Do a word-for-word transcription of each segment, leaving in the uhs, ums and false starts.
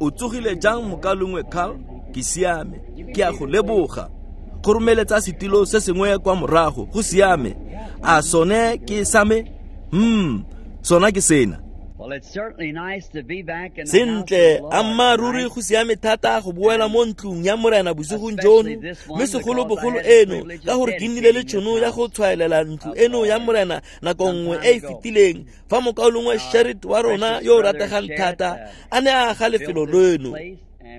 O tsogile jang mokalongwe Carl? Ke siame, ke a go leboga. Go romeletsa setilo se sengwe kwa morago, go siame. A sone ke sa me? Hmm, sona ke sena. Sentle, ammaaruri go siame thata go boela mo ntlong ya Morena bosigong jono, mme segolobogolo eno ka gore ke nnile le tšhono ya go tshwaelela ntlo eno ya Morena nako nngwe e e fetileng fa mokaulengwe Sherrit wa rona yo o rategang thata a ne a aga lefelo leno.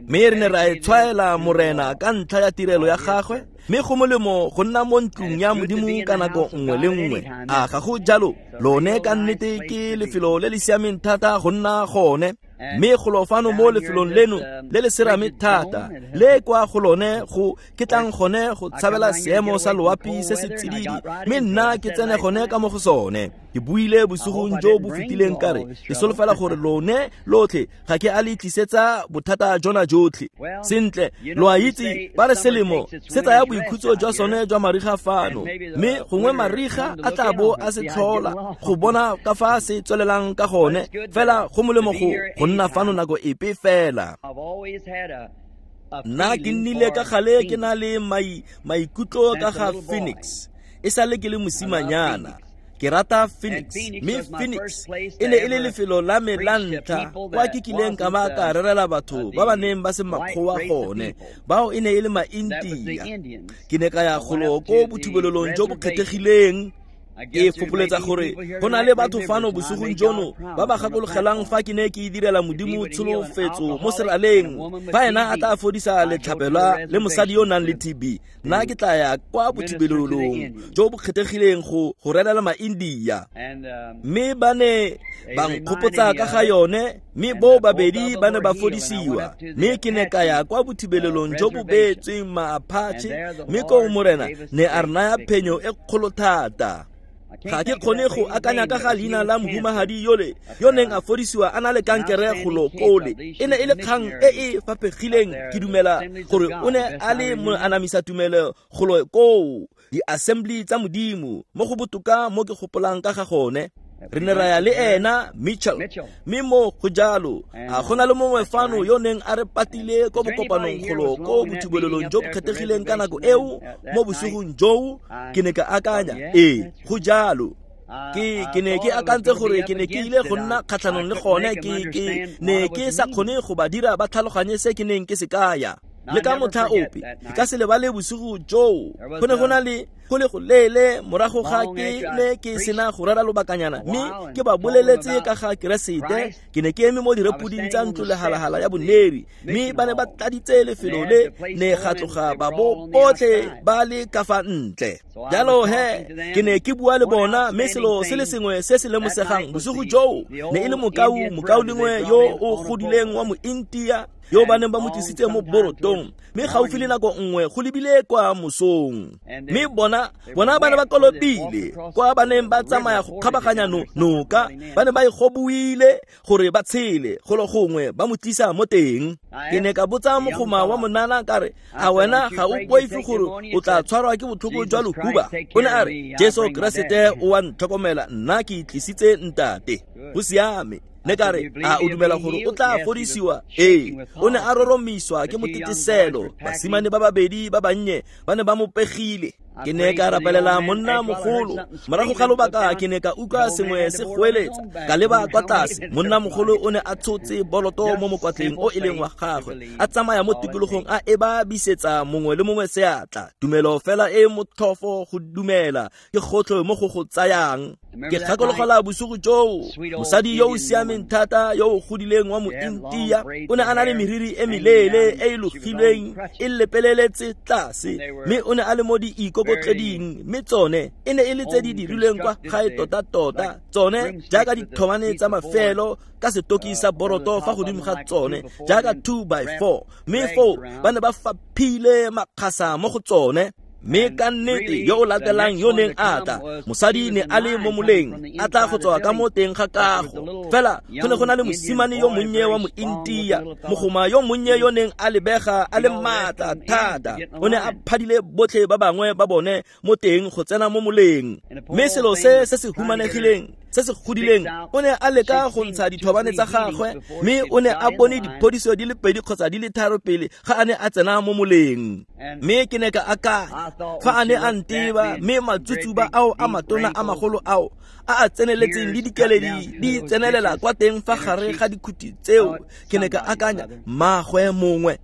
Mme re ne ra e tshwaela Morena ka ntlha ya tirelo ya gagwe, mme go molemo go nna mo ntlong ya Modimo ka nako nngwe le nngwe. A ga go jalo? Lone ka nnete ke lefelo le le siameng thata go nna gone. Mme golo fano mo lefelong leno le le serame thata, le kwa go lone go ke tlang gone go tshabela seemo sa loapi se se tsididi, mme nna ke tsene gone ka mo go sone. Ke buile bosigong jo bo fetileng ka re ke solofela gore lone lotlhe ga ke a le tlisetsa bothata jona jotlhe. Sentle, lo a itse ba re selemo se tsaya boikhutso jwa sone jwa mariga fano, mme gongwe mariga a tla bo a se tlhola go bona ka fa se tswelelang ka gone. Fela go molemo go go nna fano nako epe fela. Nna ke nnile ka gale ke na le mai maikutlo ka ga Phoenix e sale ke le mosimanyana. Ke rata Phoenix, mme Phoenix e ne e le lefelo la me la ntlha kwa ke kileng ka ba ka rerela batho ba ba neng ba se makgowa gone, bao e ne e le ma-India. Ke ne ka ya golo ko bothubelelong jo bo kgethegileng. Ke fopoletsa gore go na le batho fano bosigong jono ba ba gakologelang fa ke ne ke direla Modimo tsholofetso mo seraleng, fa ena a tla fodisa letlhapelwa le mosadi yo o nang le T B, nna ke tla ya kwa bothibelelong jo bo kgethegileng go go rerela ma-India. Mme ba ne ba nkgopotsa ka ga yone, mme bo babedi ba ne ba fodisiwa. Mme ke ne ka ya kwa bothibelelong jo bo beetsweng ma-Apache, mme koo Morena ne a re naya phenyo e kgolo thata. Ga ke kgone go akanya ka ga leina la mohumagadi yole yo neng a fodisiwa a na le kankere golo kole. E ne e le kgang e e faphegileng. Ke dumela gore o ne a le moanamisa tumelo golo koo di-assembly tsa Modimo, mo go botoka mo ke gopolang ka ga gone. Re ne ra ya le ena Mitchell, mme mo go jalo a go na le mongwe fano yo neng a re patile ko bokopanong golo ko bothubelelong jo bo kgethegileng ka nako eo mo bosigong joo. Ke ne ka akanya, ee, go jalo. Ke ke ne ke akantse gore ke ne ke ile go nna kgatlhanong le gone. Ke ke ne ke sa kgone go ba dira ba tlhaloganye se ke neng ke se kaya. Le ka motlha ope ke ka se lebale bosigo joo. Go ne go na le go le go leele morago ga ke ne ke sena go rera lobakanyana, mme ke ba boleletse ka ga Keresete. Ke ne ke eme mo direpoding tsa ntlo lehalahala ya boneri, mme ba ne ba tladitse lefelo le ne ga tloga ba bo botlhe ba le ka fa ntle. Jalo he ke ne ke bua le bona, mme selo se le sengwe se se lemosegang bosigo joo ne e le mokau mokaulengwe yo o godileng wa mo-India yo ba neng ba mo tlisitse mo borotong, mme gaufi le nako nngwe go lebile kwa mosong. Mme bona bona ba ne ba kolobile kwa ba neng ba tsamaya go kgabaganya noka, ba ne ba e gobuile gore ba tshele golo gongwe ba mo tlisa mo teng. Ke ne ka botsa mogoma wa monana ka re, a wena ga o boife gore o tla tshwarwa ke botlhoko jwa lohuba? O ne a re, Jesu Keresete o a ntlhokomela, nna ke tlisitse ntate. Go siame. Ne ka re, a o dumela gore o tla fodisiwa? Ee. O ne a roromiswa ke moteteselo. Basimane ba babedi ba bannye ba ne ba mo pegile. Ke ne ka rapelela monna mogolo. Morago ga lobaka ke ne ka utlwa sengwe se goeletsa, ka leba kwa tlase. Monna mogolo o ne a tshotse boloto mo mokwatleng o e leng wa gagwe, a tsamaya mo tikologong a e ba bisetsa mongwe le mongwe seatla. Tumelo fela e motlhofo go dumela ke gotlhe mo go go tsayang. Ke gakologelwa bosigo joo, mosadi yo o siameng thata yo o godileng wa mo-India o ne a na le meriri e meleele e e logilweng e lepeleletse tlase, mme o ne a le mo diikokotleding, mme tsone e ne e le tse di dirilweng kwa gae tota-tota, tsone jaaka dithomane tsa mafelo ka setoki sa boroto fa godimo ga tsone jaaka two by four, mme foo ba ne ba faphile makgasa mo go tsone. Mme ka nnete yo o latelang yo neng a tla, mosadi ne a le mo moleng a tla go tswa ka mo teng ga kago. Fela go ne go na le mosimane yo monnye wa mo-India, mogoma yo monnye yo neng a lebega a le maatla thata. O ne a phadile botlhe ba bangwe ba bone mo teng go tsena mo moleng. Mme selo se se se humanegileng se se godileng o ne a leka go ntsha dithobane tsa gagwe mme o ne a bone diphodiso di le pedi kgotsa di le tharo pele ga a ne a tsena mo moleng. Mme ke ne ka akanya fa a ne a nteba mme matsutsuba ao a matona a magolo ao a a tseneletseng le dikeledi di tsenelela kwa teng fa gare ga dikhuti tseo, ke ne ka akanya mmagwe mongwe.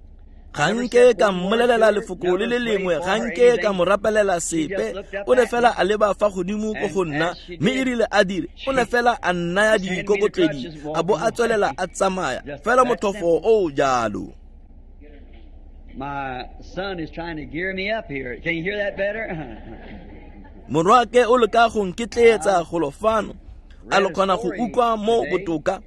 Ga nke ka mmolelela lefoko le le lengwe, ga nke ka mo rapelela sepe, o ne fela a leba fa godimo ko go nna, mme e rile a dire, o ne fela a nnaya dikokotledi, a bo a tswelela a tsamaya, fela motlhofo o o jalo. My son is trying to gear me up here. Can you hear that better? Morwake o leka go nketleetsa golo fano, a lo kgona go utlwa mo botoka.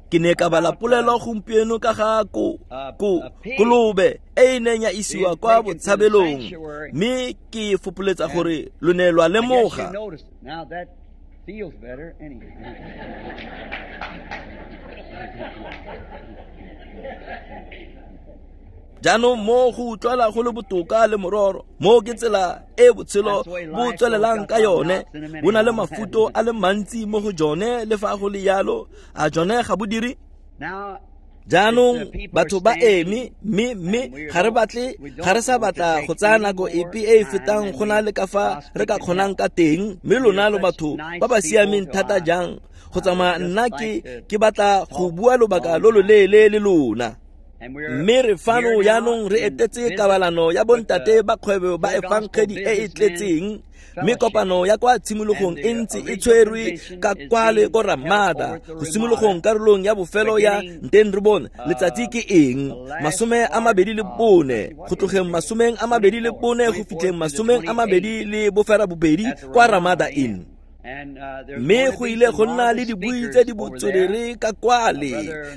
Ke ne ka bala polelo gompieno ka ga ko ko kolobe e e neng ya isiwa kwa botshabelong, mme ke fopoletsa gore lo ne lwa lemoga. Now that feels better anyway. Jaanong mo go utlwala go le botoka le mororo, mo ke tsela e botshelo bo tswelelang ka yone, bo na le mafuto a le mantsi mo go jone le fa go le yalo, a jone ga bo dire. Jaanong batho ba eme mme mme ga re batle ga re sa batla go tsaya nako epe e e fetang go na le ka fa re ka kgonang ka teng, mme lona lo batho ba ba siameng thata jang go tsamaya nna ke ke batla go bua lobaka lo loleele le lona. Mme re fano jaanong re etetse kabalano ya bontate ba kgwebo ba efankgedi e e tletseng, mme kopano ya kwa tshimologong e ntse e tshwerwe ka kwale ko Ramada go simologong karolong ya bofelo ya Nteng re bone letsatsi ke eng masome a mabedi le bone go tlogeng masomeng a mabedi le bone go fitlheng masomeng a mabedi le bofera bobedi kwa Ramada Inn. Mme go ile go nna le dibui tse di botswerere ka kwale,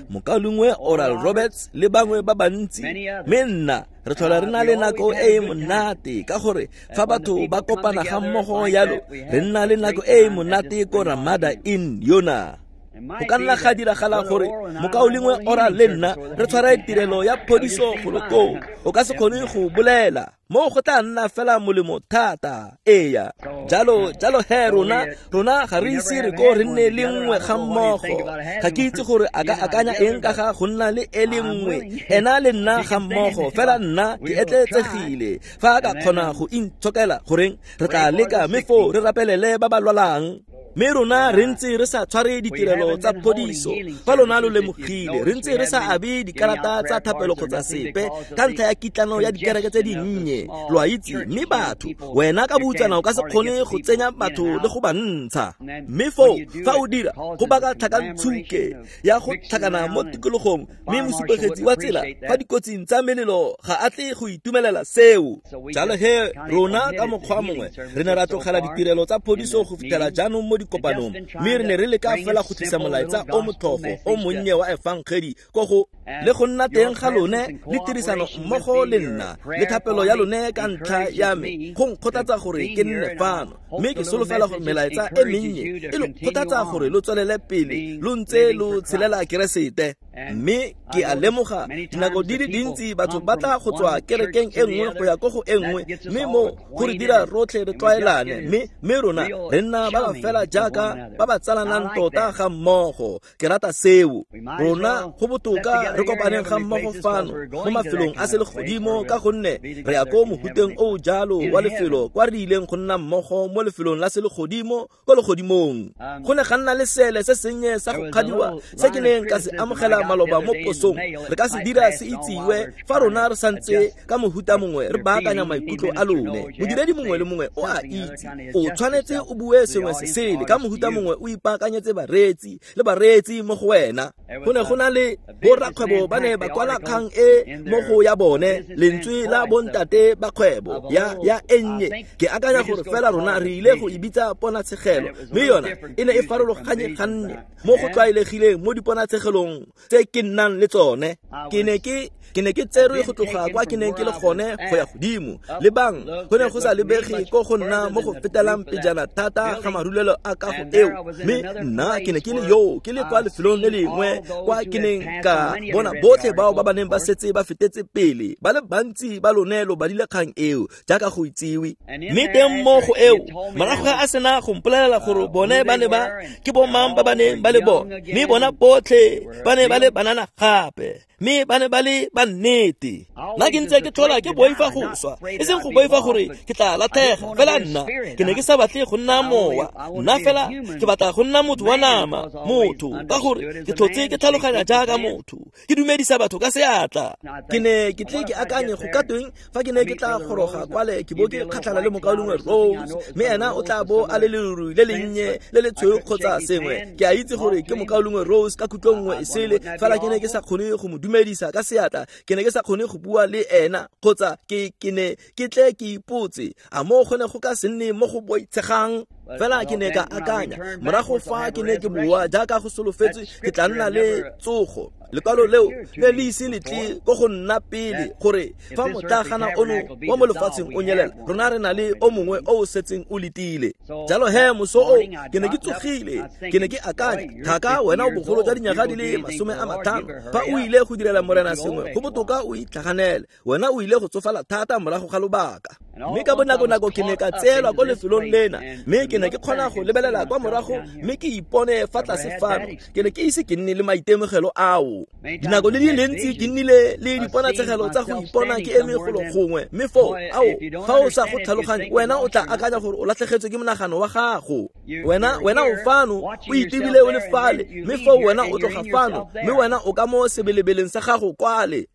mokaulengwe Oral Roberts le bangwe ba bantsi, mme nna re tlhola re na le nako e e monate ka gore fa batho ba kopana ga mmogo yalo re nna le nako e e monate ko Ramada Inn yona. Go ka nna ga diragala gore mokaulengwe Oral le nna re tshware tirelo ya phodiso golo koo, o ka se kgone go bolela mo go tla nna fela molemo thata. Eya, jalo jalo he rona rona ga re ise re ko re nne le nngwe ga mmogo. Ga ke itse gore a ka akanya eng ka ga go nna le e le nngwe ena le nna ga mmogo, fela nna ke etleetsegile fa a ka kgona go intshokela goreng re tla leka mme foo re rapelele ba ba lwalang. Mme rona re ntse re sa tshware ditirelo tsa phodiso, fa lona lo lemogile re ntse re sa abe dikarata tsa thapelo kgotsa sepe ka ntlha ya kitlano ya dikereke tse dinnye, lo a itse. Mme batho wena ka boutsana o ka se kgone go tsenya batho le go ba ntsha, mme foo fa o dira go baka tlhakantshuke ya go tlhakana mo tikologong, mme mosupegetsi wa tsela fa dikotsing tsa melelo ga a tle go itumelela seo. Jalo he rona ka mokgwa mongwe re ne ra tlogela ditirelo tsa phodiso go fitlhela jaanong mo dikopanong, mme re ne re leka fela go tlisa molaetsa o motlhofo o monnye wa efankgedi ko go le go nna teng ga lone le tirisano mmogo le nna le thapelo ya lone ka ntlha ya me go nkgothatsa gore ke nne fano, mme ke solofela gore melaetsa e mennye e lo kgothatsa gore lo tswelele pele lo ntse lo tshelela Keresete. Mme ke a lemoga dinako di le dintsi batho ba tla go tswa kerekeng e nngwe go ya ko go e nngwe, mme mo go re dira rotlhe re tlwaelane, mme mme rona re nna ba ba fela jaaka ba ba tsalanang tota ga mmogo. Ke rata seo. Rona go botoka re kopaneng ga mmogo fano mo mafelong a selegodimo ka gonne re ya ko mohuteng o o jalo wa lefelo kwa re ileng go nna mmogo mo lefelong la selegodimo ko legodimong. Go ne ga nna le seele se sennye sa go kgadiwa se ke neng ka se amogela maloba mo posong, re ka se dira se itsiwe fa rona re santse ka mohuta mongwe re baakanya maikutlo a lone. Modiredi mongwe le mongwe o a itse o tshwanetse o bue sengwe se sele ka mohuta mongwe o ipaakanyetse bareetsi le bareetsi mo go wena. Go ne go na le borakgwebo ba ne ba kwala kgang e mo go ya bone lentswe la bontate ba kgwebo ya ya e nnye. Ke akanya gore fela rona re ile go e bitsa ponatshegelo, mme yona e ne e farologanye ganne mo go tlwaelegileng mo diponatshegelong tse ke nnang le tsone. Ke ne ke ke ne ke tserwe go tloga kwa ke neng ke le gone go ya godimo. Lebang, go ne go sa lebege ko go nna mo go fetelang pejana thata ga marulelo a kago eo. Mme nna ke ne ke le yo, ke le kwa lefelong le lengwe kwa ke neng ka bona botlhe bao ba ba neng ba setse ba fetetse pele. Ba le bantsi ba lone lo badile kgang eo jaaka go itsiwe. Mme teng mo go eo, morago ga a sena go mpolelela gore bone ba ne ba ke bomang ba ba neng ba le bone, mme bona botlhe ba ne ba le banana gape, mme ba ne ba le ba nnete. Nna ke ntse ke tlhola ke boifa go swa, e seng go boifa gore ke tla latlhega, fela nna ke ne ke sa batle go nna mowa. Nna fela ke batla go nna motho wa nama, motho, ka gore ke tlhotse ke tlhaloganya jaaka motho, ke dumedisa batho ka seatla. Ke ne ke tle ke akanye go ka tweng fa ke ne ke tla goroga kwale ke bo ke kgatlhana le mokaulengwe Rose, mme ena o tla bo a le leruri le lennye le le tshweu kgotsa sengwe. Ke a itse gore ke mokaulengwe Rose ka kutlo nngwe e sele, fela ke ne ke sa kgone go mo dumedisa ka seatla, ke ne ke sa kgone go bua le ena, kgotsa ke ke ne ke tle ke ipotse a mo go ne go ka se nne mo go boitshegang. Fela ke ne ka akanya morago fa ke ne ke bua jaaka go solofetswe ke tla nna le tsogo. Lekwalo leo ne le ise le tle ko go nna pele gore fa motlagana ono wa mo lefatsheng o nyelela, rona re na le o mongwe o o setseng o letile. Jalo he moso o ke ne ke tsogile, ke ne ke akanya, thaka wena o bogolo jwa dinyaga di le masome a matlhano, fa o ile go direla morena sengwe go botoka o itlhaganele, wena o ile go tsofala thata morago ga lobaka. Mme ka bonako-nako ke ne ka tseelwa ko lefelong lena, mme ke ne ke kgona go lebelela kwa morago mme ke ipone fa tlase fano. Ke ne ke ise ke nne le maitemogelo ao. Dinako le di le ntsi ke nnile le diponatshegelo tsa go ipona ke eme golo gongwe, mme foo ao fa o sa go tlhaloganye, wena o tla akanya gore o latlhegetswe ke monagano wa gago. Wena wena o fano o itebile o le fale, mme foo wena o tloga fano, mme wena o ka mo sebelebeleng sa gago kwale.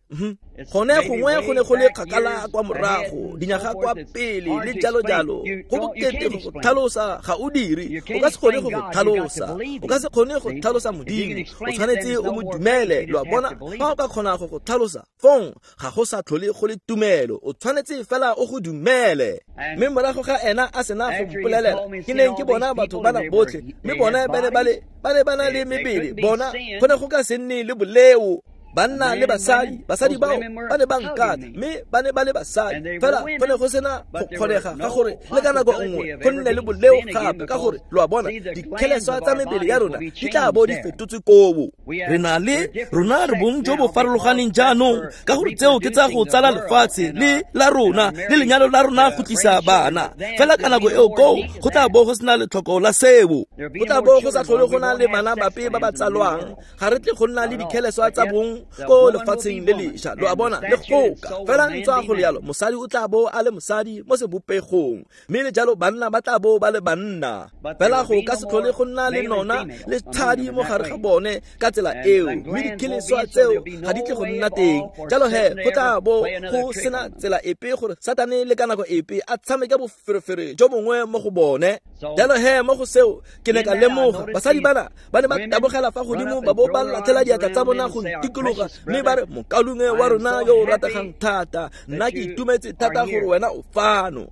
Gone gongwe go ne go le kgakala kwa morago, dinyaga kwa pele le jalo jalo. Go bokete go go tlhalosa ga o dire, o ka se kgone go go tlhalosa, o ka se kgone go tlhalosa Modimo, o tshwanetse o mo dumele. Lo a bona, fa o ka kgona go go tlhalosa, fong ga go sa tlhole go le tumelo, o tshwanetse fela o go dumele. Mme morago ga ena a sena go mpolelela, ke neng ke bona batho bana botlhe, mme bona ba ne ba le ba ne ba na le mebele, bona go ne go ka se nne le boleo. Banna le basadi, basadi bao ba ne ba nkata, mme ba ne ba le basadi. Fela go ne go sena go kgonega ga gore le ka nako nngwe go nne le boleo gape, ka gore lo a bona dikgeleswa tsa mebele ya rona di tla bo di fetotswe kobo. Re na le rona re bong jo bo farologaneng jaanong, ka gore tseo ke tsa go tsala lefatshe le la rona le lenyalo la rona go tlisa bana. Fela ka nako eo koo go tla bo go sena letlhoko la seo, go tla bo go sa tlhole go na le bana bape ba ba tsalwang. Ga re tle go nna le dikgeleswa tsa bong ko lefatsheng le lešwa, lo a bona, le goka. Fela ntswa go le yalo, mosadi o tla bo a le mosadi mo sebopegong, mme le jalo banna ba tla bo ba le banna. Fela go ka se tlhole go nna le nona le tshadi mo gare ga bone ka tsela eo, mme dikgeleswa tseo ga di tle go nna teng. Jalo he go tla bo go sena tsela epe gore Satane le ka nako epe a tshameke boferefere jo bongwe mo go bone. Jalo he mo go seo ke ne ka lemoga basadi bana ba ne ba tabogela fa godimo ba bo ba latlhela diatla tsa bona go ntikologa, mme ba re, mokaulengwe wa rona yo o rategang thata, nna ke itumetse thata gore wena o fano.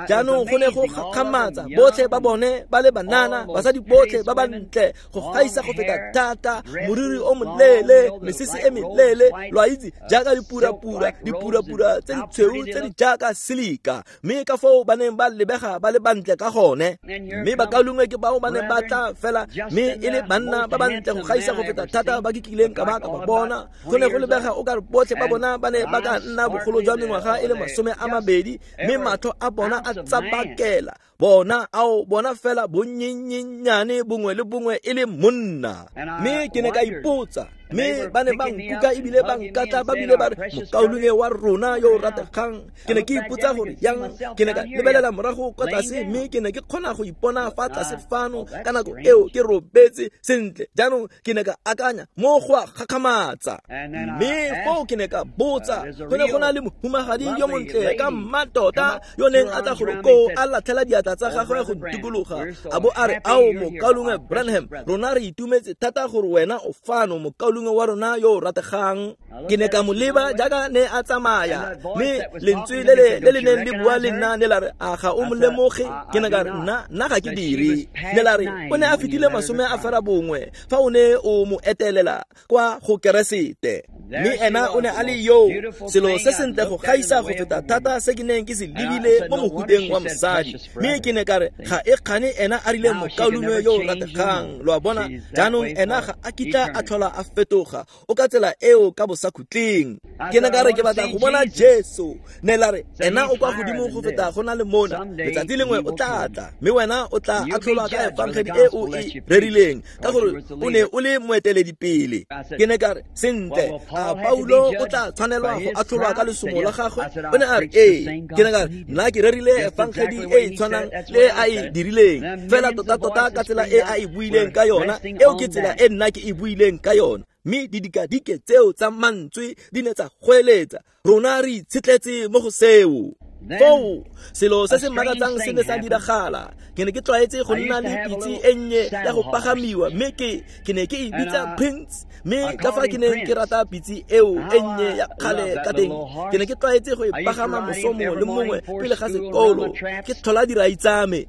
Jaanong go ne go gakgamatsa, botlhe ba bone ba le banana, basadi botlhe ba ba ntle go gaisa go feta thata, moriri o moleele, mesese e meleele, lo a itse jaaka dipurapura, dipurapura tse di tshweu tse di jaaka silika, mme ka foo ba neng ba lebega ba le bantle ka gone. Mme bakaulengwe ke bao ba neng ba tla fela, mme e le banna ba bantle go gaisa go feta thata ba ke kileng ka ba ka ba bona. Go ne go lebega o ka re botlhe ba bona ba ne ba ka nna bogolo jwa mengwaga e le masome a mabedi, mme matlho a bona a tsabakela bona ao bona fela bonnyenyenyane bongwe le bongwe e le monna. Mme ke ne ka ipotsa, mme ba ne ba nkuka ebile ba nkatla ba bile ba re, mokaulengwe wa rona yo o rategang. Ke ne ke ipotsa gore yang, ke ne ka lebelela morago kwa tlase, mme ke ne ke kgona go ipona fa tlase fano ka nako eo ke robetse sentle. Jaanong ke ne ka akanya mo go a gakgamatsa, mme foo ke ne ka botsa, go ne go na le mohumagadi yo montle ka mmatota yo neng a tla golo koo a latlhela diatla tsa gagwe go ntikologa, a bo a re, ao mokaulengwe Branham, rona re itumetse thata gore wena o fano, mokaulengwe mokaulengwe wa rona yo o rategang. Ke ne ka mo leba jaaka ne a tsamaya, mme lentswe le le le le neng le bua le nna ne la re, a ga o mo lemoge? Ke ne ka re, nna nna ga ke dire. Ne la re, o ne a fetile masome a fera bongwe fa o ne o mo etelela kwa go Keresete. Mme ena o ne a le yo selo se sentle go gaisa go feta thata se ke neng ke se lebile mo mohuteng wa mosadi. Mme ke ne ka re, ga e kgane ena a rile mokaulengwe yo o rategang. Lo a bona, jaanong ena ga a kitla a tlhola a fetoga, o ka tsela eo ka bosakhutleng. Ke ne ka re, ke batla go bona Jesu. Ne la re, ena o kwa godimo go feta go na le mona, letsatsi lengwe o tla tla, mme wena o tla atlholwa ka efangedi e o e rerileng, ka gore o ne o le moeteledipele. Ke ne ka re, sentle, a Paulo o tla tshwanelwa go atlholwa ka lesomo la gagwe? O ne a re, ee. Ke ne ka re, nna ke rerile efangedi e e tshwanang le a e dirileng, fela tota-tota ka tsela e a e buileng ka yona, eo ke tsela e nna ke e buileng ka yona. Mme didikadike tseo tsa mantswe di ne tsa goeletsa, rona re itshetletse mo go seo. Foo selo se se makatsang se ne sa diragala. Ke ne ke tlwaetse go nna le pitse e nnye ya go pagamiwa, mme ke ke ne ke e bitsa Prince. Mme ka fa ke neng ke rata pitse eo e nnye ya kgale ka teng, ke ne ke tlwaetse go e pagama moso mongwe le mongwe pele ga sekolo, ke tlhola dirai tsa me.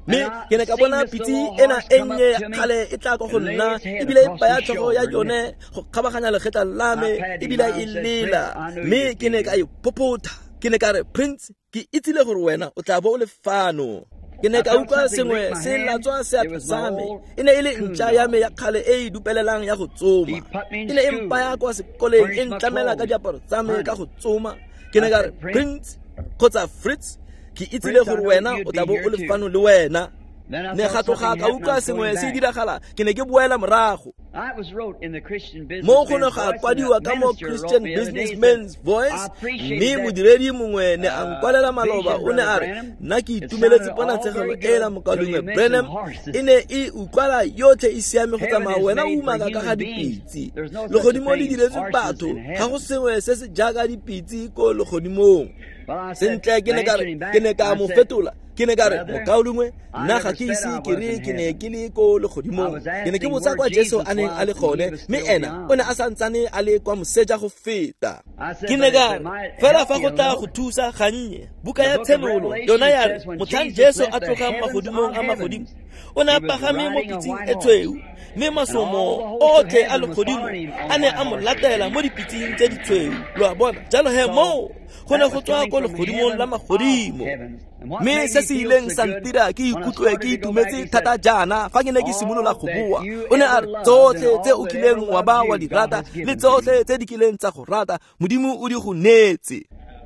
Mme ke ne ka bona pitse ena e nnye ya kgale e tla kwa go nna, ebile e baya tlhogo ya yone go kgabaganya legetla la me, ebile e lela. Mme ke ne ka e phophotha. Ke ne ka re, Prince, ke itsile gore wena o tla bo o le fano. Ke ne ka utlwa sengwe se latswa seatla sa me. E ne e le ntša ya me ya kgale e e dupelelang ya go tsoma. E ne e mpaya kwa sekoleng, e ntlamela ka diaparo tsa me ka go tsoma. Ke ne ka re, Prince kgotsa Fritz, ke itsile gore wena o tla bo o le fano le wena. Ne ga tloga ka utlwa sengwe se diragala, ke ne ke boela morago. Mo go ne ga kwadiwa ka mo Christian Businessman's Voice, mme modiredi mongwe ne a nkwalela maloba, o ne a re, nna ke itumeletse ponatshegelo e la mokaulengwe Branham, e ne e utlwala yotlhe e siame go tsamaya wena o umaka ka ga dipitse. Legodimo le diretswe batho, ga go sengwe se se jaaka dipitse ko legodimong. Sentle, ke ne ka re, ke ne ka mo fetola. Ke ne ka re, mokaulengwe, nna ga ke ise ke re ke ne ke le ko legodimong. Ke ne ke botsa kwa Jesu a neng a le gone, mme ena o ne a santsane a le kwa moseja go feta. Ke ne ka re, fela fa go tla go thusa gannye, buka ya Tshenolo yona ya re, motlhang Jesu a tlogang magodimong a magodimo, o ne a pagame mo pitseng e tshweu, mme masomo otlhe a legodimo a ne a mo latela mo dipitseng tse di tshweu. Lo a bona, jalo he moo go ne go tswa ko legodimong la magodimo. Mme se se ileng sa ntira ke ikutlwe ke itumetse thata jaana fa ke ne ke simolola go bua, o ne a re, tsotlhe tse o kileng wa ba wa di rata le tsotlhe tse di kileng tsa go rata, Modimo o di go neetse.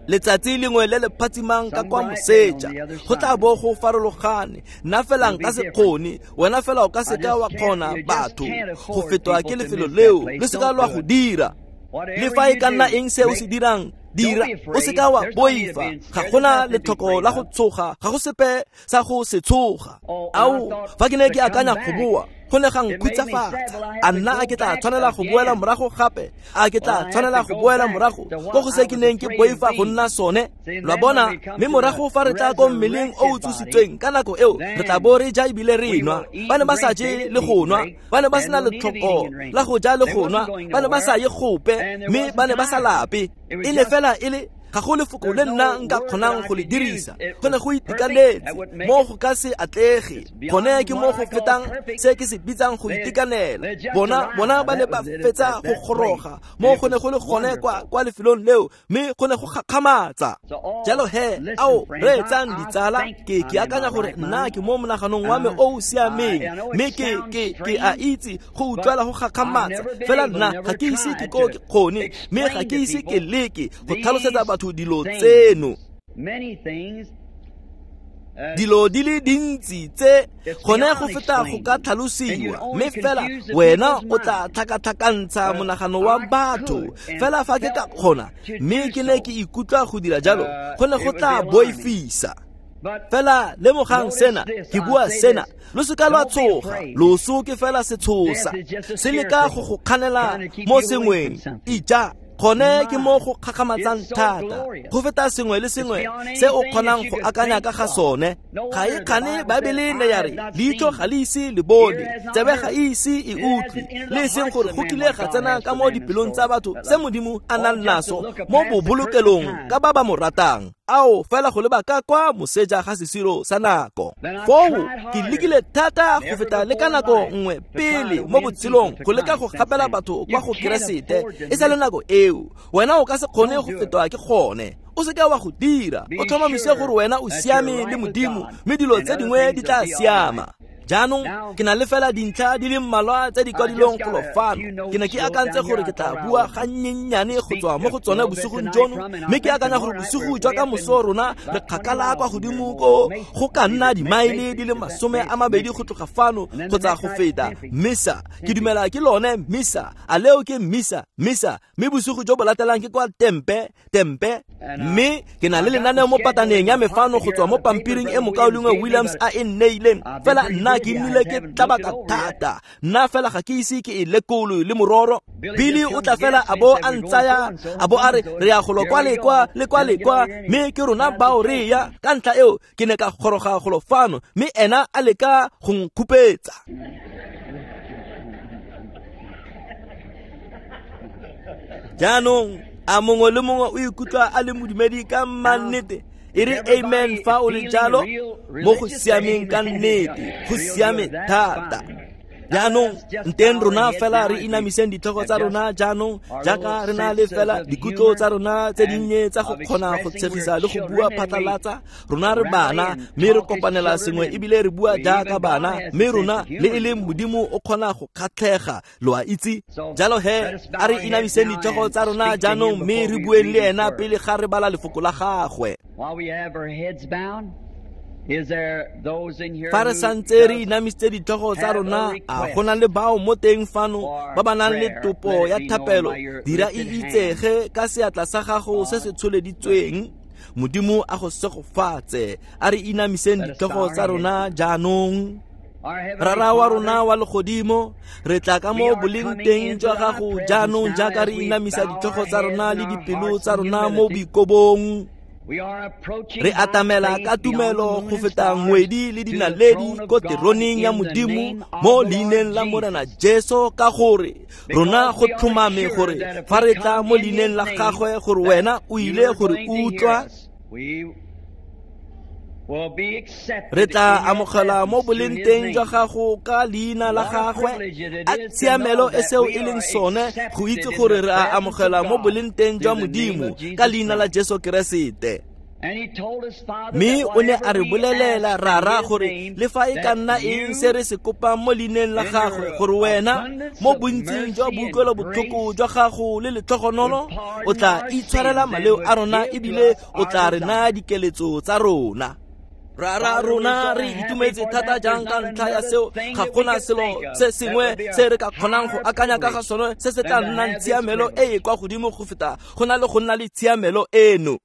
Letsatsi lengwe le le phatsimang ka kwa moseja go tla bo go farologane. Nna fela nka se kgone, wena fela o ka seka wa kgona batho go fetwa ke lefelo leo, le seka lwa go dira. Le fa e ka nna eng se o se dirang, dira, o seka wa boifa. Ga gona letlhoko la go tshoga, ga go sepe sa go se tshoga. Ao, fa ke ne ke akanya go boa, go ne ga nkhutsafatsa. A nna a ke tla tshwanela go boela morago gape? A ke tla tshwanela go boela morago ko go se ke neng ke boifa go nna sone? Lo a bona, mme morago fa re tla ko mmeleng o o tsositsweng ka nako eo, re tla bo re ja ebile re nwa. Ba ne ba sa je le go nwa, ba ne ba sena letlhoko la go ja le go nwa, ba ne ba sa ye gope, mme ba ne ba sa lape. E ne fela e le ga go lefoko le nna nka kgonang go le dirisa, go ne go itekanetse mo go ka se atlege. Gone ke mo go fetang se ke se bitsang go itekanela. Bona bona ba ne ba fetsa go goroga mo go ne go le gone kwa kwa lefelong leo, mme go ne go gakgamatsa. Jalo he, ao reetsang ditsala, ke ke akanya gore nna ke mo monaganong wa me o o siameng, mme ke ke ke a itse go utlwala go gakgamatsa, fela nna ga ke ise ke ko ke kgone, mme ga ke ise ke leke go tlhalosetsa batho dilo tseno. Dilo di le dintsi tse gone go feta go ka tlhalosiwa, mme fela wena o tla tlhakatlhakantsha monagano wa batho. Fela fa ke ka kgona, mme ke ne ke ikutlwa go dira jalo, go ne go tla boifisa. Fela lemogang sena, ke bua sena, lo seka lwa tshoga. Loso ke fela setshosa, se leka go go kganela mo sengweng. Ija Gone ke mo go kgakgamatsang thata go feta sengwe le sengwe se o kgonang go akanya ka ga sone. Ga e kgane Baebele ne ya re leitlho ga le ise le bone, tsebe ga e ise e utlwe, le e seng gore go kile ga tsena ka mo dipelong tsa batho se Modimo a nang naso mo bobolokelong ka ba ba mo ratang. Ao fela go leba ka kwa moseja ga sesiro sa nako. Foo ke lekile thata go feta le ka nako nngwe pele mo botshelong go leka go gapela batho kwa go Keresete e sa le nako eo. Wena o ka se kgone go fetwa ke gone. O seka wa go dira. O tlhomamise gore wena o siame le Modimo, mme dilo tse dingwe di tla siama. Jaanong ke na le fela dintlha di le mmalwa tse di kwadilweng golo fano. Ke ne ke akantse gore ke tla bua gannyennyane go tswa mo go tsone bosigong jono, mme ke akanya gore bosigo jwa ka moso rona re kgakala kwa godimo ko go ka nna dimaele di le masome a mabedi go tloga fano kgotsa go feta. Misa, ke dumela ke lone misa, a leo ke misa, misa, mme bosigo jo bo latelang ke kwa Tempe, Tempe. Mme ke na le lenaneo mo pataneng ya me fano go tswa mo pampiring e mokaulengwe Williams a e nneileng. Fela nna ke nnile ke tlabaka thata, nna fela ga ke ise ke e lekolo le mororo. Billy o tla fela a bo a ntsaya, a bo a re re ya golo kwa le kwa le kwa le kwa, mme ke rona bao re ya. Ka ntlha eo ke ne ka goroga golo fano, mme ena a leka go nkhupetsa. Jaanong a mongwe le mongwe o ikutlwa a le modumedi ka mannete? E re amen fa o le jalo. Mo go siameng ka nnete, go siame thata. Jaanong nteng rona fela re inamiseng ditlhogo tsa rona jaanong, jaaka re na le fela dikutlo tsa rona tse dinnye tsa go kgona go tshegisa le go bua phatlalatsa. Rona re bana, mme re kopanela sengwe ebile re bua jaaka bana, mme rona le e leng Modimo o kgona go kgatlhega, lo a itse. Jalo he a re inamiseng ditlhogo tsa rona jaanong, mme re bueng le ena pele ga re bala lefoko la gagwe. Fa re santse re inamisitse ditlhogo tsa rona, a go na le bao mo teng fano ba ba nang le topo ya thapelo? Dira e itsege ka seatla sa gago se se tsholeditsweng. Modimo a go segofatse. A re inamiseng ditlhogo tsa rona jaanong. Rara wa rona wa legodimo, re tla ka mo boleng teng jwa gago jaanong jaaka re inamisa ditlhogo tsa rona le dipelo tsa rona mo boikobong. Re atamela ka tumelo go feta ngwedi le dinaledi ko teroneng ya Modimo mo leineng la Morena Jesu, ka gore rona go tlhomame gore fa re tla mo leineng la gagwe gore wena o ile gore utlwa. Re tla amogela mo boleng teng jwa gago ka leina la gagwe. A tshiamelo e seo e leng sone go itse gore re a amogela mo boleng teng jwa Modimo ka leina la Jesu Keresete. Mme o ne a re bolelela Rara gore le fa e ka nna eng se re se kopang mo leineng la gagwe, gore wena mo bontsing jwa boutlwelobotlhoko jwa gago le letlhogonolo o tla itshwarela maleo a rona ebile o tla re naya dikeletso tsa rona. Rara rona re itumetse thata jang ka ntlha ya seo. Ga gona selo se sengwe se re ka kgonang go akanya ka ga sone se se tla nnang tshiamelo e e kwa godimo go feta go na le go nna le tshiamelo eno.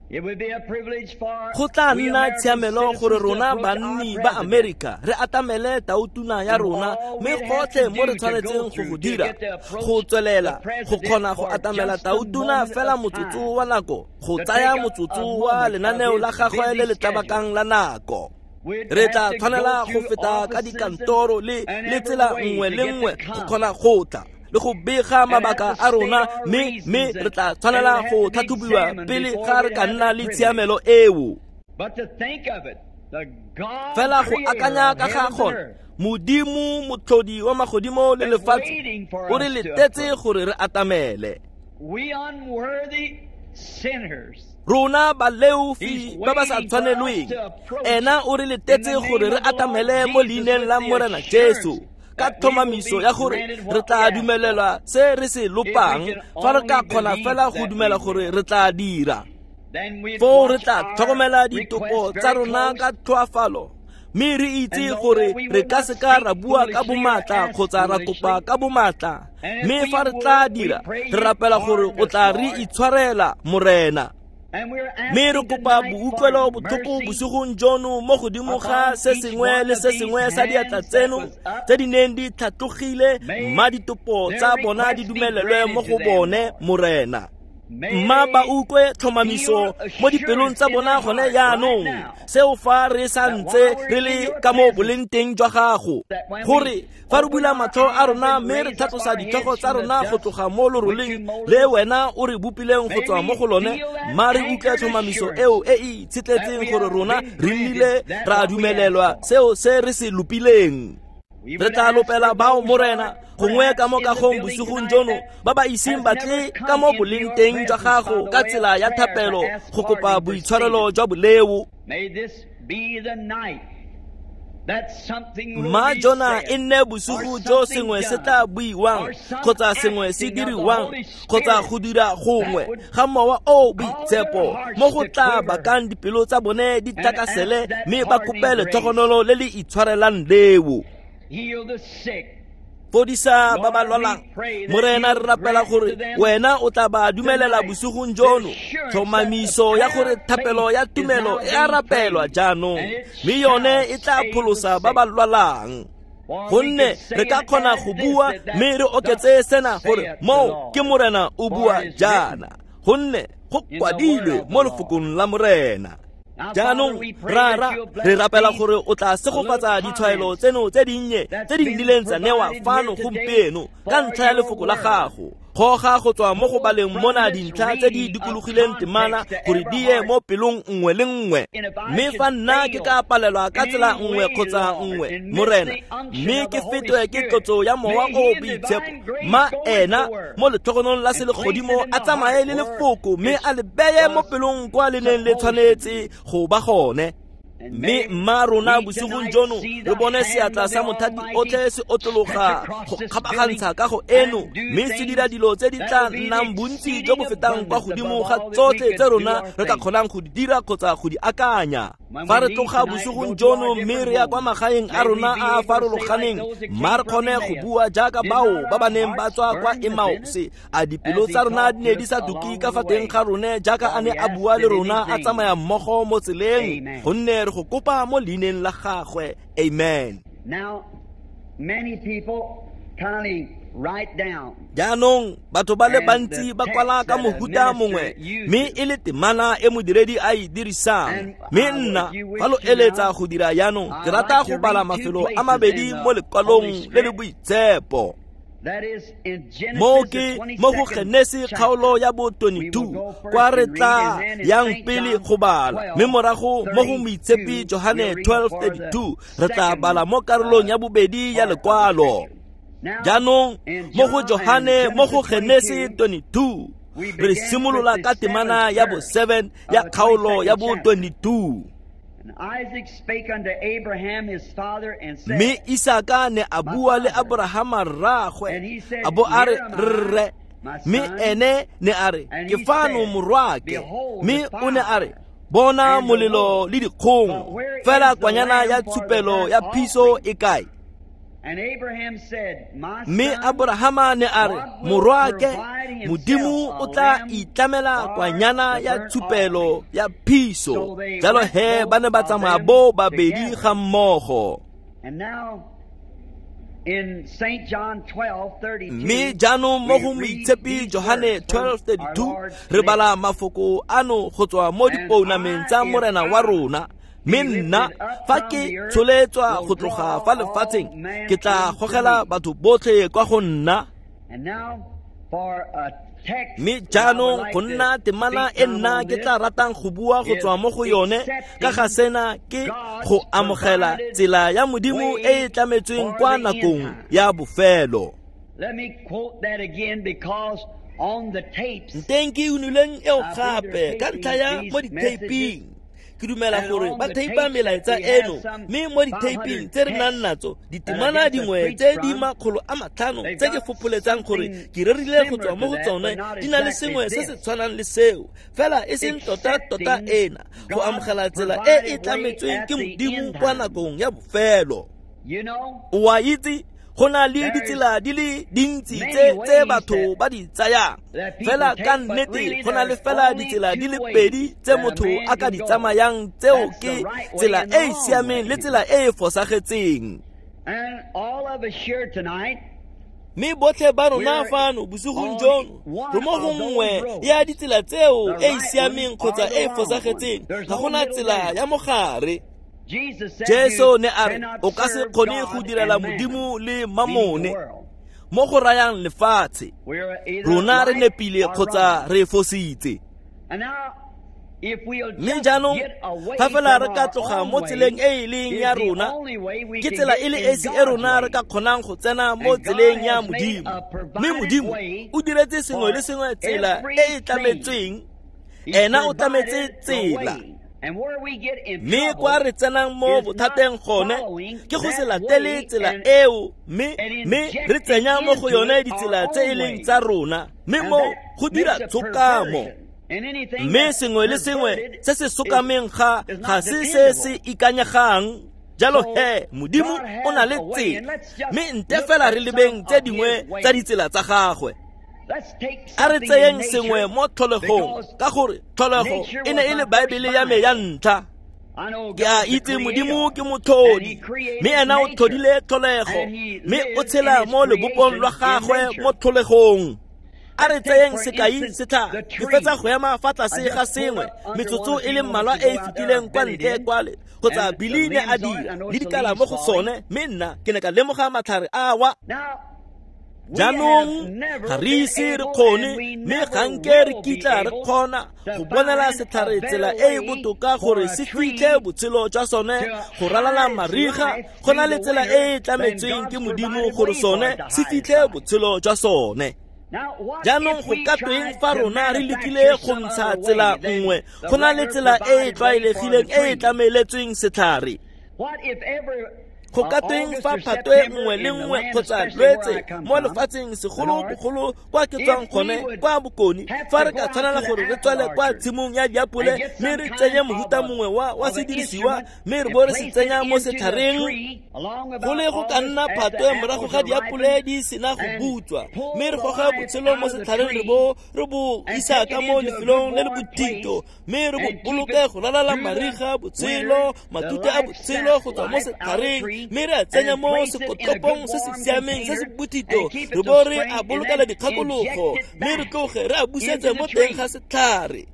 Go tla nna tshiamelo gore rona banni ba Amerika re atamele tautuna ya rona, mme gotlhe mo re tshwanetseng go go dira go tswelela go kgona go atamela tautuna fela motsotso wa nako, go tsaya motsotso wa lenaneo la gagwe le le tlabakang la nako. Re tla tshwanela go feta ka dikantoro le le tsela nngwe le nngwe go kgona go tla le go bega mabaka a rona, mme mme re tla tshwanela go tlhatlhobiwa pele ga re ka nna le tshiamelo eo. Fela go akanya ka ga gone, Modimo motlhodi wa magodimo le lefatshe o re letetse gore re atamele. Rona baleofi ba ba sa tshwanelweng, ena o re letetse gore re atamele mo leineng la Morena Jesu ka tlhomamiso ya gore re tla dumelelwa se re se lopang fa re ka kgona fela go dumela gore re tla dira. Foo re tla tlhokomela ditopo tsa rona ka tlhoafalo, mme re itse gore re ka seka ra bua ka bomatla kgotsa ra kopa ka bomatla, mme fa re tla dira re rapela gore o tla re itshwarela Morena. Mme re kopa boutlwelo botlhoko bosigong jono mo godimo ga se sengwe le se sengwe sa diatla tseno tse di neng di tlhatlogile, mma ditopo tsa bona di dumelelwe mo go bone Morena. Mma ba utlwe tlhomamiso mo dipelong tsa bona gone jaanong, seo fa re sa ntse re le ka mo boleng teng jwa gago, gore fa re bula matlho a rona mme re tlhatlosa ditlhogo tsa rona go tloga mo loroleng le wena o re bopileng go tswa mo go lone, mma re utlwe tlhomamiso eo e e itshetletseng gore rona re nnile ra dumelelwa seo se re se lopileng. Re tla lopela bao Morena gongwe ka mo kagong bosigong jono ba ba iseng batle ka mo boleng teng jwa gago ka tsela ya thapelo go kopa boitshwarelo jwa boleo. Mma jona e nne bosigo jo sengwe se tla buiwang kgotsa sengwe se diriwang kgotsa go dira gongwe ga mowa o boitshepo mo go tla bakang dipelo tsa bone di tlakasele mme ba kope letlhogonolo le le itshwarelang leo. Fodisa ba ba lwalang Morena, re rapela gore wena o tla ba dumelela bosigong jono tlhomamiso ya gore thapelo ya tumelo e a rapelwa jaanong, mme yone e tla pholosa ba ba lwalang. Gonne re ka kgona go bua mme re oketse sena gore moo ke Morena o bua jaana, gonne go kwadilwe mo lefokong la Morena. Jaanong rara re rapela gore o tla segofatsa ditshwaelo tseno tse dinnye tse di nnileng tsa newa fano gompieno ka ntlha ya lefoko la gago. Goga go tswa mo go baleng mona dintlha tse di dikologileng temana gore di ye mo pelong nngwe le nngwe. Mme fa nna ke ka palelwa ka tsela nngwe kgotsa nngwe, Morena, mme ke fetwe ke tlotso ya mowa o boitshepo, ma ena mo letlhogonong la selegodimo a tsamaye le lefoko mme a le beye mo pelong kwa le neng le tshwanetse go ba gone. Mme mma rona bosigong jono re bone seatla sa mothati otlhe se otlologa go kgabagantsha kago eno mme se dira dilo tse di tla nnang bontsi jo bo fetang kwa godimo ga tsotlhe tse rona re ka kgonang go di dira kgotsa go di akanya. Fa re tloga bosigong jono mme re ya kwa magaeng a rona a a farologaneng, mma re kgone go bua jaaka bao ba ba neng ba tswa kwa Emmaus, a dipelo tsa rona di ne di sa duke ka fa teng ga rone jaaka a ne a bua le rona a tsamaya mmogo mo tseleng, gonne re go kopa mo leineng la gagwe. Amen. Now, many people kindly write down. Jaanong batho ba le bantsi ba kwala ka mohuta mongwe mme e le temana e modiredi a e dirisang. Mme nna fa lo eletsa go dira jaanong, ke rata go bala mafelo a mabedi mo lekwalong le le boitshepo. Mo ke mo go Genesi kgaolo ya bo twenty-two kwa re tla yang pele go bala, mme morago mo go Moitshepi Johane twelve thirty-two re tla bala mo karolong ya bobedi ya lekwalo. Jaanong mo go Johane mo go Genesi twenty-two re simolola ka temana ya bo seven ya kgaolo ya bo twenty-two. Mme Isaka ne a bua le Abrahama rraagwe, a bo a re rre, mme ene ne a re ke fano morwake, mme o ne a re bona molelo le dikgong, fela kwanyana ya tshupelo ya phiso e kae? Mme Abrahama ne a re morwake, Modimo o tla itlamela kwanyana ya tshupelo ya phiso. Jalo he ba ne ba tsamaya bo babedi ga mmogo. Mme jaanong mo go Moitshepi Johane twelve thirty-two re bala mafoko ano go tswa mo dipounameng tsa Morena wa rona. Mme nna fa ke tsholetswa go tloga fa lefatsheng, ke tla gogela batho botlhe kwa go nna. Mme jaanong go nna temana e nna ke tla ratang go bua go tswa mo go yone ka ga sena ke go amogela tsela ya Modimo e e tlametsweng kwa nakong ya bofelo. Nteng ke unileng eo gape ka ntlha ya mo dithaping. Ke dumela gore ba theipa melaetsa eno, mme mo ditheiping tse re nang natso ditemana dingwe tse di makgolo a matlhano tse ke fopholetsang gore ke rerile go tswa mo go tsone di na le sengwe se se tshwanang le seo, fela e seng tota-tota ena, go amogela tsela e e tlametsweng ke Modimo kwa nakong ya bofelo. O a itse go na le ditsela di le dintsi tse tse batho ba di tsayang, fela ka nnete go na le fela ditsela di le pedi tse motho a ka di tsamayang, tseo ke tsela e e siameng le tsela e e fosagetseng. Mme botlhe ba rona fano bosigong jono re mo go nngwe ya ditsela tseo e e siameng kgotsa e e fosagetseng. Ga gona tsela ya mogare. Jesu ne a re o ka se kgone go direla Modimo le mamone, mo go rayang lefatshe. Rona re nepile kgotsa re fositse. Mme jaanong fa fela re ka tloga mo tseleng e e leng ya rona, ke tsela e le esi e rona re ka kgonang go tsena mo tseleng ya Modimo. Mme Modimo o diretse sengwe le sengwe tsela e e tlametsweng. Ena o tlametse tsela. Mme kwa re tsenang mo bothateng gone ke go se latele tsela eo, mme mme re tsenya mo go yone ditsela tse e leng tsa rona, mme mo go dira tshokamo. Mme sengwe le sengwe se se sokameng ga ga se se se ikanyegang. Jalo he, Modimo o na le tsela, mme nte fela re lebeng tse dingwe tsa ditsela tsa gagwe. A re tseyeng sengwe mo tlholegong, ka gore tlholego e ne e le Baebele ya me ya ntlha. Ke a itse Modimo ke motlhodi, mme ena o tlhodile tlholego, mme o tshela mo lebopong lwa gagwe mo tlholegong. A re tseyeng sekai setlhare. Ke fetsa go ema fa tlase ga sengwe metsotso e le mmalwa e e fetileng kwa ntle kwale, kgotsa Billy ne a dira le dikala mo go sone, mme nna ke ne ka lemoga matlhare a wa. Jaanong ga re ise re kgone, mme ga nke re kitla re kgona go bonela setlhare tsela e e botoka gore se fitlhe botshelo jwa sone go ralala mariga, go na le tsela e e tlametsweng ke Modimo gore sone se fitlhe botshelo jwa sone. Jaanong go ka tweng fa rona re lekile go ntsha tsela nngwe go na le tsela e e tlwaelegileng e e tlameletsweng setlhare? Go ka tweng fa phatwe nngwe le nngwe kgotsa lwetse mo lefatsheng, segolobogolo kwa ke tswang gone kwa bokone, fa re ka tshwanela gore re tswele kwa tshimong ya diapole mme re tsenye mohuta mongwe wa wa sedirisiwa mme re bo re se tsenya mo setlhareng, go le go ka nna phatwe morago ga diapole di sena go butswa, mme re goga botshelo mo setlhareng re bo re bo isa ka mo lefelong le le bothito, mme re bo boloke go ralala mariga, botshelo, matute a botshelo go tswa mo setlhareng, mme re a tsenya mo sekotlopong se se siameng se se bothito, re bo re a bolokela dikgakologo, mme re tloge re a busetse mo teng ga setlhare.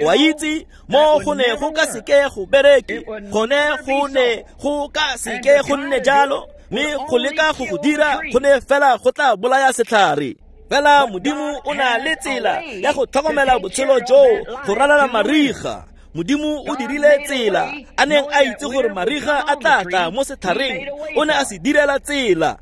Wa itse mo go ne go ka seke go bereke, gone go ne go ka seke go nne jalo, mme go leka go go dira go ne fela go tla bolaya setlhare. Fela Modimo o na le tsela ya go tlhokomela botshelo joo go ralala mariga. Modimo o dirile tsela, a neng a itse gore mariga a tla tla mo setlhareng, o ne a se direla tsela.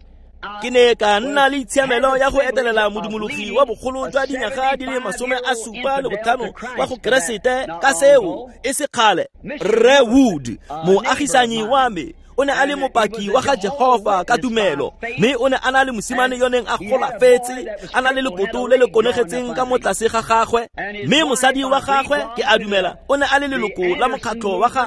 Ke ne ka nna le itshiamelo ya go etelela modumologi wa bogolo jwa dinyaga di le masome a supa le botlhano wa go Keresete ka seo e se kgale. Rre Wood, moagisanyi wa me, o ne a le mopaki wa ga Jehova ka tumelo, mme o ne a na le mosimane yo neng a golafetse, a na le lekoto le le konegetseng ka mo tlase ga gagwe, mme mosadi wa gagwe, ke a dumela, o ne a le leloko la mokgatlho wa ga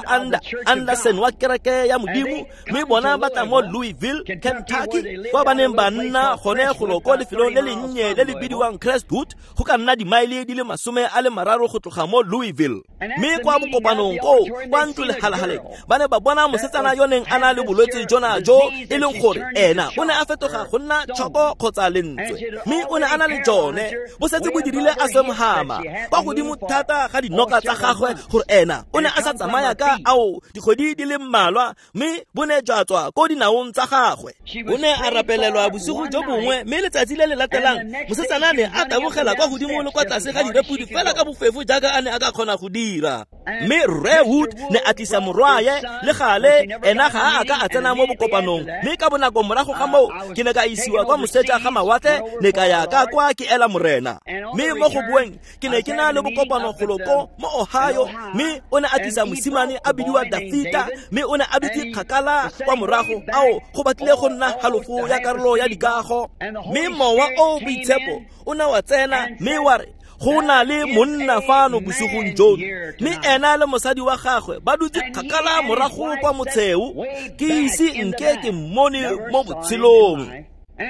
Anderson wa kereke ya Modimo, mme bona ba tla mo Louisville, Kentucky, kwa ba neng ba nna gone golo ko lefelong le lennye le le bidiwang Crestwood, go ka nna dimaele di le masome a le mararo go tloga mo Louisville. Mme kwa bokopanong koo kwa ntlo lehalahaleng, ba ne ba bona mosetsana yo neng a na le bolwetse jona jo e leng gore ena o ne a fetoga go nna tšhoko kgotsa lentswe, mme o ne a na le jone bo setse bo dirile a semhama kwa godimo thata ga dinoka tsa gagwe gore ena o ne a sa tsamaya ka ao dikgwedi di le mmalwa, mme bo ne jwa tswa ko dinaong tsa gagwe. O ne a rapelelwa bosigo jo bongwe, mme letsatsi le le latelang mosetsana ne a tabogela kwa godimo le kwa tlase ga direpodi fela ka bofefo jaaka a ne a ka kgona go dira. Mme Rre Wood ne a tlisa morwaye le gale, ena ga a ka a tsena mo bokopanong, mme ka bonako morago ga moo ke ne ka isiwa kwa moseja ga mawatle, ne ka ya ka kwa ke ela morena. Mme mo go boeng ke ne ke na le bokopano golo ko mo Ohio, mme o ne a tlisa mosimane a bidiwa Dafita, mme o ne a dutse kgakala kwa morago ao go batlile go nna halofo ya karolo ya dikago. Mme mowa o boitshepo o ne wa tsena mme wa re go na le monna fano bosigong jono, mme ena le mosadi wa gagwe ba dutse kgakala morago kwa motsheo, ke ise nke ke mmone mo botshelong.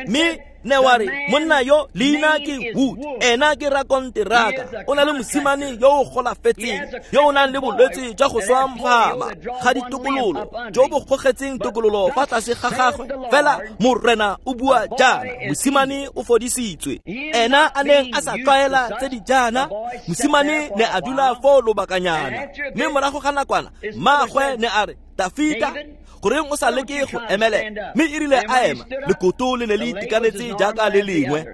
Mme Ne wa re monna yo leina ke Wood, ena ke rakonteraka, o na le mosimane yo o golafetseng, yo o nang le bolwetse jwa go swa mphama ga ditokololo jo bo gogetseng tokololo fa tlase ga gagwe. Fela Morena o bua jaana, mosimane o fodisitswe. Ena a neng a sa tlwaela tse di jaana, mosimane ne a dula foo lobakanyana. Mme morago ga nakwana mmaagwe ne a re, Dafita, goreng o sa leke go emelela? Mme e rile a ema, lekoto le ne le itekanetse jaaka le lengwe.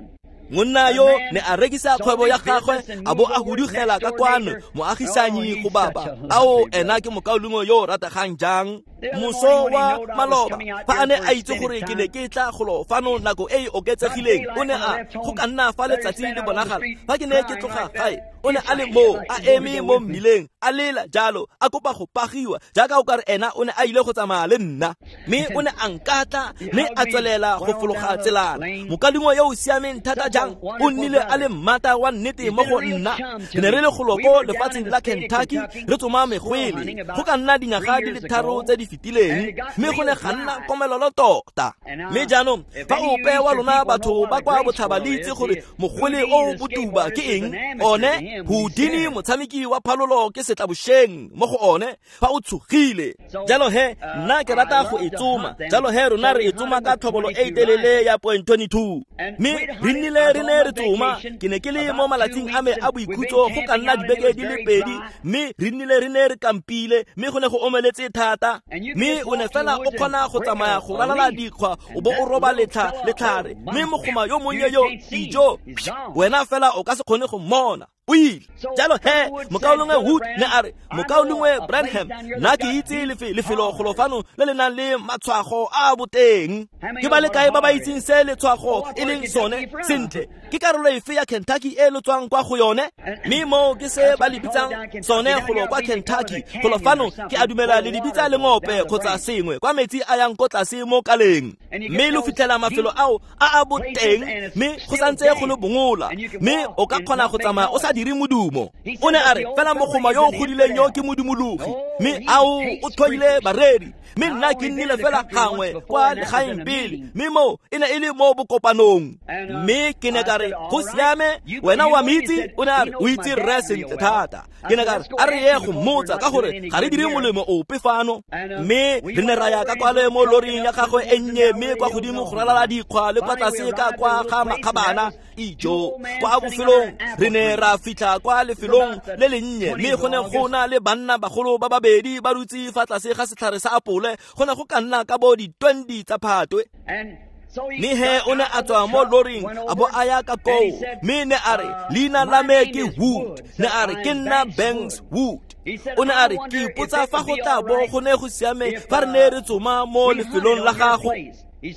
Monna yo ne a rekisa kgwebo ya gagwe a bo a hudugela ka kwano moagisanyi go baba. Ao, ena ke mokaulengwe yo o rategang jang. Moso wa maloba fa a ne a itse gore ke ne ke tla golo fano nako e e oketsegileng, o ne a go ka nna fa letsatsi le bonagala fa ke ne ke tloga gae, o ne a le moo a eme mo mmileng a lela jalo a kopa go pagiwa jaaka o kare ena o ne a ile go tsamaya le nna. Mme o ne a nkatla mme a tswelela go fologa tselana. Mokaulengwe yo o siameng thata jang, o nnile a le mmata wa nnete mo go nna. Re ne re le golo ko lefatsheng la Kentucky re tsoma megwele go ka nna dinyaga di le tharo tse di fetileng, mme go ne ga nna komelelo tota. Mme jaanong fa ope wa lona batho ba kwa botlhaba le itse gore mogwele o botuba ke eng, one Houdini motshameki wa phalolo ke setlabošeng mo go one fa o tshogile. Jalo he nna ke rata go e tsoma, jalo he rona re e tsoma ka tlhobolo e telele ya point twenty-two. Mme re nnile re ne re tsoma, ke ne ke le mo malatsing a me a boikhutso go ka nna dibeke di le pedi, mme re nnile re ne re kampile, mme go ne go omeletse thata. Mme o ne fela o kgona go tsamaya go ralala dikgwa o bo o roba letlha letlhare, mme mogoma yo monnye yo ijo wena fela o ka se kgone go mmona, o ile. Jalo he mokaulengwe Wood ne a re, mokaulengwe Branham, nna ke itse lefelo golo fano le le nang le matshwago a boteng. Ke ba le kae ba ba itseng se letshwago e leng sone? Sentle, ke karolo efe ya Kentucky e lo tswang kwa go yone? Mme moo ke se ba le bitsang sone golo kwa Kentucky. Golo fano ke a dumela le le bitsa lengope kgotsa sengwe kwa metsi a yang ko tlase mo kaleng. Mme lo fitlhela mafelo ao a a boteng, mme go santse go le bongola, mme o ka kgona go tsamaya o sa dire modumo. O ne a re fela mogoma yo o godileng yo ke modumologi, mme ao o tlhoile bareri. Mme nna ke nnile fela gangwe kwa legaeng pele, mme moo e ne e le mo bokopanong. Mme ke ne ka re, go siame, wena wa metsi? O ne a re, o itse rre sentle thata. Ke ne ka re, a re ye go mmotsa ka gore ga re dire molemo ope fano. Mme re ne ra ya ka kwale mo loring ya gagwe e nnye, mme kwa godimo go ralala dikgwa le kwa tlase ka kwa ga makgabana. Ijo, kwa bofelong re ne ra fitlha kwa lefelong le lennye, mme go ne go na le banna bagolo ba babedi ba dutse fa tlase ga setlhare sa apole. Go ne go ka nna ka bo di twenty tsa Phatwe. Mme he o ne a tswa mo loring a bo a ya ka koo, mme ne a re, leina la me ke Wood. Ne a re, ke nna Banks Wood. O ne a re, ke ipotsa fa go tla bo go ne go siame fa re ne re tsoma mo lefelong la gago.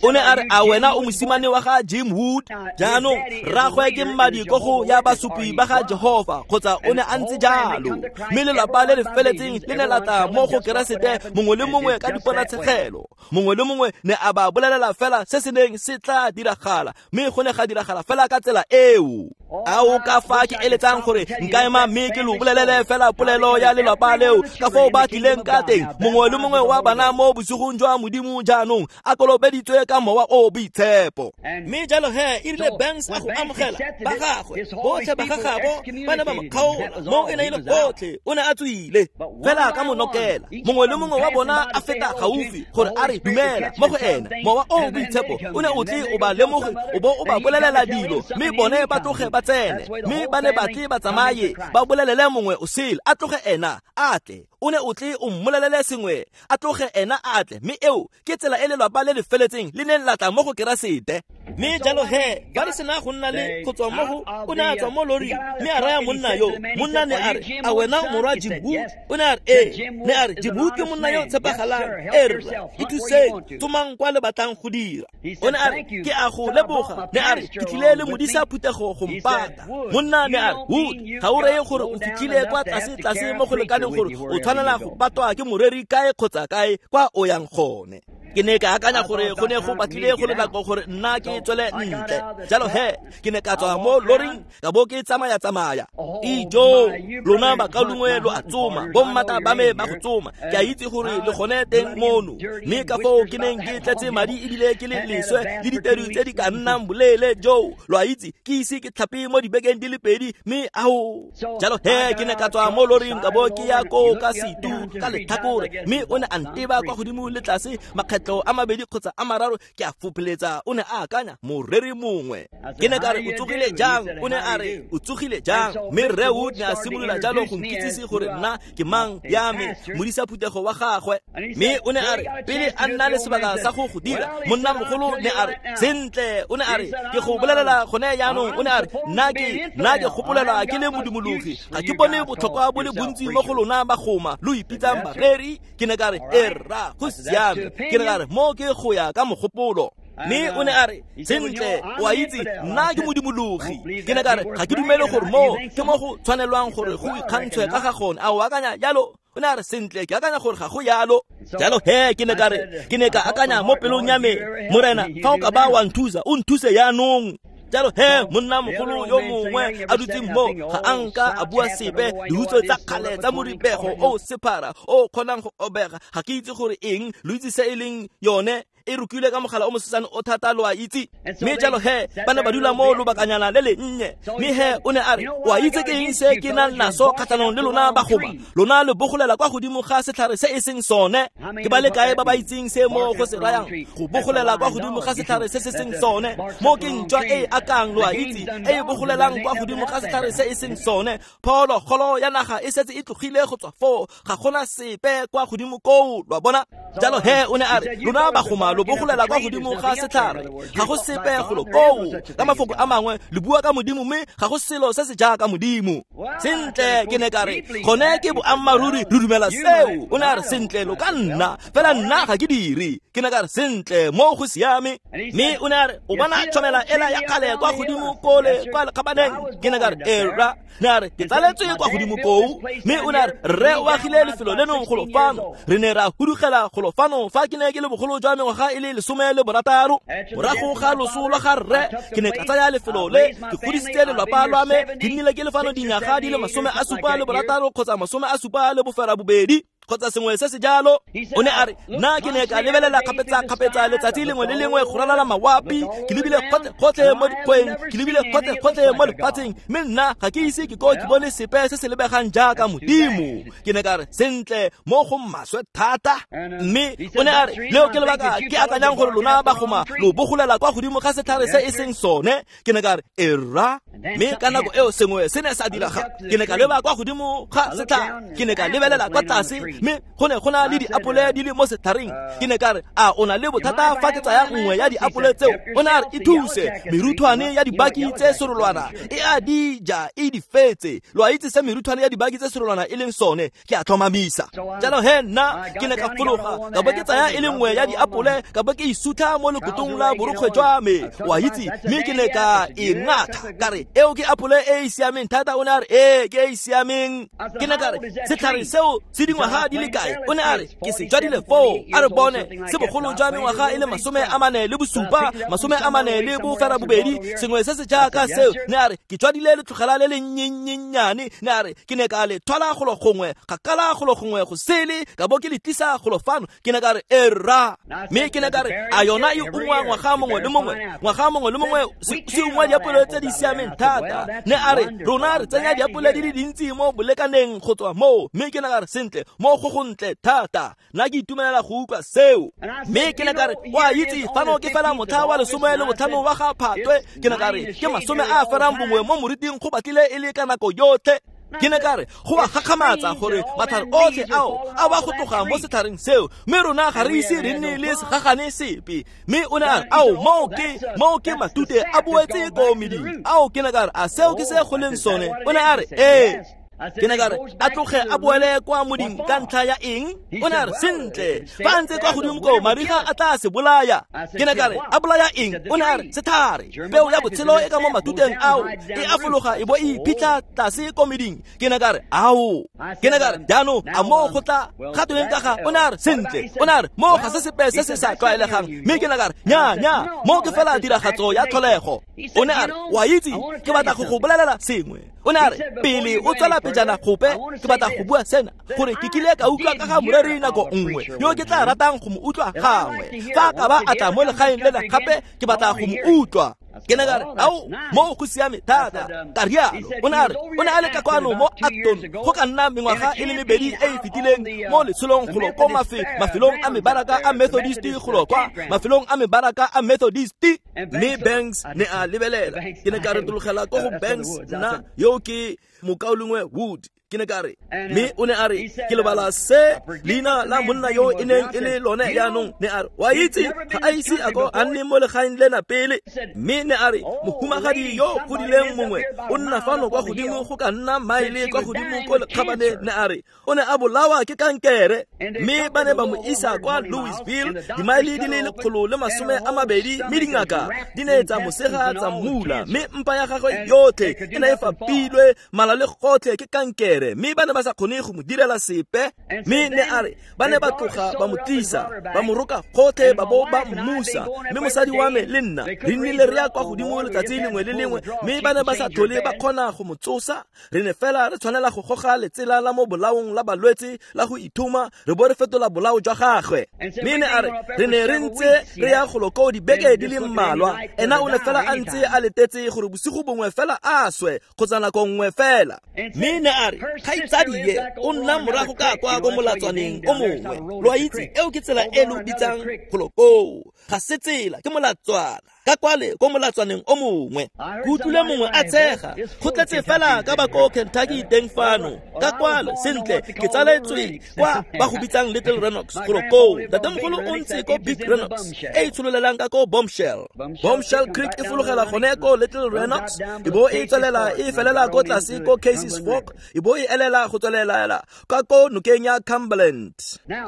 O ne a re, a wena o mosimane wa ga Jim Wood? Jaanong rraagwe ke mmadi ko go ya basupi ba ga Jehova, kgotsa o ne a ntse jalo. Mme lelapa le le feletseng le ne la tla mo go Keresete, mongwe le mongwe ka diponatshegelo. Mongwe le mongwe ne a ba bolelela fela se se neng se tla diragala, mme go ne ga diragala fela ka tsela eo. Ao ka fa ke eletsang gore nka ema mme ke lo bolelele fela polelo ya lelapa leo ka foo ba tlileng ka teng. Mongwe le mongwe wa bana mo bosigong jwa Modimo jaanong a kolobeditswe ka mowa o boitshepo. Mme jalo he e rile Banks a go amogela ba gagwe botlhe ba gagabo ba ne ba mo kgaola mo e ne e le gotlhe, o ne a tswile fela ka monokela. Mongwe le mongwe wa bona a feta gaufi gore a re dumela mo go ena. Mowa o boitshepo o ne o tle o ba lemoge o bo o ba bolelela dilo, mme bone ba tloge ba tsene, mme ba ne ba tle ba tsamaye ba bolelele mongwe o sele, a tloge ena a tle. O ne o tle o mmolelele sengwe, a tloge ena a tle. Mme eo ke tsela e lelapa le le feletseng le neng la tla mo go Keresete. Mme jalo he ba re sena go nna le go tswa mo go, o ne a tswa mo loring mme a raya monna yo. Monna ne a re, a wena morwa Jim Wood? O ne a re, ee. Ne a re, Jim Wood ke monna yo tshepagalang. E rra, ithuseng, tsomang kwa le batlang go dira. O ne a re, ke a go leboga. Ne a re, ke tlile le modisa phuthego go mpata. Monna ne a re, Wood, ga o reye gore o fitlhile kwa tlase tlase mo go lekaneng gore o tshwanela go patwa ke moreri kae kgotsa kae kwa o yang gone. Ke ne ka akanya gore go ne go batlile go le nako gore nna ke tswele ntle. Jalo he, ke ne ka tswa mo loring ka bo ke tsamaya tsamaya. Ijo, lona bakaulengwe lo a tsoma, bommata ba me ba go tsoma. Ke a itse gore le gone teng mono. Mme ka foo ke neng ke tletse madi ebile ke le leswe le ditedu tse di ka nnang boleele joo. Lo a itse, ke ise ke tlhape mo dibekeng di le pedi, mme ao. Jalo he, ke ne ka tswa mo loring ka bo ke ya ko ka setu ka letlhakore, mme o ne a nteba kwa godimo le tlase makgetlo a mabedi kgotsa a mararo. Ke a fopholetsa o ne a akanya moreri mongwe. Ke ne ka re o tsogile jang? O ne a re o tsogile jang? Mme rre Wood ne a simolola jalo go nkitsise gore nna ke mang ya me, modisa phuthego wa gagwe. Mme o ne a re pele a nna le sebaka sa go go dira, monna mogolo ne a re sentle. O ne a re ke go bolelela gone jaanong. O ne a re nna ke nna ke gopolelwa ke le modumologi, ga ke bone botlhokwa bo le bontsi mo go lona bagoma lo ipitsang bareri. Ke ne ka re e rra, go siame. Ke ne ka re mo ke go ya ka mogopolo. Mme o ne a re sentle, o a itse nna ke modumologi. Ke ne ka re ga ke dumele gore mo ke mo go tshwanelwang gore go ikgantshwe ka ga gone. A o akanya jalo? O ne a re sentle, ke akanya gore ga go yalo. Jalo he, ke ne ka re ke ne ka akanya mo pelong ya me, Morena, fa o ka ba wa nthusa, o nthuse jaanong. Jalo he, monna mogolo yo mongwe a dutseng mo ga a nka a bua sepe. Dihutso tsa kgale tsa moribego o sephara o kgonang go obega, ga ke itse gore eng, lo itse se e leng yone, e rukilwe ka mogala o mosesane o thata, lo a itse. Mme jalo he, ba ne ba dula mo lobakanyana le le nnye. Mme he, o ne a re o a itse ke eng se ke nang naso kgatlhanong le lona bagoma? Lona le bogolela kwa godimo ga setlhare se e seng sone. Ke ba le kae ba ba itseng se mo go se rayang go bogolela kwa godimo ga setlhare se se seng sone? Mo ke ntšwa e akang, lo a itse, e e bogolelang kwa godimo ga setlhare se e seng sone. Phologolo ya naga e setse e tlogile go tswa foo, ga gona sepe kwa godimo koo, lo a bona. Jalo he, o ne a re lona bagoma lo bogolela kwa godimo ga setlhare, ga go sepe golo koo. Ka mafoko a mangwe, le bua ka modimo mme ga go selo se se jaaka modimo. Sentle, ke ne ka re gone ke boammaaruri, re dumela seo. O ne a re sentle, lo ka nna fela nna ga ke dire. Ke ne ka re sentle, mo go siame. Mme o ne a re o bona tshwanela ela ya kgale kwa godimo kole kwa lekgabaneng. Ke ne ka re era. Ne a re ke tsaletswe kwa godimo koo. Mme o ne a re rre o agile lefelo leno golo fano, re ne ra hudugela golo fano fa ke ne ke le bogolo jwa mengwaga e le lesome le borataro. Morago ga loso lwa ga rre, ke ne ka tsaya lefelo le, ke godisitse lelapa lwa me, ke nnile ke le fano dinyaga di le masome a supa le borataro kgotsa masome a supa le bofera bobedi kgotsa sengwe se se jalo. O ne a re nna ke ne ka lebelela kgapetsa-kgapetsa letsatsi lengwe le lengwe go ralala mawapi, ke lebile gotlhe-gotlhe mo dikgweng, ke lebile gotlhe-gotlhe mo lefatsheng, mme nna ga ke ise ke ko ke bone sepe se se lebegang jaaka modimo. Ke ne ka re sentle, mo go maswe thata. Mme o ne a re leo ke lebaka ke akanyang gore lona bagoma lo bogolela kwa godimo ga setlhare se e seng sone. Ke ne ka re era. Mme ka nako eo sengwe se ne sa diraga. Ke ne ka leba kwa godimo ga setlhare, ke ne ka lebelela kwa tlase, mme go ne go na le diapole di le mo setlhareng. Ke ne ka re a o na le bothata fa ke tsaya nngwe ya diapole tseo? O ne a re e thuse, meruthwane ya dibaki tse serolwana e a di ja e di fetse. Lo a itse se meruthwane ya dibaki tse serolwana e leng sone, ke a tlhomamisa. Jalo he, nna ke ne ka fologa ka bo ke tsaya e le nngwe ya diapole, ka bo ke isutha mo lekotong la borokgwe jwa me, o a itse, mme ke ne ka e ngatha ka re eo ke apole e e siameng thata. O ne a re ee, ke e e siameng. Ke ne ka re setlhare seo se dingwaga di le kae? O ne a re ke se jwadile foo. A re bone se bogolo jwa mengwaga e le masome a mane le bosupa, masome a mane le bofera bobedi, sengwe se se jaaka seo. Ne a re ke jwadile letlogela le le nnyennyane. Ne a re ke ne ka le thwala golo gongwe, ga kala golo gongwe go sele, ka bo ke le tlisa golo fano. Ke ne ka re era. Mme ke ne ka re a yona e ungwa ngwaga mongwe le mongwe, ngwaga mongwe le mongwe se ungwa diapole tse di siameng thata. Ne a re rona re tsenya diapole di le dintsi mo bolekaneng go tswa moo. Mme ke ne ka re sentle, mo go gontle thata, nna ke itumelela go utlwa seo. Mme ke ne ka re o a itse fano ke fela motlha wa lesome le botlhano wa ga Phatwe. Ke ne ka re ke masome a ferang bongwe mo moriting go batlile e le ka nako yotlhe. Ke ne ka re go a gakgamatsa gore matlhare otlhe ao a wa go tloga mo setlhareng seo, mme rona ga re ise re nne le segagane sepe. Mme o ne a re ao, moo ke moo ke matute a boetse ko meding ao. Ke ne ka re a seo ke se go leng sone? O ne a re ee. Ke ne ka re a tloge a boele kwa moding ka ntlha ya eng? O ne a re sentle fa a ntse kwa godimo koo mariga a tla se bolaya. Ke ne ka re a bolaya eng? O ne a re sethare peo ya botshelo e ka mo matuteng ao e a fologa e bo e iphitlha tlase ko meding. Ke ne ka re ao. Ke ne ka re jaanong a moo go tla ga tweng ka ga? O ne a re sentle. O ne a re moo ga se sepe se se sa tlwaelegang. Mme ke ne ka re nya nya moo ke fela tiragatso ya tlholego. O ne a re wa itse ke batla go go bolelela sengwe. O ne a re pele o tswela pejana gope ke batla go bua sena gore ke kile ka utlwa ka ga moreri nako nngwe yo ke tla ratang go mo utlwa gangwe. Fa ka ba a tla mo legaeng lena gape ke batla go mo utlwa. Ke ne ka re ao mo go siame thata ka rialo. O ne a re o ne a le ka kwano mo Acton go ka nna mengwaga e le mebedi e e fetileng mo letsholong golo ko mafelong a mebaraka a Methodist golo kwa mafelong a mebaraka a Methodist. Mme Banks ne a lebelela. Ke ne ka retologela ko go Banks nna yo ke mokaulengwe Wood. Ke ne ka re mme o ne a re ke lebala se leina la monna yo e neng e le lone jaanong. Ne a re wa itse ga a ise a ko a nne mo legaeng lena pele. Mme ne a re mohumagadi yo godileng mongwe o nna fano kwa godimo go ka nna maele kwa godimo ko lekgabane. Ne a re o ne a bolawa ke kankere mme ba ne ba mo isa kwa Louisville dimaele di le lekgolo le masome a mabedi mme dingaka di ne tsa mosega tsa mmula mme mpa ya gagwe yotlhe e ne e fapilwe mala le gotlhe ke kankere mme ba ne ba sa kgone go mo direla sepe. Mme ne a re ba ne ba tloga ba mo tlisa ba mo roka gotlhe ba bo ba mmusa. Mme mosadi wa me le nna re nnile re ya kwa godimo letsatsi lengwe le lengwe mme ba ne ba sa tlhole ba kgona go mo tsosa. Re ne fela re tshwanela go goga letsela la mo bolaong la balwetse la go ithuma re bo re fetola bolao jwa gagwe. Mme ne a re re ne re ntse re ya golo koo dibeke di le mmalwa. Ena o ne fela a ntse a letetse gore bosigo bongwe fela a swe kgotsa nako nngwe fela. Mme ne a re kgaitsadie o nna morago ka kwa ko molatswaneng o mongwe. Lo a itse eo ke tsela e lo bitsang golo koo. Ga se tsela ke molatswana ka kwale ko molatswaneng o mongwe. Ke utlwile mongwe a tshega go tletse fela ka ba ko Kentucky teng fano ka kwale. Sentle ke tsaletswe kwa ba go bitsang Little Renox golo koo. Ntatemogolo o ntse ko Big Renox e e tshololelang ka ko Bombshell. Bombshell Creek e fologela gone ko Little Renox e bo e tswelela e felela ko tlase ko Casey's Fork e bo e elela go tswelela ka ko nokeng ya Cumberland.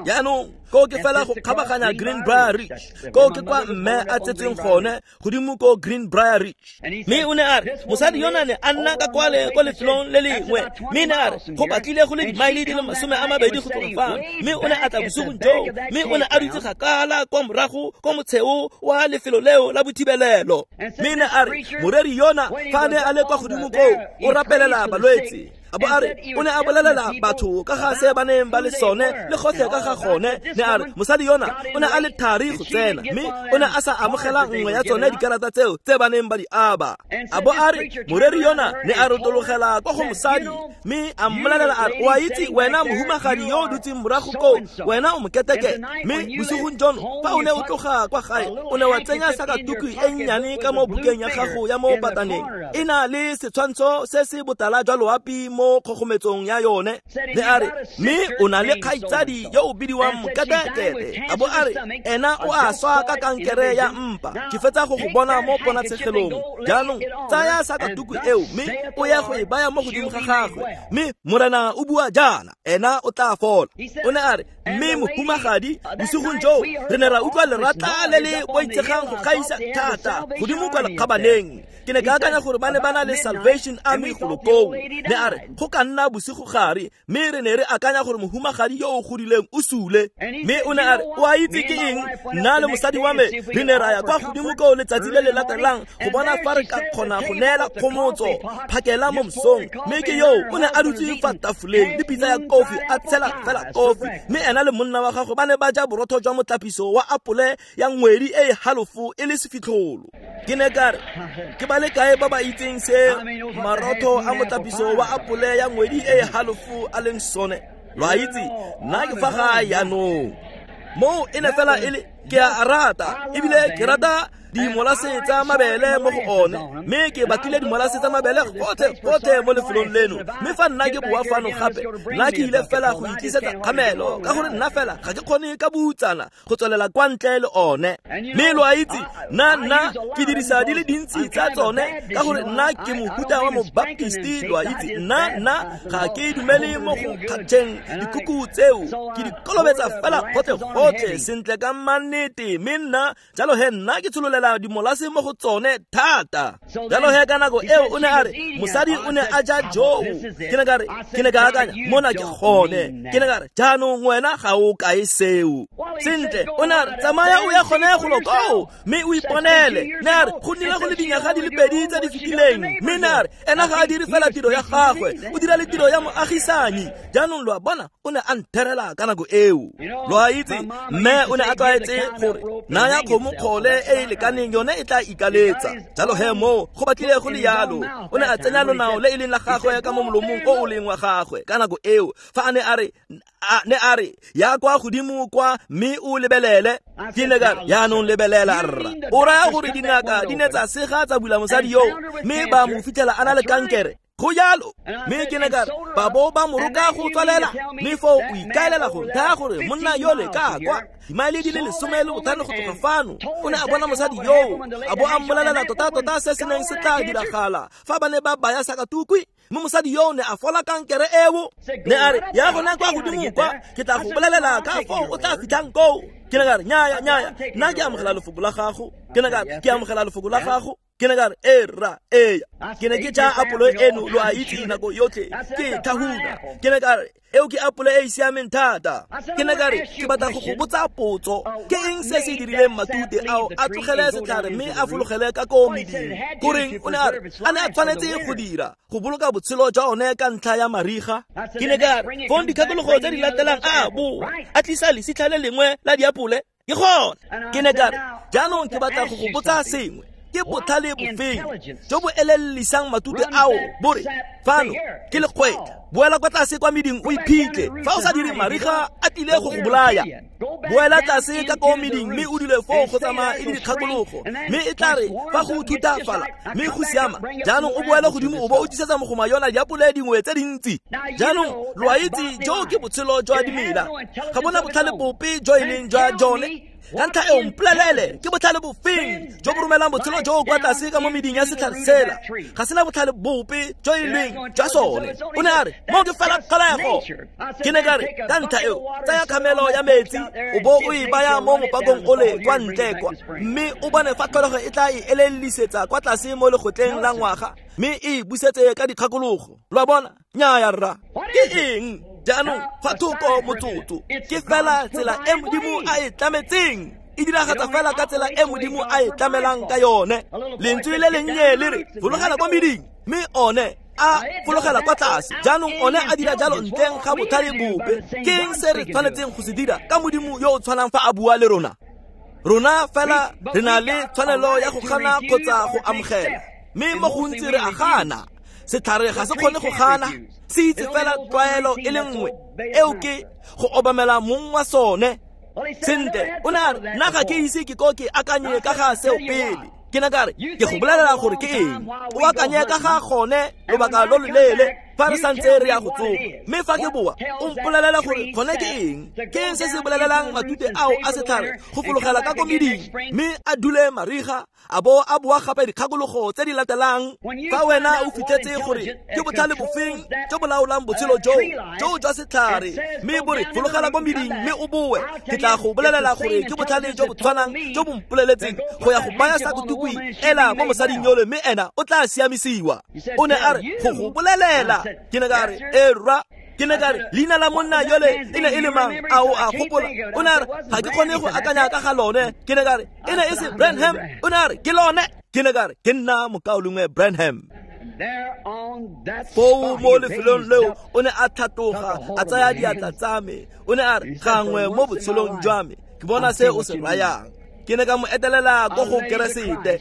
Jaanong ko ke fela go kgabaganya Greenbrier Ridge ko ke kwa mme a tsetseng gone godimo ko Greenbrier Ridge. Mme o ne a re mosadi yona ne a nna ka kwale ko lefelong le lengwe. Mme ne a re go batlile go le dimaele di le masome a mabedi go tloga fano. Mme o ne a tla bosigong joo mme o ne a dutse kgakala kwa morago ko motsheo wa lefelo leo la bothibelelo. Mme ne a re moreri yona fa ne a le kwa godimo koo o rapelela balwetse. A bo a re o ne a bolelela batho ka ga se ba neng ba le sone le gotlhe ka ga gone. Ne a re mosadi yona o ne a le thari go tsena mme o ne a sa amogela nngwe ya tsone dikarata tseo tse ba neng ba di aba. A bo a re moreri yona ne a rotologela kwa go mosadi mme a mmolelela a re o a itse wena mohumagadi yo o dutseng morago koo wena o moketekete. Mme bosigong jono fa o ne o tloga kwa gae o ne wa tsenya sakatuku e nnyane ka mo bukeng ya gago ya mo pataneng e na le setshwantsho se se botala jwa loapi mo kgogometsong ya yone. Ne a re mme o na le kgaitsadi yo o bidiwang moketekete. A bo a re ena o a swa ka kankere ya mpa. Ke fetsa go go bona mo ponatshegelong. Jaanong tsaya sakatuku eo mme o ya go e baya mo godimo ga gagwe mme morena o bua jaana ena o tla fola. O ne a re mme mohumagadi bosigong joo re ne ra utlwa lerata le le boitshegang go gaisa thata godimo kwa lekgabaneng. Ke ne ka akanya gore ba ne ba na le Salvation Army golo koo. Ne a re go ka nna bosigo gare mme re ne re akanya gore mohumagadi yo o godileng o sule. Mme o ne a re o a itse ke eng nna le mosadi wa me re ne ra ya kwa godimo koo letsatsi le le latelang go bona fa re ka kgona go neela kgomotso phakela mo mosong. Mme ke yo o ne a dutse fa tafoleng le pitsa ya kofi a tshela fela kofi mme ena le monna wa gagwe ba ne ba ja borotho jwa motlapiso wa apole ya ngwedi e e halofo e le sefitlholo. Ke ne ka re ke ba le kae ba ba itseng se marotho a motlapiso wa apole ya ngwedi e e halofo a leng sone? Lo a itse nna ke fa gae jaanong. Moo e ne fela e le Ke a rata ebile ke rata dimolase tsa mabele mo go one, mme ke batlile dimolase tsa mabele gotlhe gotlhe mo lefelong leno. Mme fa nna ke boa fano gape, nna ke ile fela go itlisetsa kgamelo, ka gore nna fela ga ke kgone ka boutsana go tswelela kwa ntle le one. Mme lo a itse, nna nna ke dirisa di le dintsi tsa tsone, ka gore nna ke mohuta wa mobaptisti, lo a itse. Nna nna ga ke dumele mo go kgatšheng dikuku tseo, ke di kolobetsa fela gotlhe gotlhe sentle ka mannete. Mme nna jalo he nna ke tshololela dimolase mo go tsone thata. Jalo he ka nako eo o ne a re mosadi o ne a ja joo. Ke ne ka re, ke ne ka akanya mona ke gone. Ke ne ka re, jaanong wena ga o kae seo. Sentle, o ne a re, tsamaya o ya gone golo koo mme o iponele. Ne a re, go nnile go le dinyaga di le pedi tse di fetileng. Mme ne a re, ena ga a dire fela tiro ya gagwe, o dira le tiro ya moagisanyi. Jaanong lo a bona, o ne a ntherela ka nako eo. Lo a itse, mme o ne a tlwaetse gore naya kgomo kgole e e lekaneng, yone e tla ikaletsa. Jalo he moo go batlile go le yalo. O ne a tsenya lonao le e leng la gagwe ka mo molomong o o leng wa gagwe ka nako eo, fa a ne a re, ne a re, ya kwa godimo kwa mme o lebelele. Ke ne ka re, jaanong lebelela rra, o raya gore dingaka di ne tsa sega tsa bula mosadi yo, mme ba mo fitlhela a na le kankere. Go jalo. Mme ke ne ka re, ba bo ba mo roka go tswalela, mme foo o ikaelela go nthaya gore monna yole ka kwa dimaele di le lesome le botlhano go tloga fano, o ne a bona mosadi yoo, a bo a mmolelela tota-tota se se neng se tla diragala fa ba ne ba baya sakatukwi. Mme mosadi yoo ne a fola kankere eo. Ne a re, ya gona kwa godimo kwa, ke tla go bolelela ka foo o tla fitlhang koo. Ke ne ka re, nyaya nyaya, nna ke amogela lefoko la gago. Ke ne ka re, ke amogela lefoko la gago. Ke ne ka re, e rra, eya. Ke ne ke ja apolo eno, lo a itse, nako yotlhe ke tlhahuna. Ke ne ka re, eo ke apole e e siameng thata. Ke ne ka re, ke batla go go botsa potso, ke eng se se dirileng matute ao a tlogele setlhare mme a fologele ka ko meding? Goreng o ne a re a ne a tshwanetse go dira go boloka botshelo jwa one ka ntlha ya mariga? Ke ne ka re, fong dikgakologo tse di latelang a boa a tlisa lesitlha le lengwe la diapole. Ke gone. Ke ne ka re, jaanong ke batla go go botsa sengwe. Ke botlhale bofeng jo bo elellisang matute ao bore fano ke lekgwetlha, boela kwa tlase kwa meding o iphitlhe, fa o sa dire mariga a tlile go go bolaya. Boela tlase ka ko meding mme o dule foo go tsamaya e le dikgakologo, mme e tla re fa go thutafala mme go siama, jaanong o boele godimo o bo o tlisetsa mogoma yona diapole dingwe tse dintsi. Jaanong lo a itse, jo ke botshelo jwa dimela, ga bona botlhale bope jo e leng jwa jone. Ka ntlha eo mpolelele, ke botlhale bofeng jo bo romelang botshelo jo kwa tlase ka mo meding ya setlhare sela? Ga sena botlhale bope jo e leng jwa sone. O ne a re, mo ke fela tlholego. Ke ne ka re, ka ntlha eo tsaya kgamelo ya metsi o bo o e baya mo mopakong ole kwa ntle kwa, mme o bone fa tlholego e tla e elellisetsa kwa tlase mo legotleng la ngwaga, mme e busetse ka dikgakologo. Lo a bona? Nnyaya rra. Ke eng? Jaanong fa thoko motsotso, ke fela tsela e Modimo a e tlametseng. E diragatsa fela ka tsela e Modimo a e tlamelang ka yone. Lentswe le lennye le re, fologela kwa meding, mme one a fologela kwa tlase. Jaanong one a dira jalo ntleng ga botlhale bope. Ke eng se re tshwanetseng go se dira ka Modimo yo o tshwanang fa a bua le rona? Rona fela re na le tshwanelo ya go gana kgotsa go amogela, mme mo gontsi re a gana. Setlhare ga se kgone go gana, se itse fela tlwaelo e le nngwe, eo ke go obamela mong wa sone. Sentle, o ne a re, nna ga ke ise ke ko ke akanye ka ga seo pele. Ke ne ka re, ke go bolelela gore ke eng. O akanye ka ga gone lobaka lo loleele fa re santse re ya go tsoma. Mme fa ke boa, o mpolelela gore gone ke eng. Ke eng se se bolelelang matute ao a setlhare go fologela ka ko meding, mme a dule mariga, a bo a boa gape dikgakologo tse di latelang? Fa wena o fitlhetse gore ke botlhale bofeng jo bo laolang botshelo joo joo jwa setlhare, mme bo re fologela ko meding mme o boe, ke tla go bolelela gore ke botlhale jo bo tshwanang jo bo mpoleletseng go ya go baya sakatukwi ela mo mosading yole, mme ena o tla siamisiwa. O ne a re, go go bolelela. Ke ne ka re, e rra. Ke ne ka re, leina la monna yole e ne e le mang? A o a gopola? O ne a re, ga ke kgone go akanya ka ga lone. Ke ne ka re, e ne e se Branham? O ne a re, ke lone. Ke ne ka re, ke nna mokaulengwe Branham. Foo mo lefelong leo o ne a tlhatoga, a tsaya diatla tsa me. O ne a re, gangwe mo botshelong jwa me ke bona se o se rayang. Ke ne ka mo etelela ko go Keresete.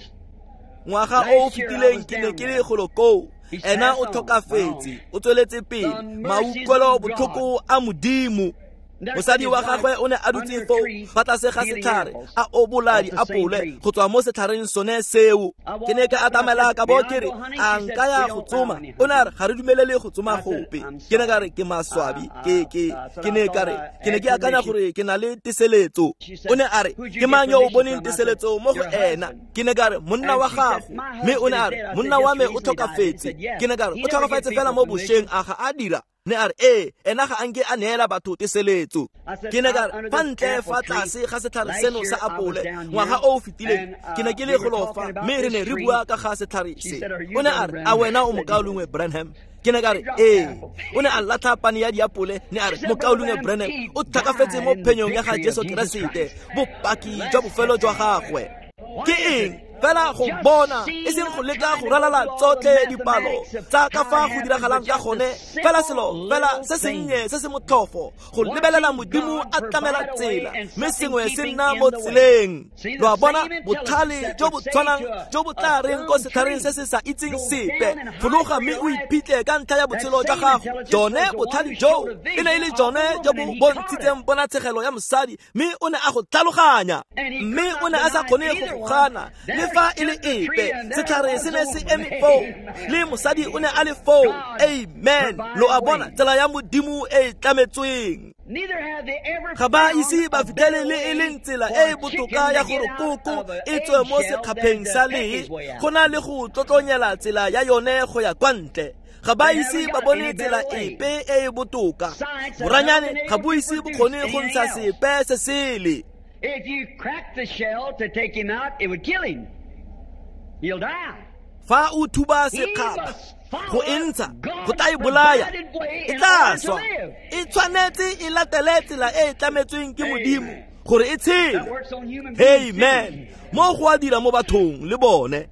Ngwaga o o fetileng ke ne ke le golo koo. Ena o tlhokafetse, o tsweletse pele. Mautlwelo botlhoko a Modimo. Mosadi wa gagwe o ne a dutse foo fa tlase ga setlhare a obola diapole go tswa mo setlhareng sone seo. Ke ne ka atamela ka bo ke re a nka ya go tsoma. O ne a re ga re dumelele go tsoma gope. Ke ne ka re ke maswabi, ke ke ke ne ka re ke ne ke akanya gore ke na le teseletso. O ne a re ke mang yo o boneng teseletso mo go ena? Ke ne ka re monna wa gago. Mme o ne a re monna wa me o tlhokafetse. Ke ne ka re o tlhokafetse fela mo bošweng, a ga a dira? Ne a re ee, ena ga a nke a neela batho teseletso. Ke ne ka re fa ntle fa tlase ga setlhare seno sa apole ngwaga o o fetileng ke ne ke le golo fa, mme re ne re bua ka ga setlhare se. O ne a re a wena o mokaulengwe Branham? Ke ne ka re ee. O ne a latlha pane ya diapole, ne a re mokaulengwe Branham o tlhakafetse mo phenyong ya ga Jesu Keresete, bopaki jwa bofelo jwa gagwe. Ke eng? Fela go bona, e seng go leka go ralala tsotlhe dipalo tsa ka fa go diragalang ka gone, fela selo fela se sennye se se motlhofo go lebelela Modimo a tlamela tsela, mme sengwe se nna mo tseleng. Lo a bona botlhale jo bo tshwanang jo bo tla reng ko setlhareng se se sa itseng sepe, fologa mme o iphitlhe ka ntlha ya botshelo jwa gago. Jone botlhale joo e ne e le jone jo bo bontshitseng ponatshegelo ya mosadi, mme o ne a go tlhaloganya, mme o ne a sa kgone go go gana le fa e le epe. Setlhare se ne se eme foo, le mosadi o ne a le foo. Amen. Lo a bona tsela ya Modimo e e tlametsweng. Ga ba ise ba fitlhele le e leng tsela e e botoka ya gore koko e tswe mo sekgapheng sa lee go na le go tlotlonyela tsela ya yone go ya kwa ntle. Ga ba ise ba bone tsela epe e e botoka. Boranyane ga bo ise bo kgone go ntsha sepe se sele. If you crack the shell to take him out, it would kill him. He'll die. Fa o thuba sekgapha go e ntsha go tla e bolaya, e tla swa. E tshwanetse e latele tsela e e tlametsweng ke Modimo gore e tshele. Amen. Mo go a dira mo bathong le bone.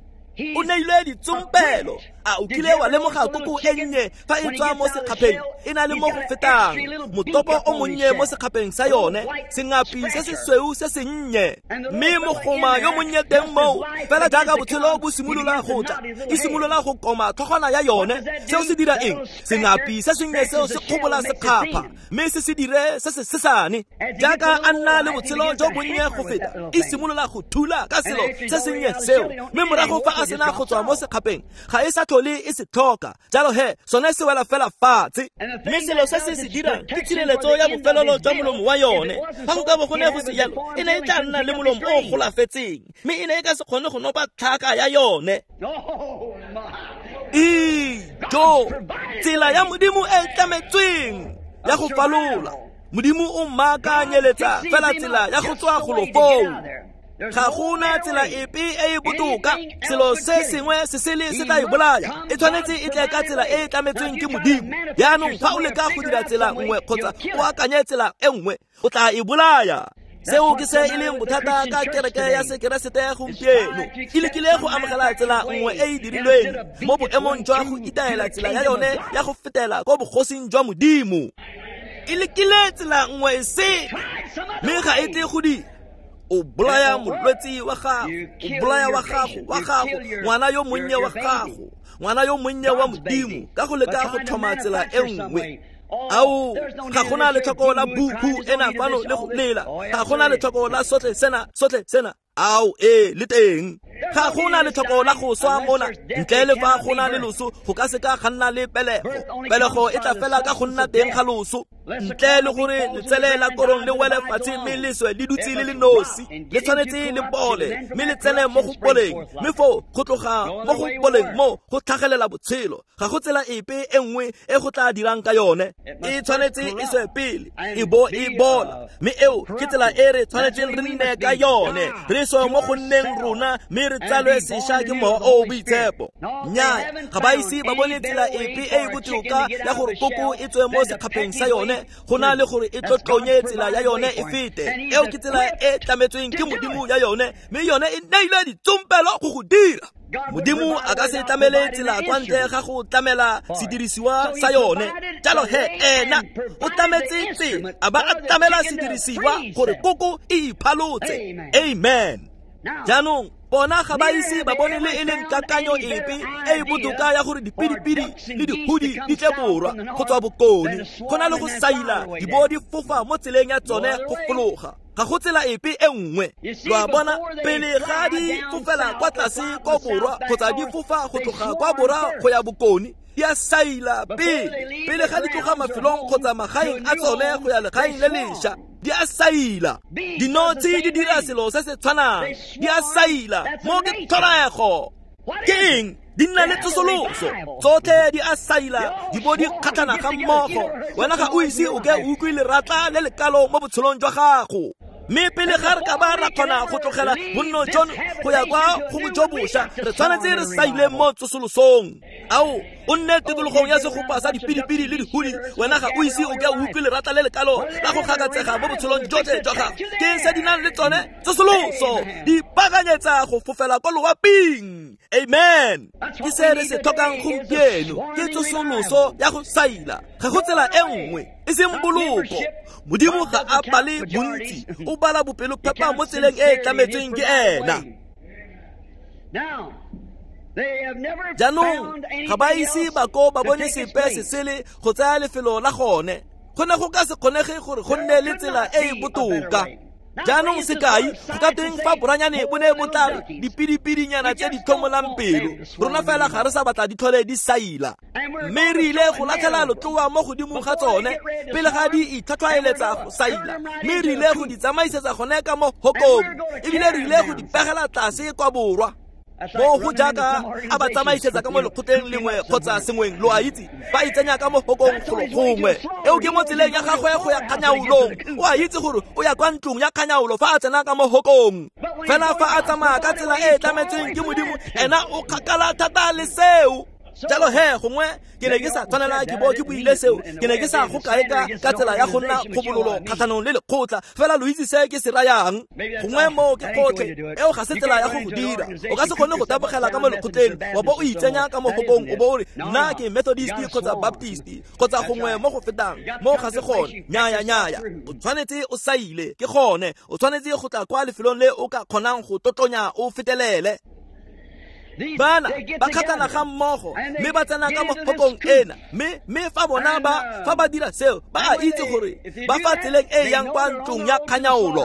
O neilwe ditsompelo. A o kile wa lemoga koko e nnye fa e tswa mo sekgapheng e na le mo go fetang motopo o monnye mo sekgapheng sa yone, sengapi se se sweu se sennye, mme mogoma yo monnye teng moo. Fela jaaka botshelo bo simolola go tla, e simolola go koma tlhogwana ya yone. Seo se dira eng? Sengapi se sennye seo se kgobola sekgapha, mme se se dire se se sesane. Jaaka a nna le botshelo jo bonnye go feta, e simolola go thula ka selo se sennye seo, mme morago fa a sena go tswa mo sekgapheng ga e sa tlhole e se tlhoka. Jalo he sone se wela fela fatshe. Mme selo se se se dirang ke tshireletso ya bofelelo jwa molomo wa yone. Fa go ka bo go ne go se jalo, e ne e tla nna le molomo o o golafetseng, mme e ne e ka se kgone go nopa tlhaka ya yone. Ijo, tsela ya Modimo e e tlametsweng ya go falola. Modimo o mmakanyeletsa fela tsela ya go tswa golo foo. Ga gona tsela epe e e botoka. Selo se sengwe se sele se tla e bolaya. E tshwanetse e tle ka tsela e e tlametsweng ke Modimo. Jaanong fa o leka go dira tsela nngwe kgotsa o akanye tsela e nngwe, o tla e bolaya. Seo ke se e leng bothata ka kereke ya Sekeresete gompieno. E lekile go amogela tsela nngwe e e dirilweng mo boemong jwa go itaela tsela ya yone ya go fetela ko bogosing jwa Modimo. E lekile tsela nngwe e se, mme ga e tle go dira. O bolaya molwetse wa gago, o bolaya wa gago, wa gago, ngwana yo monnye wa gago, ngwana yo monnye wa Modimo, ka go leka go tlhoma tsela e nngwe. Ao, ga gona letlhoko la bubu ena fano le go lela, ga gona letlhoko la sotlhe sena, sotlhe sena. Ao, ee, le teng. Ga gona letlhoko la go swa mona, ntle le fa go na le loso, go ka se ka ga nna le pelego. Pelego e tla fela ka go nna teng ga loso. Ntle le gore letsele la korong le wele fatshe mme le swe le dutse le le nosi, le tshwanetse le bole mme le tsene mo go boleng, mme foo go tloga mo go boleng mo go tlhagelela botshelo. Ga go tsela epe e nngwe e go tla dirang ka yone. E tshwanetse e swe pele e bo e bola, mme eo ke tsela e re tshwanetseng re nne ka yone. Re swe mo go nneng rona mme re tsalwe sešwa ke Mowa o o Boitshepo. Nnyaa, ga ba ise ba bone tsela epe e e botoka ya gore koko e tswe mo sekgapheng sa yone go na le gore e tlotlonye tsela ya yone e fete. Eo ke tsela e tlametsweng ke Modimo ya yone, mme yone e neilwe ditsompelo go go dira. Modimo a ka se tlamele tsela kwa ntle ga go tlamela sedirisiwa sa yone. Jalo he ena o tlametse tsela, a ba a tlamela sedirisiwa gore koko e iphalotse. Amen. Jaanong Bona ga ba ise ba bone le e leng kakanyo epe e e botoka ya gore dipidipidi le dihudi di tle borwa go tswa bokone go na le go saila di bo di fofa mo tseleng ya tsone go fologa. Ga go tsela epe e nngwe. Lo a bona, pele ga di fofela kwa tlase kwa borwa kgotsa di fofa go tloga kwa borwa go ya bokone, di a saila pele. Pele ga di tloga mafelong kgotsa magaeng a tsone go ya legaeng le lešwa, di a saila. Dinotshi di dira selo se se tshwanang, di a saila. Mo ke tlholego. Ke eng? Di nna le tsosoloso. Tsotlhe di a saila, di bo di kgatlhana ga mmogo. Wena ga o ise o ke o utlwe leratla le lekalo mo botshelong jwa gago. Mme pele ga re ka ba ra kgona go tlogela bonno jono go ya kwa go jo bošwa, re tshwanetse re saile mo tsosolosong. Ao, o nne tikologong ya segopa sa dipidipidi le dihudi, wena ga o ise o ke o utlwe leratla le lekalo la go gakatsega mo botshelong jotlhe jwa gago. Ke se di nang le tsone tsosoloso, di ipaakanyetsa go fofela kwa loaping. Amen. Ke se re se tlhokang gompieno, ke tsosoloso ya go saila. Ga go tsela e nngwe, e seng boloko. Modimo ga a bale bontsi, o bala bopelophepa mo tseleng e e tlametsweng ke ena. Jaanong ga ba ise ba ko ba bone sepe se sele go tsaya lefelo la gone. Go ne go ka se kgonege gore go nne le tsela e e botoka. Jaanong sekai, go ka tweng fa boranyane bo ne bo tla re dipidipidinyana tse di tlhomolang pelo, rona fela ga re sa batla di tlhole di saila. Mme re ile go latlhela lotloa mo godimo ga tsone pele ga di itlhwatlhwaeletsa go saila, mme re ile go di tsamaisetsa gone ka mo hokong, ebile re ile go di pegela tlase kwa borwa. Mo go jaaka a ba tsamaisetsa ka mo lekgotleng lengwe kgotsa sengweng, lo a itse, ba itsenya ka mo hokong golo gongwe. Eo ke mo tseleng ya gagwe go ya kganyaolong. O a itse gore o ya kwa ntlong ya kganyaolo fa a tsena ka mo hokong. Fela fa a tsamaya ka tsela e e tlametsweng ke Modimo, ena o kgakala thata le seo. Jalo he, gongwe ke ne ke sa tshwanela ke bo ke buile seo, ke ne ke sa go kae ka ka tsela ya go nna kgobololo kgatlhanong le lekgotla, fela lo itse se ke se rayang. Gongwe mo ke gotlhe, eo ga se tsela ya go go dira. O ka se kgone go tabogela ka mo lekgotleng wa bo o itsenya ka mo hokong o bo o re nna ke Methodist kgotsa Baptist kgotsa gongwe mo go fetang. Mo ga se gone. Nyaya nyaya, o tshwanetse o saile, ke gone. O tshwanetse go tla kwa lefelong le o ka kgonang go totlonya o fetelele. Bana ba kgatlhana ga mmogo mme ba tsena ka mo hokong ena, mme mme fa bona ba fa ba dira seo, ba a itse gore ba fa tseleng e yang kwa ntlong ya kganyaolo.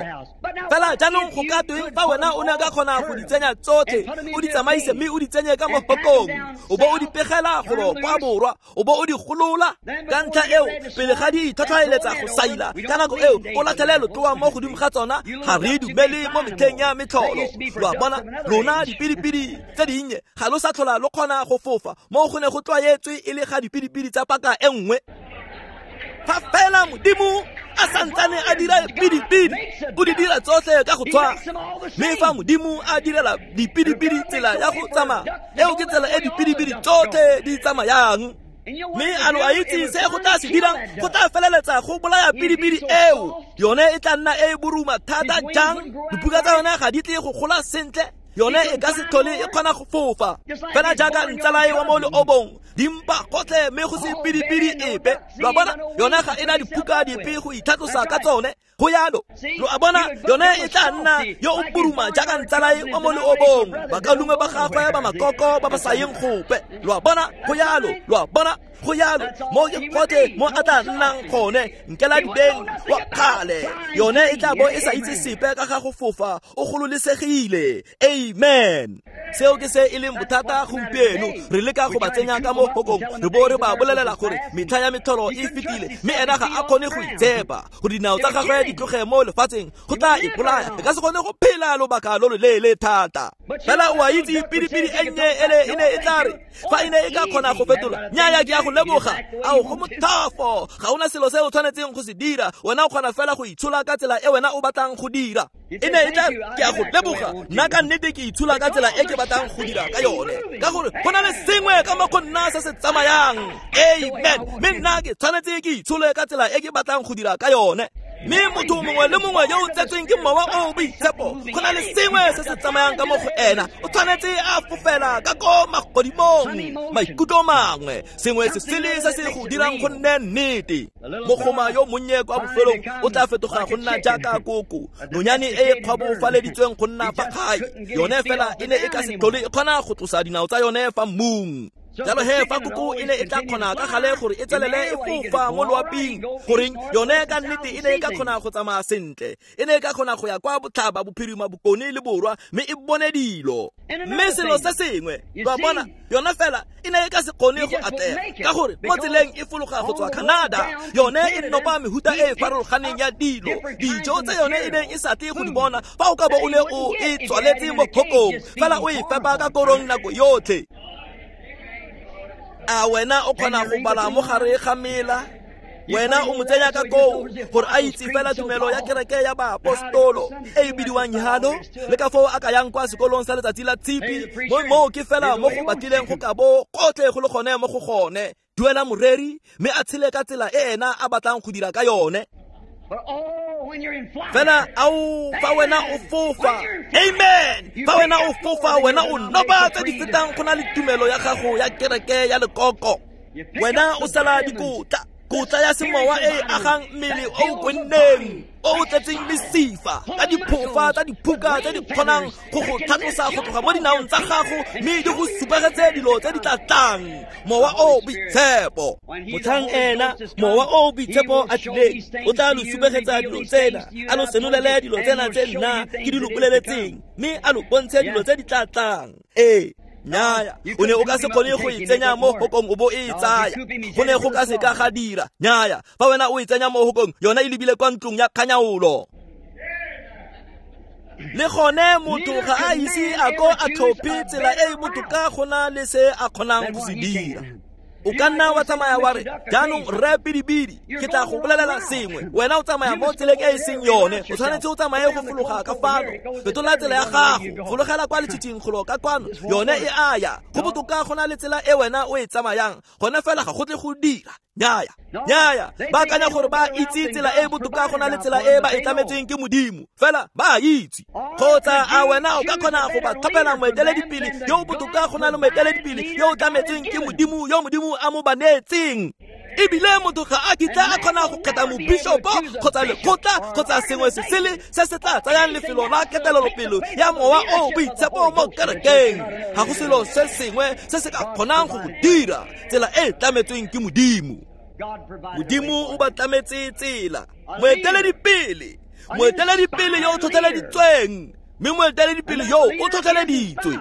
Fela jaanong go ka tweng fa wena o ne ka kgona go di tsenya tsotlhe, o di tsamaise mme o di tsenye ka mo hokong, o bo o di pegela golo kwa borwa, o bo o di golola. Ka ntlha eo, pele ga di itlhwatlhwaeletsa go saila, ka nako eo o latlhele lotloa mo godimo ga tsona. Ga re dumele mo metlheng ya metlholo. Lo a bona, lona dipidipidi tse di ga lo sa tlhola lo kgona go fofa mo go ne go tlwaetswe e le ga dipidipidi tsa paka e nngwe. Fa fela Modimo a santsane a dira pidipidi, o di dira tsotlhe ka go tshwana. Mme fa Modimo a direla dipidipidi tsela ya go tsamaya, eo ke tsela e dipidipidi tsotlhe di tsamayang. Mme a lo a itse se go tla se dirang? Go tla feleletsa go bolaya pidipidi eo. Yone e tla nna e e boruma thata jang? Dibuka tsa yone ga di tle go gola sentle. Yone e ka se tlhole e kgona go fofa. Fela jaaka ntsalae wa mo leobong, dimpa gotlhe mme go se pidipidi epe. Lo a bona, yone ga e na diphuka dipe go itlhatlosa ka tsone. Go yalo. Lo a bona, yone e tla nna yo o puruma jaaka ntsalae wa mo leobong, bakaulengwe ba gagwe ba makoko ba ba sa yeng gope. Lo a bona, go yalo. Lo a bona, go yalo. Mo ke gotlhe mo a tla nnang gone, nkela dibeng wa kgale. Yone e tla bo e sa itse sepe ka ga go fofa, o gololesegile. Amen. Seo ke se e leng bothata gompieno. Re leka go ba tsenya ka mo hokong, re bo re ba bolelela gore metlha ya metlholo e fetile, mme ena ga a kgone go itshepa gore dinao tsa gagwe di tloge mo lefatsheng, go tla ipolaya. E ka se kgone go phela lobaka lo loleele thata. Fela o a itse pidipidi e nnye ele e ne e tla re fa e ne e ka kgona go fetola, nyaya ke a go leboga. Ao, go mothafo. Ga ona selo se o tshwanetseng go se dira, wena o kgona fela go itshola ka tsela e wena o batlang go dira. E ne e tla ke a go leboga, nna ka nnete ke itshola ka tsela e ke batlang go dira ka yone, ka gore go na le sengwe ka mo go nna se se tsamayang. Amen. Mme nna ke tshwanetse ke itshole ka tsela e ke batlang go dira ka yone. Mme motho mongwe le mongwe yo o tsetsweng ke Mowa o o Boitshepo, go na le sengwe se se tsamayang ka mo go ena, o tshwanetse a fofela ka ko magodimong, maikutlo mangwe, sengwe se sele se se go dirang go nne nnete. Mogoma yo monnye kwa bofelong o tla fetoga go nna jaaka koko, nonyane e e kgwabofaleditsweng go nna fa gae. Yone fela e ne e ka se tlhole e kgona go tlosa dinao tsa yone fa mmung. Jalo he fa koko e ne e tla kgona ka gale gore e tswelele e fofa mo loaping, goreng yone ka nnete e ne e ka kgona go tsamaya sentle, e ne e ka kgona go ya kwa botlhaba, bophirima, bokone le borwa, mme e bone dilo. Mme selo se sengwe, lo a bona, yone fela e ne e ka se kgone go atlega, ka gore mo tseleng e fologa go tswa Canada, yone e nopa mehuta e e farologaneng ya dilo, dijo tse yone e neng e sa tle go di bona fa o ka bo o ne o e tswaletse mo kgokong, fela o e fepa ka korong nako yotlhe. A wena o kgona go bala mo gare ga mela? Wena o mo tsenya ka koo gore a itse fela tumelo ya kereke ya baapostolo e e bidiwang Yhalo, le ka foo a ka yang kwa sekolong sa letsatsi la tshipi, mo moo ke fela mo go batlileng go ka bo gotlhe go le gone mo go gone. Duela moreri mme a tshele ka tsela e ena a batlang go dira ka yone. Fela ao fa wena o fofa, amen, fa wena o fofa, wena o noba tse di fetang go na le tumelo ya gago ya kereke ya lekoko. Wena o sala dikotla, kotla ya semowa e e agang mmele o o kwenneng, o o tletseng mesifa ka diphofa tsa diphuka tse di kgonang go go tlhatlosa go tloga mo dinaong tsa gago, mme di go supegetse dilo tse di tla tlang. Mowa o o Boitshepo, motlhang ena Mowa o o Boitshepo a tlileng, o tla lo supegetsa dilo tsena, a lo senolele dilo tsena tse nna ke di lo boleletseng, mme a lo bontshe dilo tse di tla tlang. Ee. Nnyaya, o ne o ka se kgone go e tsenya mo hokong o bo e tsaya, go ne go ka se ka ga dira. Nnyaya, fa wena o e tsenya mo hokong, yona e lebile kwa ntlong ya kganyaolo. Le gone motho ga a ise a ko a tlhophe tsela e e botoka go na le se a kgonang go se dira. O ka nna wa tsamaya wa re, jaanong rre Bidibidi, ke tla go bolelela sengwe, wena o tsamaya mo tseleng e e seng yone, o tshwanetse o tsamaye go fologa ka fano, fetola tsela ya gago, fologela kwa letshitshing golo ka kwano, yone e a ya, go botoka go na le tsela e wena o e tsamayang, gone fela ga go tle go dira. Nnyaya, nnyaya, ba akanya gore ba itse tsela e e botoka go na le tsela e ba e tlametsweng ke Modimo, fela ba a itse. Kgotsa a wena o ka kgona go ba tlhophela moeteledipele yo o botoka go na le moeteledipele yo o tlametsweng ke Modimo, yo Modimo a mo ba neetseng? Ebile motho ga a kitla a kgona go kgetha mobishopo kgotsa lekgotla kgotsa sengwe se sele se se tla tsayang lefelo la ketelelopele ya Mowa o o Boitshepo mo kerekeng. Ga go selo se sengwe se se ka kgonang go go dira tsela e e tlametsweng ke Modimo. Modimo o ba tlametse tsela. Moeteledipele, moeteledipele yo o tlhotlheleditsweng, mme moeteledipele yo o tlhotlheleditswe.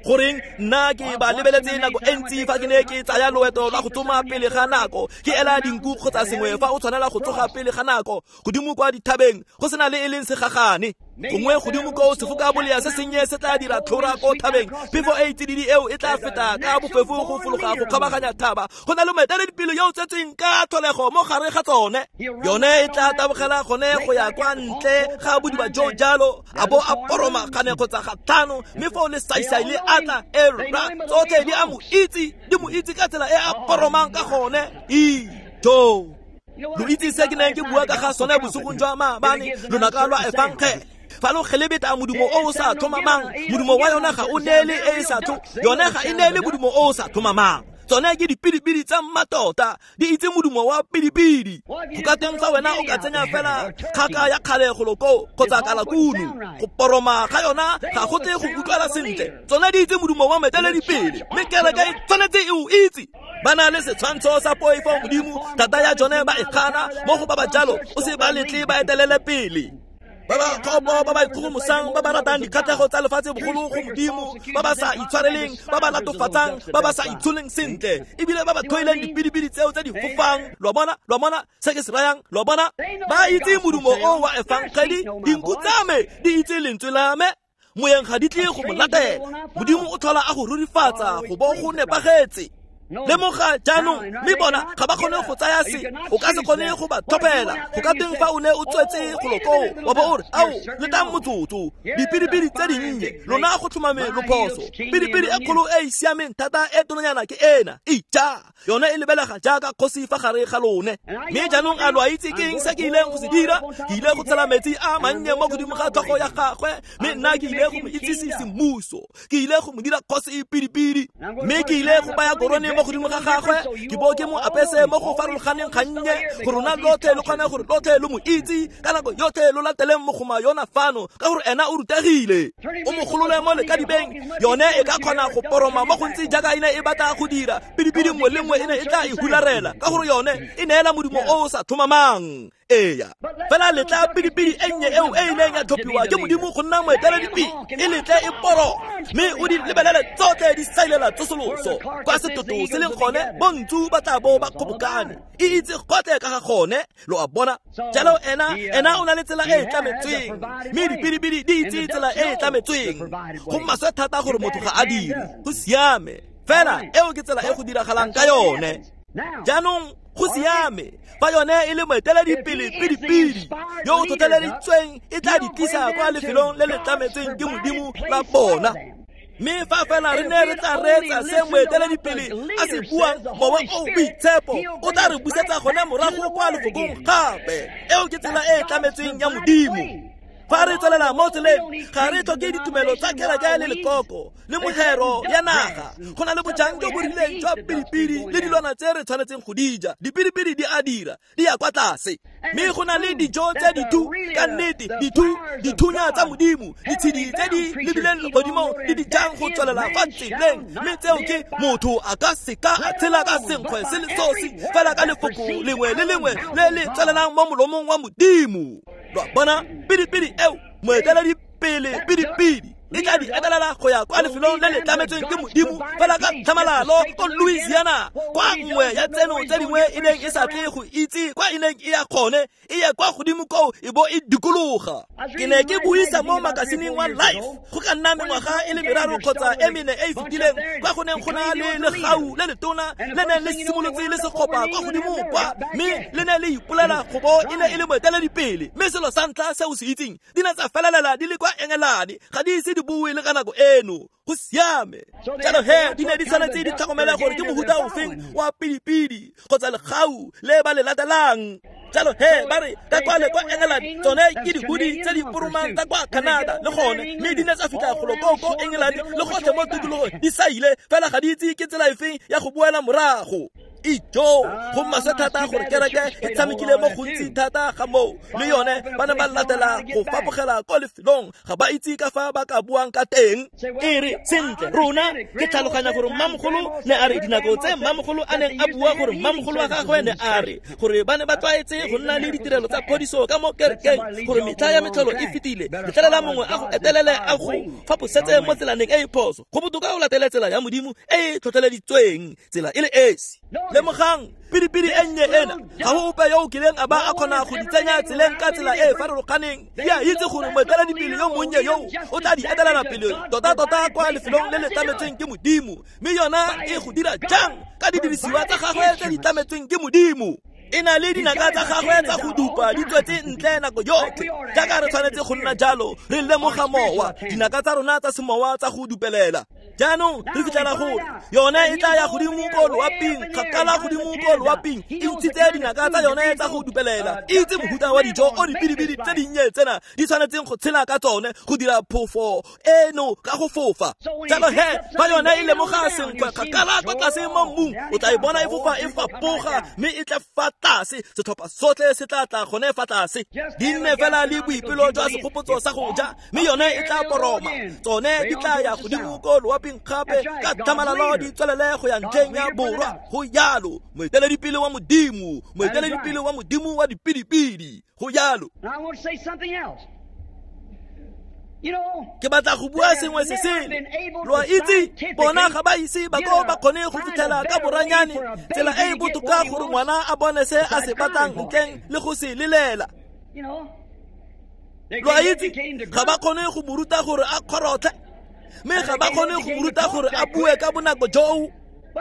Goreng nna ke ba lebeletse nako e ntsi fa ke ne ke tsaya loeto la go tsoma pele ga nako, ke ela dinku kgotsa sengwe fa o tshwanela go tsoga pele ga nako, godimo kwa dithabeng go sena le e leng segagane, gongwe godimo koo sefoka bolea se sennye se tla dira tlhora ko thabeng, phefo e tsididi eo e tla feta ka bofefo go fologa go kgabaganya thaba. Go na le moeteledipele yo o tsetsweng ka tlholego mo gare ga tsone, yone e tla tabogela gone go ya kwa ntle ga bodiba jo jalo, a bo a poroma gane kgotsa ga tlhano, mme foo le saisai le atla e rra tsotlhe di a mo itse, di mo itse ka tsela e a poromang ka gone. Ijo, lo itse se ke neng ke bua ka ga sone bosigong jwa maabane, lonaka lwa efangele. Fa lo gelebeta modumo o o sa tlhomamang, modumo wa yona ga o neele e e sa tlho, yone ga e neele modumo o o sa tlhomamang. Tsone ke dipidipidi tsa mmatota, di itse modumo wa pidipidi. Go ka teng fa wena o ka tsenya fela kgaka ya kgale golo koo kgotsa kalakunu, go poroma ga yona ga go tle go utlwala sentle. Tsone di itse modumo wa moeteledipele, mme kereke e tshwanetse e o itse. Ba na le setshwantsho sa poifo Modimo, thata ya jone ba e gana, mo go ba ba jalo o se ba letle ba etelele pele. Ba ba kgopo, ba ba ikgogomosang, ba ba ratang dikgatlhego tsa lefatshe bogolo go Modimo, ba ba sa itshwareleng, ba ba latofatsang, ba ba sa itsholeng sentle, ebile ba ba tlhoileng dipidipidi tseo tse di fofang. Lo a bona, lo a bona se ke se rayang, lo a bona? Ba itse modumo o wa efangeli, dinku tsa me di itse lentswe la me, moyeng ga di tle go mo latela. Modimo o tlhola a go rurifatsa go bo go nepagetse. Lemoga jaanong mme bona ga ba kgone go tsaya se o ka se kgone go ba tlhophela go ka teng fa o ne o tswetse golo koo wa bo o re ao letang motsotso dipidipidi tse dinnye lona go tlhomame lophoso pidipidi e kgolo e e siameng thata e tononyana ke ena ija yone e lebelega jaaka kgosi fa gare ga lone mme jaanong a lo a itse ke eng se ke ileng go se dira ke ile go tshela metsi a mannye mo godimo ga tlhogo ya gagwe mme nna ke ile go mo itsise semmuso ke ile go mo dira kgosi pidipidi mme ke ile go baya korone mo godimo ga gagwe ke bo ke mo apese mo go farologaneng gannye gore rona lotlhe lo kgone gore lotlhe lo mo itse ka nako yotlhe lo lateleng mogoma yona fano ka gore ena o rutegile o mo golole mo lekadibeng yone e ka kgona go poroma mo gontsi jaaka e ne e batla go dira pidipidi nngwe le nngwe e ne e tla e hularela ka gore yone e neela modumo o o sa tlhomamang. Eya fela letla pidipidi e nnye eo e ileng ya tlhophiwa ke Modimo go nna moeteledipele e letle e poro mme o di lebelele tsotlhe di sailela tsosoloso kwa setoto se leng gone bontsu ba tla bo ba kgobokane e itse gotlhe ka ga gone lo a bona. Jalo ena ena o na le tsela e e tlametsweng mme dipidipidi di itse tsela e e tlametsweng go maswe thata gore motho ga a dire go siame fela eo ke tsela e go diragalang ka yone. Jaanong go siame fa yone e le moeteledipele pidipidi yo o tlhotlheleditsweng e tla di tlisa kwa lefelong le le tlametsweng ke Modimo la bona. Mme fa fela re ne re tla reetsa se moeteledipele a se buang mowa o boitshepo o tla re busetsa gone morago kwa lefokong gape eo ke tsela e e tlametsweng ya Modimo. Fa re tswelela mo tseleng ga re tlhoke ditumelo tsa kereke le lekoko le mohero ya naga go na le bojang jo bo rileng jwa pidipidi le dilwana tse re tshwanetseng go di ja dipidipidi di a dira di ya kwa tlase mme go na le dijo tse dithu ka nnete dithu dithunya tsa Modimo ditshedi tse di lebileng legodimong di di jang go tswelela fa tseleng mme tseo ke motho a ka seka a tshela ka senkgwe se le sosi fela ka lefoko lengwe le lengwe le le tswelelang mo molomong wa Modimo. Lo a bona pidipidi eo moeteledipele pidipidi e tla di etelela go ya kwa lefelong le le tlametsweng ke Modimo fela ka tlhamalalo ko Louisiana kwa nngwe ya tseno tse dingwe e neng e sa tle go itse kwa e neng e ya gone e ye kwa godimo koo e bo e dikologa. Ke ne ke buisa mo makasineng wa Life go ka nna mengwaga e le meraro kgotsa e mene e e fetileng kwa go neng go na le legau le letona le neng le simolotse le sekgopa kwa godimo kwa mme le ne le ipolela go bo e ne e le moeteledipele mme selo sa ntlha se o se itseng di ne tsa felelela di le kwa Engelane ga di ise di bue le ka nako eno go siame. Jalo he di ne di tshwanetse di tlhokomele gore ke mohuta ofeng wa pidipidi kgotsa legau le ba le latelang. Jalo he ba re ka kwale kwa England tsone ke dipudi tse di poromang tsa kwa Canada le gone mme di ne tsa fitlha golo koo ko England le gotlhe mo tikologong di saile fela ga di itse ke tsela efeng ya go boela morago. Ijo go maswe thata gore kereke e tshamekile mo gontsi thata ga moo le yone ba ne ba latela go fapogela ko lefelong ga ba itse ka fa ba ka buang ka teng. E re sentle rona ke tlhaloganya gore mmamogolo ne a re dinako tse mmamogolo a neng a bua gore mmamogolo wa gagwe ne a re gore ba ne ba tlwaetse go nna le ditirelo tsa phodiso ka mo kerekeng gore metlha ya metlholo e fetile letlelela mongwe a go etelele a go faposetse mo tselaneng e e phoso go botoka o latele tsela ya Modimo e e tlhotlheleditsweng tsela e le esi. Lemogang pidipidi e nnye ena ga go ope yo o kileng a ba a kgona go di tsenya tseleng ka tsela e e farologaneng di a itse gore moeteledipele yo monnye yo o tla di etelela pele tota-tota kwa lefelong le le tlametsweng ke Modimo mme yona e go dira jang ka didirisiwa tsa gagwe tse di tlametsweng ke Modimo. E na le dinaka tsa gagwe tsa go dupa di tswetse ntle nako yotlhe jaaka re tshwanetse go nna jalo re lemoga mowa dinaka tsa rona tsa semowa tsa go dupelela. Jaanong re fitlhela gore yone e tla ya godimo ko loaping kgakala godimo ko loaping e ntshitse dinaka tsa yone tsa go dupelela e itse mohuta wa dijo o dipidipidi tse dinnye tsena di tshwanetseng go tshela ka tsone go dira phofo eno ka go fofa. Jalo he fa yone e lemoga senkgwe kgakala kwa tlase mo mmung o tla e bona e fofa e fapoga mme e tle fa tlase setlhopha sotlhe se tla tla gone fa tlase di nne fela le boipelo jwa segopotso sa go ja mme yone e tla poroma tsone di tla ya godimo ko loaping gape ka tlhamalalo di tswelele go ya ntlheng ya borwa go yalo moeteledipele wa Modimo moeteledipele wa Modimo wa dipidipidi go yalo. Ke batla go bua sengwe se sele lo a itse bona ga ba ise ba ko ba kgone go fitlhela ka boranyane tsela e e botoka gore ngwana a bone se a se batlang ntleng le go se lelela. Lo a itse ga ba kgone go mo ruta gore a kgorotlhe mme ga ba kgone go mo ruta gore a bue ka bonako joo.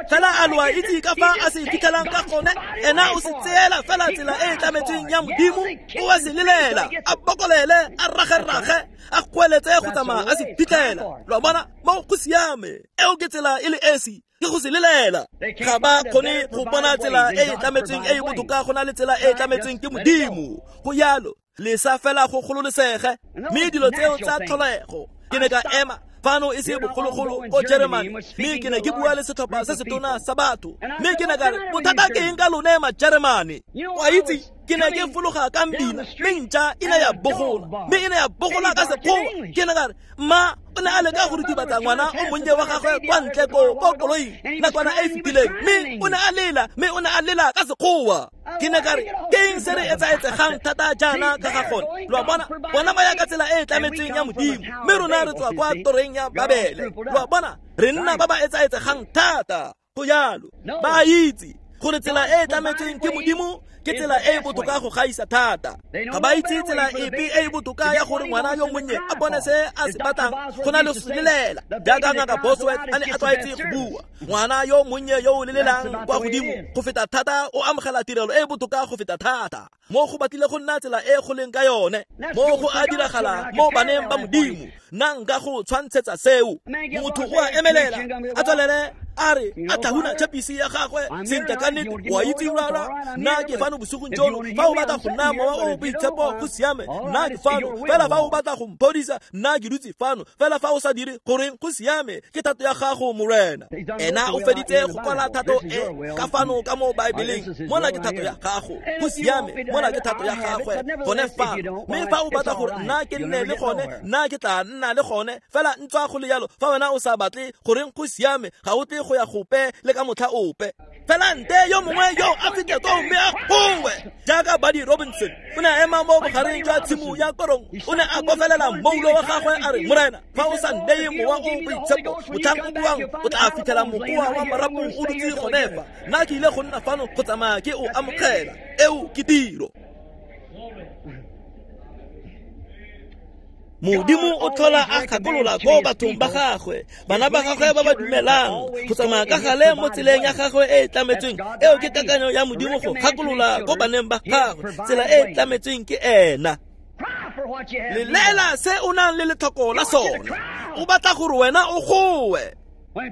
Fela a lo a itse ka fa a se fitlhelang ka gone, ena o se tseela fela tsela e e tlametsweng ya Modimo, o a se lelela, a bokolele, a ragerage, a goeletse go tsamaya a se fitlhela. Lo a bona, mo go siame. Eo ke tsela e le esi, ke go se lelela. Ga ba kgone go bona tsela e e tlametsweng e e botoka go na le tsela e e tlametsweng ke Modimo. Go yalo, lesa fela go gololesege, mme dilo tseo tsa tlholego. Ke ne ka ema fano e se bogologolo ko Jeremane, mme ke ne ke bua le setlhopha se setona sa batho, mme ke ne ka re, bothata ke eng ka lone Majeremane? O a itse, ke ne ke fologa ka mbina, mme ntša e ne ya bogola, mme e ne ya bogola ka sekgowa. Ke ne ka re, mma o ne a leka go ritibatsa ngwana o monnye wa gagwe kwa ntle ko ko koloing nakwana e e fetileng, mme o ne a lela, mme o ne a lela ka sekgowa. Ke ne ka re, ke eng se re etsaetsegang thata jaana ka ga gone? Lo a bona, bona ba ya ka tsela e e tlametsweng ya Modimo, mme rona re tswa kwa toreng ya Babele. Lo a bona, re nna ba ba etsaetsegang thata. Go yalo, ba a itse gore tsela e e tlametsweng ke Modimo ke tsela e e botoka go gaisa thata. Ga ba itse tsela epe e e botoka ya gore ngwana yo monnye a bone se a se batlang go na le go se lelela. Jaaka Ngaka Bosworth a ne a tlwaetse go bua, ngwana yo monnye yo o lelelang kwa godimo go feta thata o amogela tirelo e e botoka go feta thata. Mo go batlile go nna tsela e go leng ka yone, mo go a diragala mo baneng ba Modimo. Nna nka go tshwantshetsa seo. Motho o a emelela, a tswelele a re a tlhahuna chapisi ya gagwe sentle ka nnete, o a itse rara, nna ke fano bosigong jono. Fa o batla go nna mowa o o boitshepo, go siame, nna ke fano. Fela fa o batla go mphodisa, nna ke dutse fano. Fela fa o sa dire, goreng, go siame, ke thato ya gago, Morena. Ena o feditse go kwala thato e ka fano ka mo Baebeleng. Mona ke thato ya gago, go siame, mona ke thato ya gagwe gone fano. Mme fa o batla gore nna ke nne le gone, nna ke tla nna le gone. Fela ntswa go le jalo, fa wena o sa batle, goreng, go siame, ga o tle go ya gope le ka motlha ope. Fela nte yo mongwe yo a fitlhe koo mme a gowe jaaka Buddy Robinson. O ne a ema mo bogareng jwa tshimo ya korong, o ne a kofelela moulo wa gagwe a re, Morena, fa o sa nneye mowa o boitshepo, motlhang o buang o tla fitlhela mokoa wa marapo o dutse gone fa. Nna ke ile go nna fano go tsamaya ke o amogela. Eo ke tiro. Modimo o tlhola a gakolola ko bathong ba gagwe, bana ba gagwe ba ba dumelang go tsamaya ka gale mo tseleng ya gagwe e e tlametsweng. Eo ke kakanyo ya Modimo go gakolola ko baneng ba gagwe tsela e e tlametsweng ke ena. Lelela se o nang le letlhoko la sone, o batla gore wena o gowe.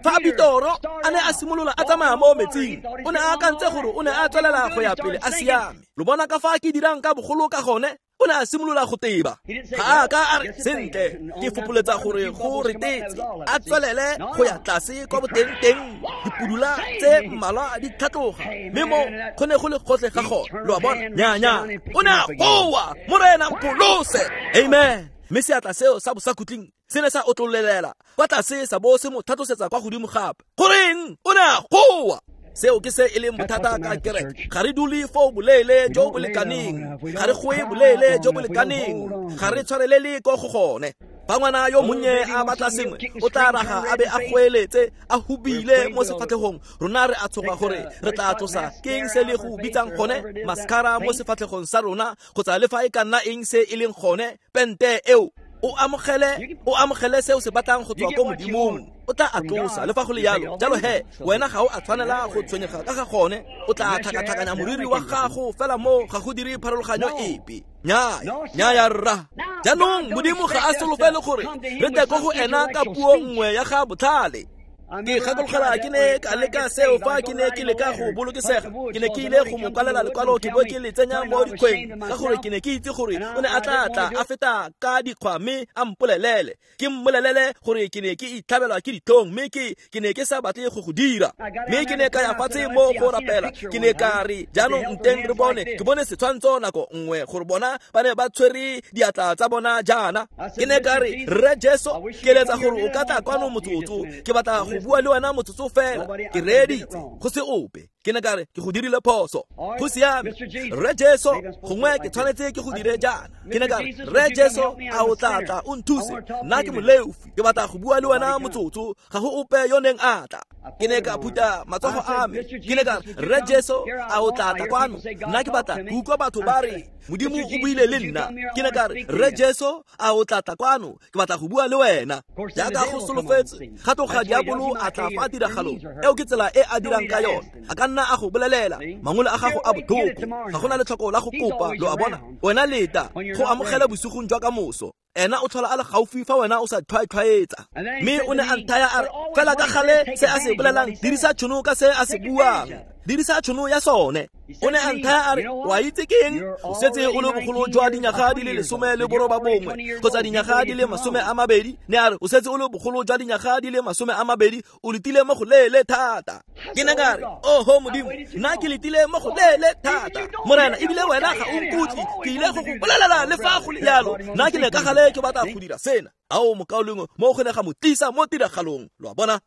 Fa Bitoro a ne a simolola a tsamaya mo metsing, o ne a akantse gore o ne a tswelela go ya pele a siame. Lo bona ka fa ke dirang ka bogolo ka gone? O ne a simolola go teba. Ga a ka a re, sentle, ke fopoletsa gore go retetse. A tswelele go ya tlase kwa boteng-teng, dipudula tse mmalwa di tlhatloga, mme mo go ne go le gotlhe ga gone. Lo a bona? Nnyaa, nnyaa. O ne a goa, Morena mpholose. Amen. Mme seatla seo sa bosakhutleng se ne sa otlololela kwa tlase sa bo se mo tlhatlosetsa kwa godimo gape. Goreng? O ne a goa. Seo ke se e leng bothata ka kereke. Ga re dule foo boleele jo bo lekaneng, ga re goe boleele jo bo lekaneng, ga re tshwarelele ko go gone. Fa ngwana yo monnye a batla sengwe, o tla raga a be a goeletse, a hubile mo sefatlhegong. Rona re a tshoga gore re tla tlosa ke eng se le go bitsang gone mascara mo sefatlhegong sa rona, kgotsa le fa e ka nna eng se e leng gone, pente eo. O amogele, o amogele se o se batlang go tswa ko Modimong. O tla a tlosa le fa go le jalo. Jalo he, wena ga o a tshwanela go tshwenyega ka ga gone. O tla tlhakatlhakanya moriri wa gago fela mo ga go dire pharologanyo epe. Nnyaa, nnyaa rra. Jaanong Modimo ga a solofele gore re tle ko go ena ka puo nngwe ya ga botlhale. Ke gakologela ke ne ka leka seo fa ke ne ke leka go bolokesega. Ke ne ke ile go mo kwalela lekwalo ke bo ke le tsenya mo dikgweng, ka gore ke ne ke itse gore o ne a tla tla a feta ka dikgwa mme a mpolelele. Ke mmolelele gore ke ne ke itlhabelwa ke ditlhong, mme ke ke ne ke sa batle go go dira. Mme ke ne ka ya fatshe mo go rapela. Ke ne ka re, jaanong nteng re bone, ke bone setshwantsho nako nngwe gore bona ba ne ba tshwere diatla tsa bona jaana. Ke ne ka re, Rre Jesu, ke eletsa gore o ka tla kwano motsotso. Ke batla go bua le wena motsotso fela. Ke reeditse, go se ope. Ke ne ka re ke go dirile phoso. Go siame, Rre Jesu, gongwe ke tshwanetse ke go dire jaana. Ke ne ka re, Rre Jesu, a o tla tla o nthuse? Nna ke moleofi, ke batla go bua le wena motsotso. Ga go ope yo neng a tla. Ke ne ka phuta matsogo a me. Ke ne ka re, Rre Jesu, a o tla tla kwano? Nna ke batla go utlwa batho ba re Modimo o buile le nna. Ke ne ka re, Rre Jesu, a o tla tla kwano? Ke batla go bua le wena. Jaaka go solofetse, ga tloga diabolo a tla fa tiragalong. Eo ke tsela e a dirang ka yone. A ka nna a go bolelela mangole a gago a botlhoko. Ga gona letlhoko la go kopa, lo a bona. Wena leta go amogela bosigong jwa kamoso. Ena o tlhola a le gaufi fa wena o sa tlhwatlhwaetsa. Mme o ne a nthaya a re, fela ka gale se a se bolelang, dirisa tšhono ka se a se buang, dirisa tšhono ya sone. O ne a nthaya a re, wa itse ke eng? O setse o le bogolo jwa dinyaga di le lesome le boroba bongwe kgotsa dinyaga di le masome a mabedi. Ne a re, o setse o le bogolo jwa dinyaga di le masome a mabedi, o letile mo go leele thata. Ke ne ka re, oho Modimo, nna ke letile mo go leele thata, Morena, ebile wena ga o nkutlwe. Ke ile go go bolelela le fa go le jalo. Nna ke ne ka gale ke batla go dira sena. Ao mokaulengwe, mo go ne ga mo tlisa mo tiragalong. Lo a bona?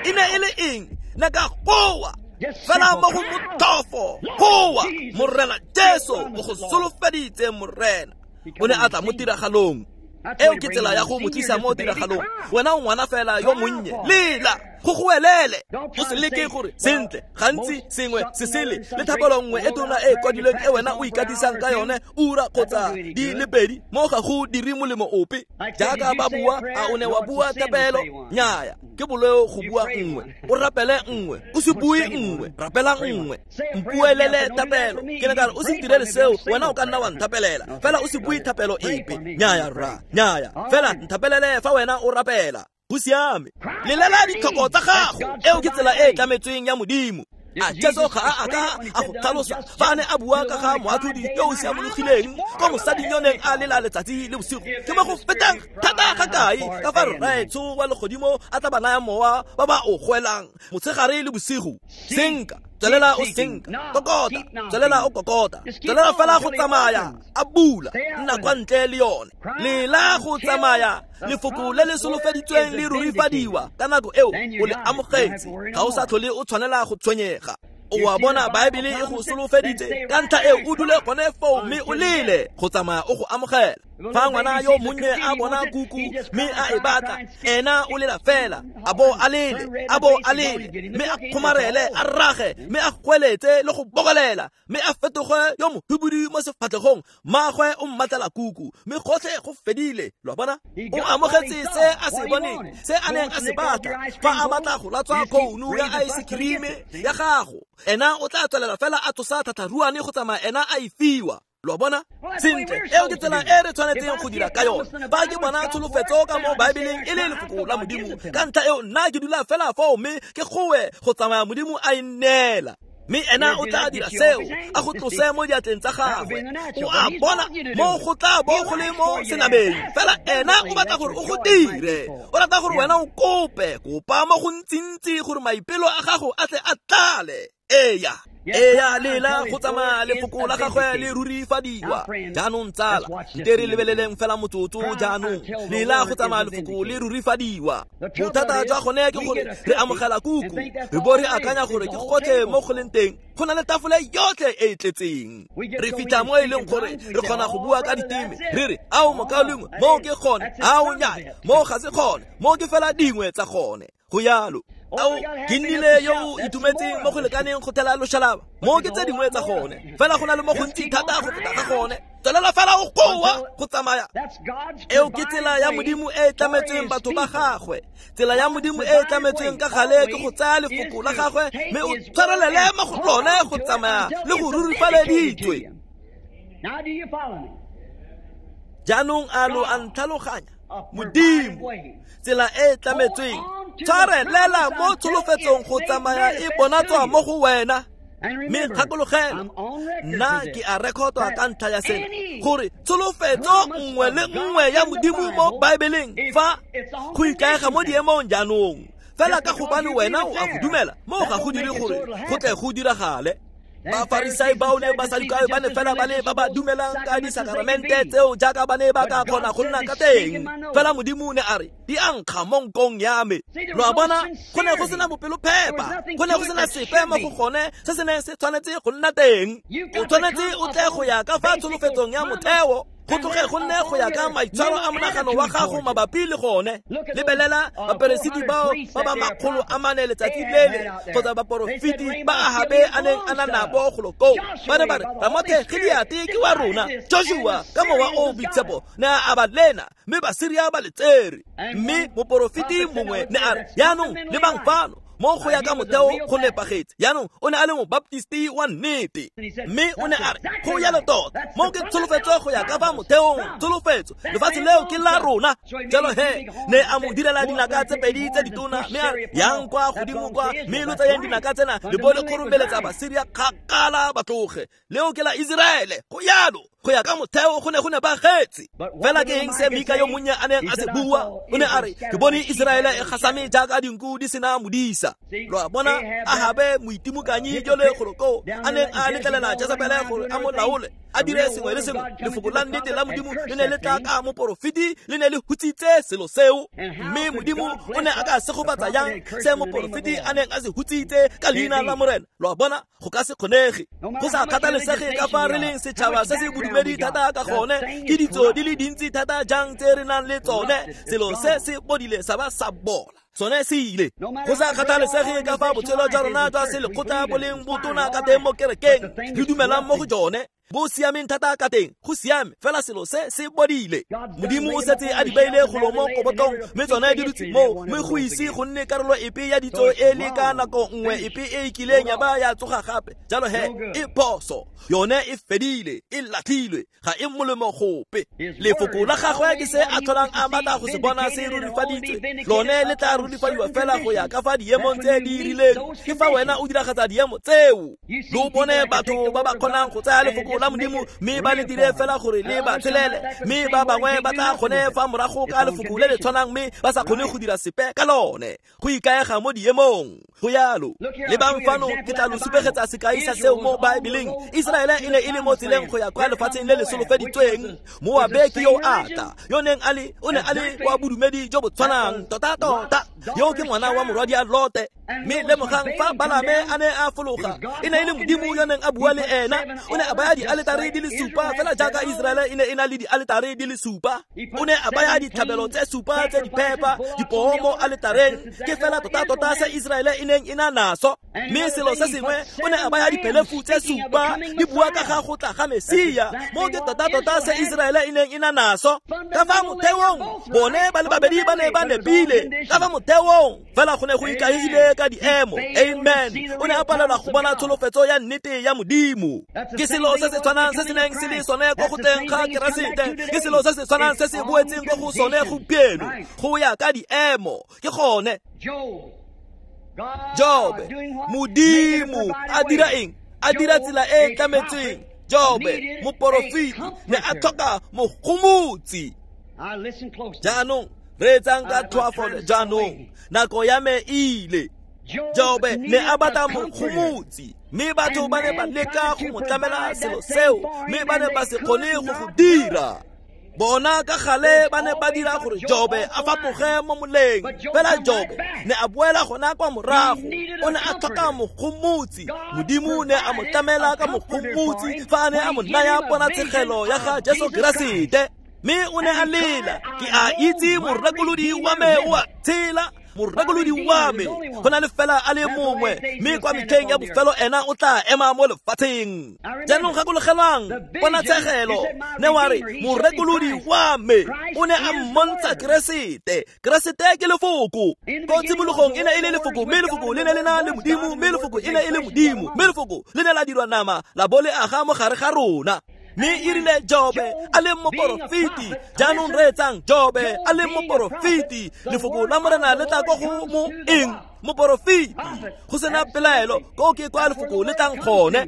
E ne e le eng? Ne ka goa fela mo go motlhofo. Goa, Morena Jesu o go solofeditse, Morena. O ne a tla mo tiragalong. Eo ke tsela ya go mo tlisa mo tiragalong. Wena o ngwana fela yo monnye, lela, go goelele. O se leke gore sentle, gantsi sengwe se sele le thapelo nngwe e tona e kwadilweng e wena o ikatisang ka yone ura kgotsa di le pedi, mo ga go dire molemo ope. Jaaka ba bua, a o ne wa bua thapelo? Nnyaya, ke boleo go bua nngwe. O rapele nngwe, o se bue nngwe, rapela nngwe. Mpuelele thapelo. Ke ne ka re, o se ntirele seo, wena o ka nna wa nthapelela, fela o se bue thapelo epe. Nnyaya rra, nnyaya, fela nthapelele fa wena o rapela. Go siame, lelela ditlhoko tsa gago. Eo ke tsela e e tlametsweng ya Modimo. A Jesu ga a ka a go tlhalosa fa a ne a bua ka ga moatlhodi yo o siamologileng ko mosading yo neng a lela letsatsi le bosigo? Ke mo go fetang thata ga kae ka fa Rraetsho wa legodimo a tla ba naya mowa ba ba o goelang motshegare le bosigo? Senka, tswelela o senka, kokota, tswelela o kokota, tswelela fela go tsamaya a bula, nna kwa ntle le yone. Lela go tsamaya lefoko le le solofeditsweng le rurifadiwa ka nako eo o le amogetse. Ga o sa tlhole o tshwanela go tshwenyega. O a bona, Baebele e go solofeditse, ka ntlha eo o dule gone foo mme o lele go tsamaya o go amogela. Fa ngwana yo monnye a bona kuku mme a e batla, ena o lela fela, a bo a lele, a bo a lele, mme a kgomarele, a rage, mme a goeletse le go bokolela, mme a fetoge yo mohubudu mo sefatlhegong. Mmagwe o mmatlela kuku, mme gotlhe go fedile. Lo a bona? O amogetse se a se boneng, se a neng a se batla. Fa a batla go latswa khounu ya ice cream ya gago, ena o tla tswelela fela a tsosa thatharuane go tsamaya ena a e fiwa. Lo a bona? Sentle, eo ke tsela e re tshwanetseng go dira ka yone. Fa ke bona tsholofetso ka mo Baebeleng e le lefoko la Modimo, ka ntlha eo nna ke dula fela foo mme ke goe go tsamaya Modimo a e nneela. Mme ena o tla dira seo, a go tlose mo diatleng tsa gagwe. O a bona, mo go tla bo go le mo senameng. Fela ena o batla gore o go dire. O rata gore wena o kope, kopa mo go ntsintsi gore maipelo a gago a tle a tlale. Eya, eya, lela go tsamaya lefoko la gagwe le rurifadiwa. Jaanong tsala, nte re lebeleleng fela motsotso jaanong. Lela go tsamaya lefoko le rurifadiwa. Bothata jwa gone ke gore re amogela kuku, re bo re akanya gore ke gotlhe mo go leng teng. Go na le tafole yotlhe e e tletseng. Re fitlha mo e leng gore re kgona go bua ka diteme, re re, ao mokaulengwe, moo ke gone, ao nnyaya, moo ga se gone, moo ke fela dingwe tsa gone. Go yalo. Ao, ke nnile yo o itumetseng mo go lekaneng go thela loshalaba, mo ke tse dingwe tsa gone. Fela go na le mo gontsi thata go feta ga gone. Tswelela fela o goa go tsamaya. Eo ke tsela ya Modimo e e tlametsweng batho ba gagwe. Tsela ya Modimo e e tlametsweng ka gale ke go tsaya lefoko la gagwe mme o tshwarelele mo go lone go tsamaya le go rurifaleditswe. Jaanong a lo a ntlhaloganya? Modimo, tsela e e tlametsweng, tshwarelela mo tsholofetsong go tsamaya e bonatswa mo go wena. Mme gakologelwa, nna ke a rekotwa ka ntlha ya sena, gore tsholofetso nngwe le nngwe ya Modimo mo Baebeleng fa go ikaega mo diemong jaanong. Fela ka gobane wena o a go dumela, mo ga go dire gore go tle go diragale. Bafarisai bao le Basadukai ba ne fela ba le ba ba dumelang ka disakaramente tseo jaaka ba ne ba ka kgona go nna ka teng. Fela Modimo ne a re di a nkga mo nkong ya me. Lo a bona, go ne go sena bopelophepa, go ne go sena sepe mo go gone se se neng se tshwanetse go nna teng. O tshwanetse o tle go ya ka fa tsholofetsong ya motheo, go tloge go nne go ya ka maitshwaro a monagano wa gago mabapi le gone. Lebelela baperesiti bao ba ba makgolo a mane letsatsi lele kgotsa baporofeti ba Ahabe a neng a na nabo golo koo. Ba ne ba re Ramothe Gileate ke wa rona. Joshua ka mowa o o boitshepo ne a aba lena, mme Basiria ba le tsere. Mme moporofeti mongwe ne a re, jaanong lebang fano, mo go ya ka motheo go nepagetse. Jaanong o ne a le mobaptisti wa nnete, mme o ne a re go yalo tota, mo ke tsholofetso go ya ka fa motheong, tsholofetso, lefatshe leo ke la rona. Jalo he ne a mo direla dinaka tse pedi tse ditona, mme a re yang kwa godimo kwa, mme lo tsayeng dinaka tsena le bo le kgoromeletsa Basiria kgakala ba tloge. Leo ke la Iseraele. Go yalo go ya ka motheo go ne go nepagetse. Fela ke eng se Mika yo monnye a neng a se bua? O ne a re ke bone Iseraele e gasame jaaka dinku di sena modisa. Lo a bona, Ahabe moitimokanyi jole golo koo a neng a letlelela Jezebele gore a mo laole, a dire sengwe le sengwe. Lefoko la nnete la Modimo le ne le tla ka moporofeti, le ne le hutsitse selo seo. Mme Modimo o ne a ka segofatsa jang se moporofeti a neng a se hutsitse ka leina la Morena? Lo a bona, go ka se kgonege. Go sa kgathalesege ka fa re leng setšhaba se se bodumedi thata ka gone, ke ditso di le dintsi thata jang tse re nang le tsone, selo se se bodile sa ba sa bola, sone se ile. Go sa kgathalesege ka fa botshelo jwa rona jwa selekgotla bo leng botona ka teng mo kerekeng, re dumelang mo go jone, bo siameng thata ka teng, go siame, fela selo se se bodile. Modimo o setse a di beile golo mo kobotlong, mme tsone di dutse moo, mme go ise go nne karolo epe ya ditso e le ka nako nngwe epe e e kileng ya ba ya tsoga gape. Jalo he e phoso, yone e fedile, e latlhilwe, ga e molemo gope. Lefoko la gagwe ke se a tlholang a batla go se bona se rurifaditswe. Lone le tla rurifadiwa fela go ya ka fa diemong tse di rileng. Ke fa wena o diragatsa diemo tseo. Lo bone batho ba ba kgonang go tsaya lefoko la Modimo mme ba le dire fela gore le ba tshelele, mme ba bangwe ba tla kgone fa morago ka lefoko le le tshwanang mme ba sa kgone go dira sepe ka lone. Go ikaega mo diemong, go yalo. Lebang fano, ke tla lo supegetsa sekai sa seo mo Baebeleng. Iseraele e ne e le mo tseleng go ya kwa lefatsheng le le solofeditsweng. Moabe ke yo ata, yo neng a le o ne a le wa bodumedi jo bo tshwanang tota-tota. Yo ke ngwana wa morwadia Lote. Mme lemogang fa Balame a ne a fologa, e ne e le Modimo yo neng a bua le ena. O ne a baya dialetare di le supa, fela jaaka Iseraele e ne e na le dialetare di le supa. O ne a baya ditlhabelo tse supa tse di phepa, dipoo mo aletareng, ke fela tota-tota se Iseraele e neng e na naso. Mme selo se sengwe, o ne a baya diphelefu tse supa, di bua ka ga go tla ga Mesia, mo ke tota-tota se Iseraele e neng e na naso. Ka fa motheong, bone ba le babedi ba ne ba nepile. Ka fa motheong, fela go ne go ikaegile ka diemo. Amen. O ne a palelwa go bona tsholofetso ya nnete ya Modimo. Ke selo se se tshwanang se se neng se le sone ko go tleng ga Keresete, ke selo se se tshwanang se se boetseng ko go sone gompieno, go ya ka diemo. Ke gone Jobe, Modimo a dira eng? A dira tsela e e tlametseng. Jobe, moporofeti, ne a tlhoka mogomotsi. Jaanong reetsang ka tlhoafalo. Jaanong nako ya me e ile. Jobe ne a batla mogomotsi, mme batho ba ne ba leka go mo tlamela selo seo, mme ba ne ba se kgone go go dira. Bona ka gale ba ne ba dira gore Jobe a fapoge mo moleng, fela Jobe ne a boela gona kwa morago. O ne a tlhoka mogomotsi. Modimo ne a mo tlamela ka mogomotsi fa a ne a mo naya ponatshegelo ya ga Jesu Keresete. Mme o ne a lela, ke a itse morekolodi wa me o a tshela, morekolodi wa me go na le fela a le mongwe, mme kwa metlheng ya bofelo ena o tla ema mo lefatsheng. Jaanong gakologelwang ponatshegelo, ne wa re morekolodi wa me o ne a mmontsha Keresete. Keresete ke lefoko. Ko tshimologong e ne e le lefoko, mme lefoko le ne le na le Modimo, mme lefoko e ne e le Modimo, mme lefoko le ne la dirwa nama la bo le aga mo gare ga rona. Mme e rile Jobe a le moporofeti. Jaanong reetsang, Jobe a le moporofeti, lefoko la Morena le tla ko go mo eng? Moporofeti. Go sena pelaelo, ko ke kwa lefoko le tlang gone.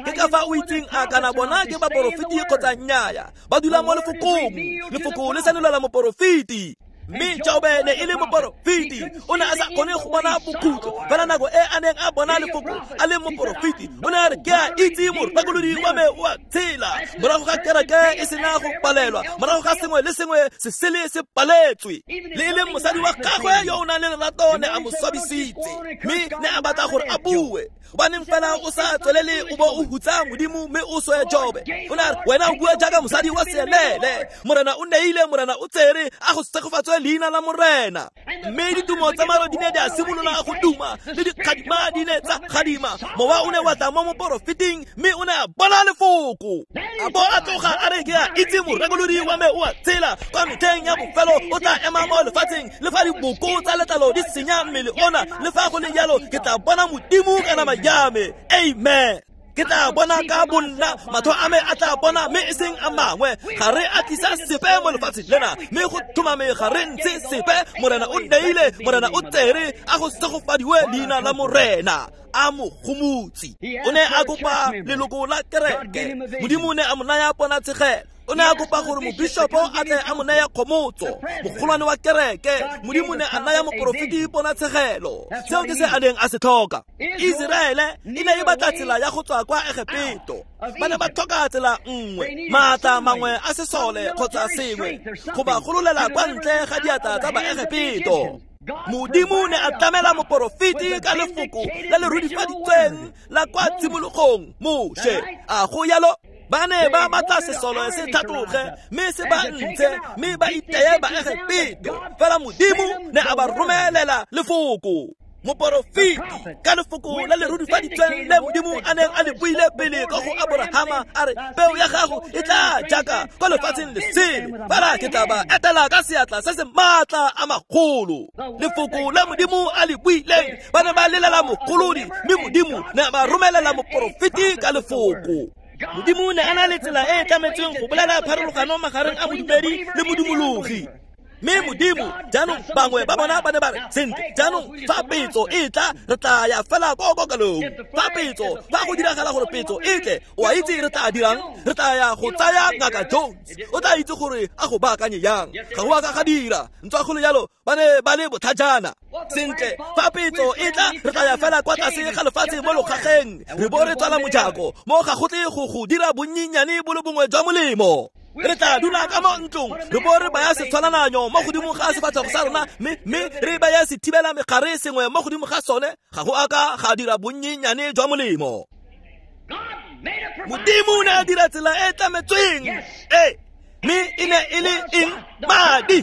Ke ka fa o itseng a kana bona ke baporofeti kgotsa nnyaya, ba dula mo lefokong. Lefoko le senolela moporofeti. Mme Jobe ne e le moporofeti, o ne a sa kgone go bona bokhutlo. Fela nako e a neng a bona lefoko a le moporofeti, o ne a re ke a itse morekolodi wa me o a tshela. Morago ga kereke e sena go palelwa, morago ga sengwe le sengwe se sele se paletswe, le e leng mosadi wa gagwe yo o nang le lerato ne a mo swabisitse, mme ne a batla gore a bue. Gobaneng fela o sa tswelele o bo o hutsa Modimo mme o swe Jobe? O ne a re wena o bua jaaka mosadi wa seelele. Morena o neile, Morena o tsere, a go segofatswe leina la Morena. Mme ditumo tsa maro di ne di a simolola go duma, le dikgadima di ne tsa gadima. Mowa o ne wa tla mo moporofeting, mme o ne a bona lefoko. A bo a tloga a re ke a itse morekolodi wa me o a tshela. Kwa metlheng ya bofelo o tla ema mo lefatsheng, le fa diboko tsa letlalo di senya mmele ona, le fa go le jalo ke tla bona Modimo ka nama ya me. Amen. Ke tla bona ka bonna, matlho a me a tla bona mme e seng a mangwe. Ga re a tlisa sepe mo lefatsheng lena, mme go tlhomame ga re ntshe sepe. Morena o neile, Morena o tsere, a go segofadiwe leina la Morena. A mo gomotse. O ne a kopa leloko la kereke, Modimo o ne a mo naya ponatshegelo. O ne a kopa gore mobishopo a tle a mo naya kgomotso, mogolwane wa kereke. Modimo ne a naya moporofeti ponatshegelo. Seo ke se a neng a se tlhoka. Iseraele e ne e batla tsela ya go tswa kwa Egepeto. Ba ne ba tlhoka tsela nngwe, maatla mangwe a sesole kgotsa sengwe, go ba gololela kwa ntle ga diatla tsa Baegepeto. Modimo ne a tlamela moporofeti ka lefoko le le rudifaditsweng la kwa tshimologong, Moshe. A go yalo? Ba ne ba batla sesole se tlhatloge mme se ba ntshe, mme ba iteye Baegepeto. Fela Modimo ne a ba romelela lefoko. Moporofeti ka lefoko le le rudifaditsweng le Modimo a neng a le buile pele ka go Aborahama, a re peo ya gago e tla jaaka kwa lefatsheng le sele, fela ke tla ba etela ka seatla se se maatla a magolo. Lefoko le Modimo a le buileng, ba ne ba lelela mogolodi, mme Modimo ne a ba romelela moporofeti ka lefoko. Modimo ne a na le tsela e e tlametsweng go bolela pharologano magareng a modumedi le modumologi. Mme Modimo, jaanong bangwe ba bona ba ne ba re, sentle, jaanong fa petso e tla, re tla ya fela ko kokelong. Fa petso, fa go diragala gore petso e tle, o a itse re tla dirang? Re tla ya go tsaya Ngaka Jones. O tla itse gore a go baakanye yang. Ga go a ka ga dira. Ntswa go le jalo, ba ne ba le botlhajana. Sentle, fa petso e tla, re tla ya fela kwa tlase ga lefatshe mo logageng, re bo re tswala mojako. Mo ga go tle go go dira bonnyenyane bo le bongwe jwa molemo. Re tla dula ka mo ntlong, re bo re baya setshwanananyo mo godimo ga sefatlhego sa rona, mme mme re baya sethibela megare sengwe mo godimo ga sone. Ga go a ka ga dira bonnyenyane jwa molemo. Modimo o ne a dira tsela e tlametsweng. Ee, mme e ne e le eng? Madi.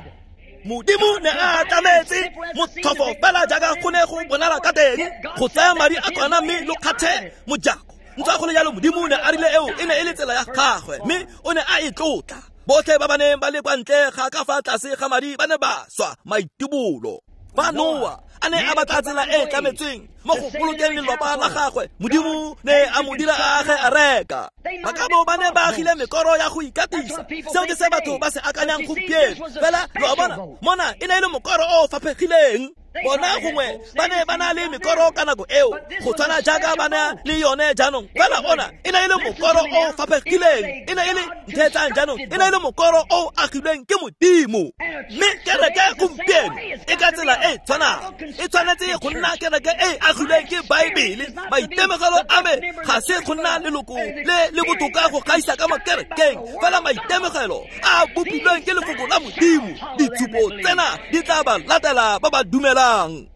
Modimo ne a tlametse motlhofo fela jaaka go ne go bonala ka teng, go tsaya madi a kwana mme lo kgathe mojako. Ntswa go le jalo, Modimo ne a rile eo e ne e le tsela ya gagwe, mme o ne a e tlotla. Botlhe ba ba neng ba le kwa ntle ga ka fa tlase ga madi ba ne ba swa maitibolo. Fa Noa a ne a batla tsela e tlametsweng mo go bolokeng lelapa la gagwe, Modimo ne a mo dira a age areka. Ba ka bo ba ne ba agile mekoro ya go ikatisa. Seo ke se batho ba se akanyang gompieno. Fela lo a bona, mona e ne e le mokoro o faphegileng. Bona gongwe ba ne ba na le mekoro ka nako eo, go tshwana jaaka ba na le yone jaanong. Fela ona e ne e le mokoro o faphegileng, e ne e le ntheetsang jaanong, e ne e le mokoro o agilweng ke Modimo. Mme kereke gompieno e ka tsela e tshwanang, e tshwanetse go nna kereke e agilweng ke Baebele. Maitemogelo a me ga se go nna leloko le le botoka go gaisa ka mo kerekeng, fela maitemogelo a bopilweng ke lefoko la Modimo. Ditshupo tsena di tla ba latela ba ba dumelang.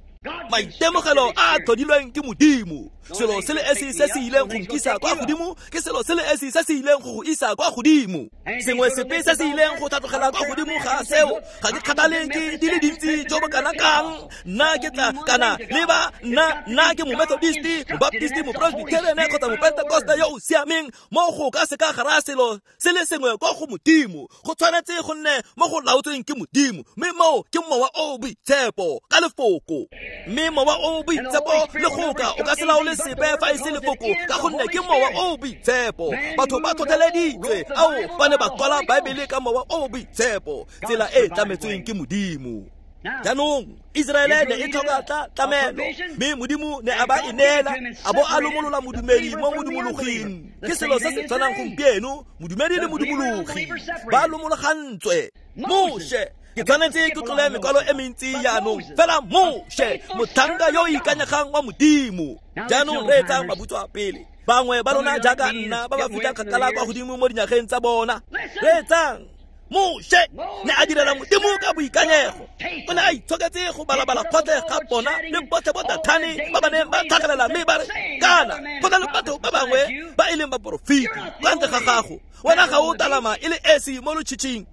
Maitemogelo a tlhodilweng ke Modimo. Selo se le esi se se ileng go nkisa kwa godimo ke selo se le esi se se ileng go go isa kwa godimo. Sengwe sepe se se ileng go tlhatlogela kwa godimo ga seo, ga ke kgathale ke di le dintsi jo bo kana kang. Nna ke tla kana le ba nna nna ke mo-Methodist, mo-Baptist, mo-Presbyterian kgotsa mo-Pentecost yo o siameng. Mo go ka se ka gara selo se le sengwe kwa go Modimo, go tshwanetse go nne mo go laotsweng ke Modimo, mme moo ke mowa o boitshepo ka lefoko. Mme mowa o boitshepo le goka o ka se laole sepe fa e se lefoko, ka gonne ke mowa o boitshepo. Batho ba tlhotlheleditswe ao ba ne ba kwala Baebele ka mowa o boitshepo, tsela e tlametsweng ke Modimo. Jaanong Iseraele ne e tlhoka tla tlamelo, mme Modimo ne a ba e neela, a bo a lomolola modumedi mo modumologing. Ke selo se se tshwanang gompieno, modumedi le modumologi ba lomologantswe. Moshe Ke tshwanetse ke tlole mekwalo e mentsi jaanong fela Moshe motlhanka yo o ikanyegang wa Modimo. Jaanong reetsang mabutswa pele. Bangwe ba lona jaaka nna ba ba fitlhang kgakala kwa godimo mo dinyageng tsa bona. Reetsang. Moshe ne a direla Modimo ka boikanyego. O ne a itshoketse go balabala kgotlhe ga bona le botlhe bo Dathane ba ba neng ba tlhagelela mme ba re kana go na le batho ba bangwe ba e leng baporofeti kwa ntle ga gago, wena ga o talama e le esi mo lotšhitšhing.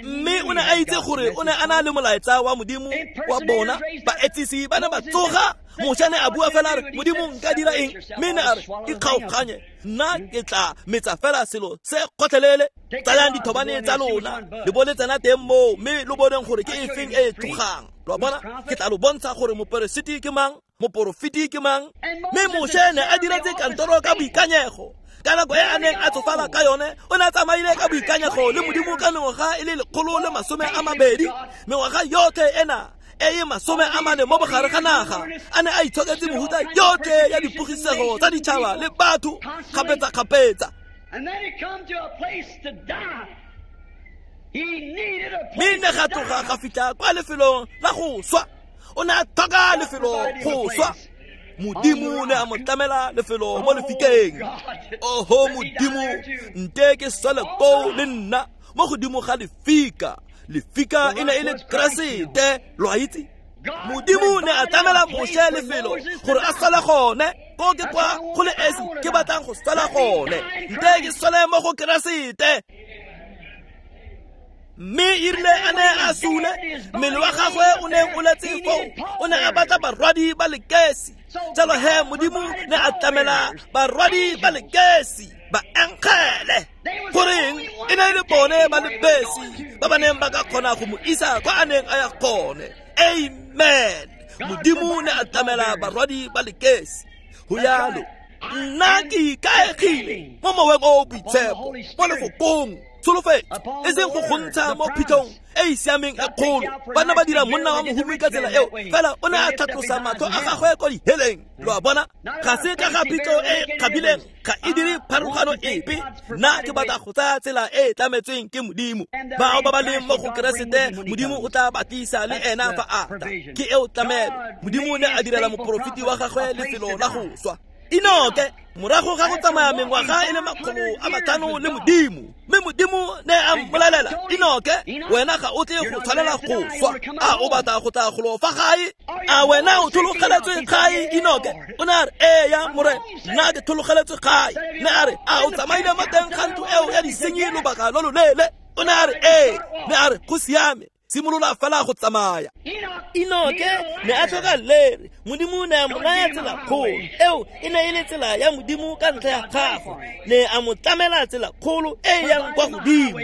Mme o ne a itse gore o ne a na le molaetsa wa Modimo wa bona. Baetsisi ba ne ba tsoga. Moshe ne a bua fela a re, Modimo nka dira eng? Mme ne a re, ikgaoganye, nna ke tla metsa fela selo se kgotlhelele. Tsayang dithobane tsa lona le bo le tsena teng moo mme lo boneng gore ke efeng e e tlogang. Lo a bona? Ke tla lo bontsha gore moperesiti ke mang, moporofeti ke mang. Mme Moshe ne a diretse kantoro ka boikanyego. Ka nako e a neng a tsofala ka yone, o ne a tsamaile ka boikanyego le Modimo ka mengwaga e le lekgolo le masome a mabedi. Mengwaga yotlhe ena e e masome a mane mo bogare ga naga, a ne a itshoketse mehuta yotlhe ya dipogisego tsa ditšhaba le batho kgapetsa-kgapetsa. Mme ne ga tloga ga fitlha kwa lefelong la go swa. O ne a tlhoka lefelo go swa. Modimo ne a mo tlamela lefelo mo lefikeng. Oho Modimo, nte ke sale koo le nna mo godimo ga lefika. Lefika e ne e le Keresete, lo a itse. Modimo ne a tlamela Moshe lefelo gore a sale gone. Ko ke kwa go le esi ke batlang go sala gone. Nte ke sale mo go Keresete. Mme e rile a ne a sule, mmele wa gagwe o ne o letse foo, o ne a batla barwadi ba lekesi. Jalo he Modimo ne a tlamela barwadi ba lekesi, baengele. Goreng e ne e le bone ba le besi ba ba neng ba ka kgona go mo isa kwa a neng a ya gone. Amen. Modimo ne a tlamela barwadi ba lekesi. Go yalo, nna ke ikaegile mo moweng o o boitshepo, mo lefokong tsholofetso, e seng go gontsha mo phitlhong e e siameng e kgolo. Banna ba dira monna wa mohumi ka tsela eo, fela o ne a tlhatlosa matlho a gagwe kwa diheleng. Lo a bona? Ga se ka ga phitlho e kgabileng, ga e dire pharologano epe. Nna ke batla go tsaya tsela e e tlametsweng ke Modimo. Bao ba ba leng mo go Keresete, Modimo o tla ba tlisa le ena fa a tla. Ke eo tlamelo. Modimo ne a direla moporofeti wa gagwe lefelo la go swa. Enoke morago ga go tsamaya mengwaga e le makgolo a matlhano le Modimo, mme Modimo ne a mmolelela, Enoke, wena ga o tle go tshwanela go swa. A o batla go tla golo fa gae? A wena o tlhologeletswe gae, Enoke? O ne a re, ee ya Morena, nna ke tlhologeletswe gae. Ne a re, a o tsamaile mo teng ga ntlo eo ya disenyi lobaka lo loleele? O ne a re, ee. Ne a re, go siame, simolola fela go tsamaya. Enoke ne a tlhoka lere. Modimo ne a mo naya tsela kgolo. Eo e ne e le tsela ya Modimo ka ntlha ya gagwe. Ne a mo tlamela tsela kgolo e yang kwa godimo.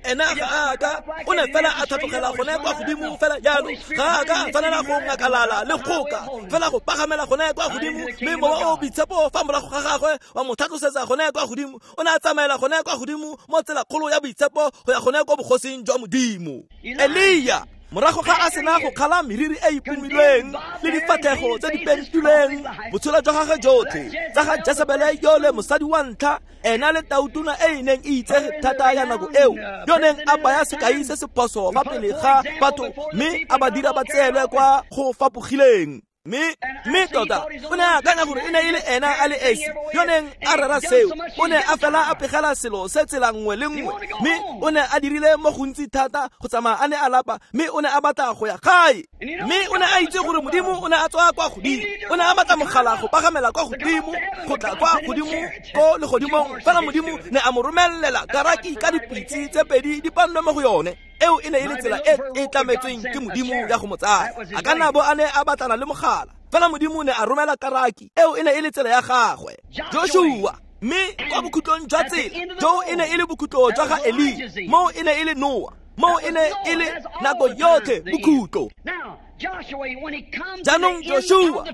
Ena ga a ka, o ne fela a tlhatlogela gone kwa godimo fela jalo. Ga a ka a tshwanela go ngakalala le goka, fela go pagamela gone kwa godimo. Mme mowa o boitshepo fa morago ga gagwe wa mo tlhatlosetsa gone kwa godimo. O ne a tsamaela gone kwa godimo mo tsela kgolo ya boitshepo go ya gone kwa bogosing jwa Modimo. Elia morago ga a sena go kgala meriri e ipomilweng le difatlhego tse di pentilweng, botshelo jwa gagwe jotlhe tsa ga Jesebele yole mosadi wa ntlha, ena le tautona e e neng e itsege thata ya nako eo, yo neng a baya sekai se se phoso fa pele ga batho mme a ba dira ba tseelwe kwa go fapogileng. Mme mme tota o ne a akanya gore e ne e le ena a le esi yo neng a rera seo. O ne a fela a pegela selo se tsela nngwe le nngwe, mme o ne a dirile mo gontsi thata go tsamaya a ne a lapa, mme o ne a batla go ya gae. Mme o ne a itse gore Modimo o ne a tswa kwa godimo. O ne a batla mogala go pagamela kwa godimo, go tla kwa godimo ko legodimong. Fela Modimo ne a mo romelela karaki ka dipitse tse pedi di pannwe mo go yone. Eo e ne e le tsela e e tlametsweng ke Modimo ya go mo tsaya. A ka nna bo a ne a batlana le mogala, fela Modimo ne a romela karaki. Eo e ne e le tsela ya gagwe. Joshua, mme kwa bokhutlong jwa tsela, jo e ne e le bokhutlo jwa ga Elia, moo e ne e le Noa, moo e ne e le nako yotlhe bokhutlo. Jaanong Joshua,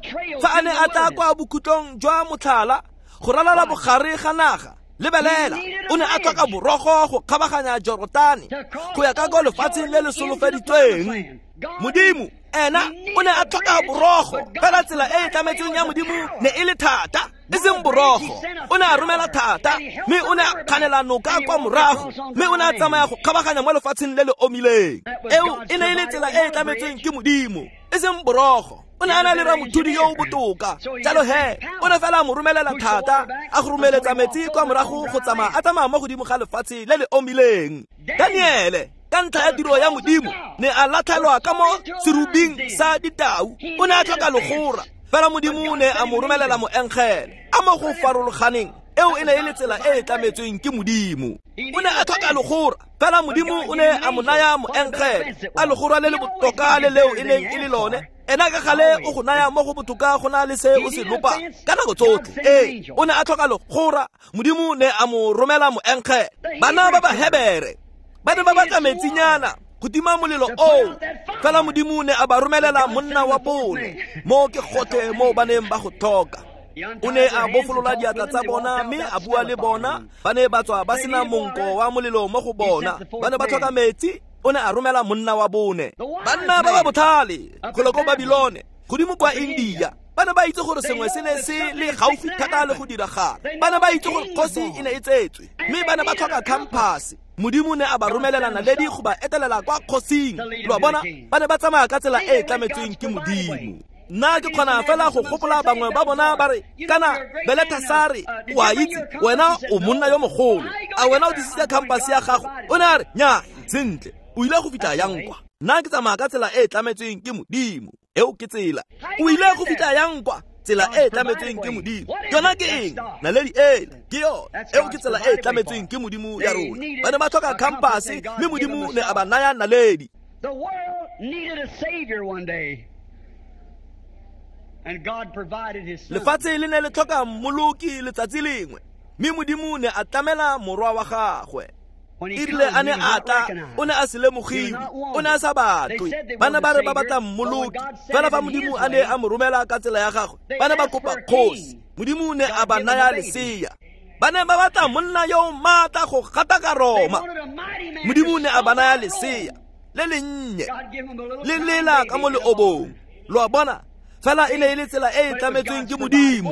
fa a ne a tla kwa bokhutlong jwa motlhala go ralala bogare ga naga, Lebelela, o ne a tlhoka borogo go kgabaganya Jorotane go ya ka ko lefatsheng le le solofeditsweng. Modimo ena o ne a tlhoka borogo, fela tsela e e tlametsweng ya Modimo ne e le thata, e seng borogo. O ne a romela thata, mme o ne a kganela noka kwa morago, mme o ne a tsamaya go kgabaganya mo lefatsheng le le omileng. Eo e ne e le tsela e e tlametsweng ke Modimo, e seng borogo. O ne a na le ramothudi yo o botoka, jalo he o ne fela a mo romelela thata, a go romeletsa metsi kwa morago go tsamaya a tsamaya mo godimo ga lefatshe le le omileng. Daniele, ka ntlha ya tiro ya Modimo, ne a latlhelwa ka mo serubing sa ditau. O ne a tlhoka legora, fela Modimo ne a mo romelela moengele a mo go farologaneng. Eo e ne e le tsela e e tlametsweng ke Modimo. O ne a tlhoka legora, fela Modimo o ne a mo naya moengele a legora le le botoka le leo e neng e le lone. Ena ka gale o go naya mo go botoka go na le se o se lopa ka nako tsotlhe. Ee, o ne a tlhoka legora, Modimo ne a mo romela moengele. Bana ba Bahebere ba ne ba batla metsinyana go tima molelo oo, fela Modimo ne a ba romelela monna wa bone. Mo ke gotlhe mo ba neng ba go tlhoka. O ne a bofolola diatla tsa bona mme a bua le bona. Ba ne ba tswa ba sena monko wa molelo mo go bona. Ba ne ba tlhoka metsi, o ne a romela monna wa bone. Banna ba ba botlhale golo ko Babilone, godimo kwa India, ba ne ba itse gore sengwe se ne se le gaufi thata le go diragala. Ba ne ba itse gore kgosi e ne e tsetswe, mme ba ne ba tlhoka khamphase. Modimo ne a ba romelela naledi go ba etelela kwa kgosing. Lo a bona, ba ne ba tsamaya ka tsela e e tlametsweng ke Modimo. Nna ke kgona fela go gopola bangwe ba bona ba re, kana Beletasare, o a itse, wena o monna yo mogolo, a wena o disitse khamphase ya gago? O ne a re, nnyaa, sentle, o ile go fitlha yang kwa? Nna ke tsamaya ka tsela e e tlametsweng ke Modimo. Eo ke tsela. O ile go fitlha yang kwa? Tsela e e tlametsweng ke Modimo. Yona ke eng? Naledi ela ke yone. Eo ke tsela e e tlametsweng ke Modimo ya rona. Ba ne ba tlhoka khamphase, mme Modimo ne a ba naya naledi. The world needed a savior one day, and God provided his son. Lefatshe le ne le tlhoka mmoloki letsatsi lengwe, mme Modimo ne a tlamela morwa wa gagwe. E rile a ne a tla, o ne a se lemogiwe, o ne a sa batlwe. Ba ne ba re ba batla mmoloki, fela fa Modimo a ne a mo romela ka tsela ya gagwe, ba ne ba kopa kgosi. Modimo ne a ba naya lesea. Ba ne ba batla monna yo o maatla go gataka Roma. Modimo ne a ba naya lesea le lennye, le lela ka mo leobong. Lo a bona, fela e ne e le tsela e e tlametsweng ke Modimo.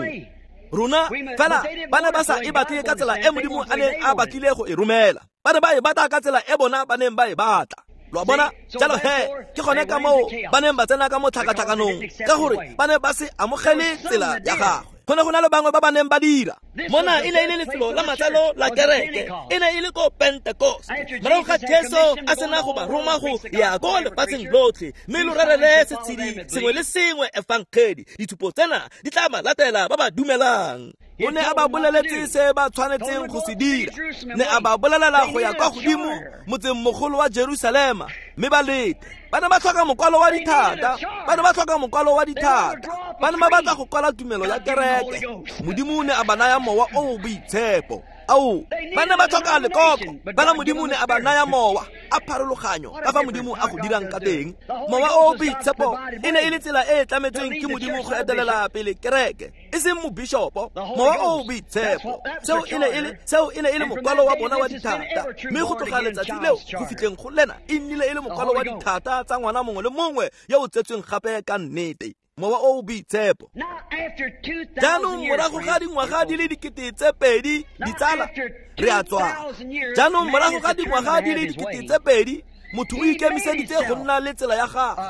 Rona fela ba ne ba sa e batle ka tsela e Modimo a neng a batlile go e romela. Ba ne ba e batla ka tsela e bona ba neng ba e batla. Lo a bona, jalo he ke gone ka moo ba neng ba tsena ka mo tlhakatlhakanong, ka gore ba ne ba se amogele tsela ya gagwe. Go ne go na le bangwe ba ba neng ba dira. Mona e ne e le lefelo la matsalo la kereke, e ne e le ko Pentecost. Morago ga Jesu a sena go ba roma go ya ko lefatsheng lotlhe, mme lo rerele setshedi sengwe le sengwe efangedi. Ditshupo tsena di tla ba latela ba ba dumelang. O ne a ba boleletse se ba tshwanetseng go se dira. Ne a ba bolelela go ya kwa godimo motseng mogolo wa Jerusalema, mme ba lete. Ba ne ba tlhoka mokwalo wa dithata, ba ne ba tlhoka mokwalo wa dithata. Ba ne ba batla go kwala tumelo ya kereke. Modimo ne a ba naya mowa o o boitshepo. Ao, ba ne ba tlhoka lekoko, fela Modimo ne a ba naya mowa a pharologanyo ka fa Modimo a go dirang ka teng. Mowa o o boitshepo e ne e le tsela e e tlametsweng ke Modimo go etelela pele kereke, e seng mobishopo. Mowa o o boitshepo, seo e ne e le seo e ne e le mokwalo wa bona wa dithata. Mme go tloga letsatsi leo go fitlheng go lena, e nnile e le mokwalo wa dithata tsa ngwana mongwe le mongwe yo o tsetsweng gape ka nnete. Mowa o o boitshepo. Jaanong morago ga dingwaga di le dikete tse pedi, ditsala, re a tswa. Jaanong morago ga dingwaga di le dikete tse pedi, motho o ikemiseditse go nna le tsela ya gagwe.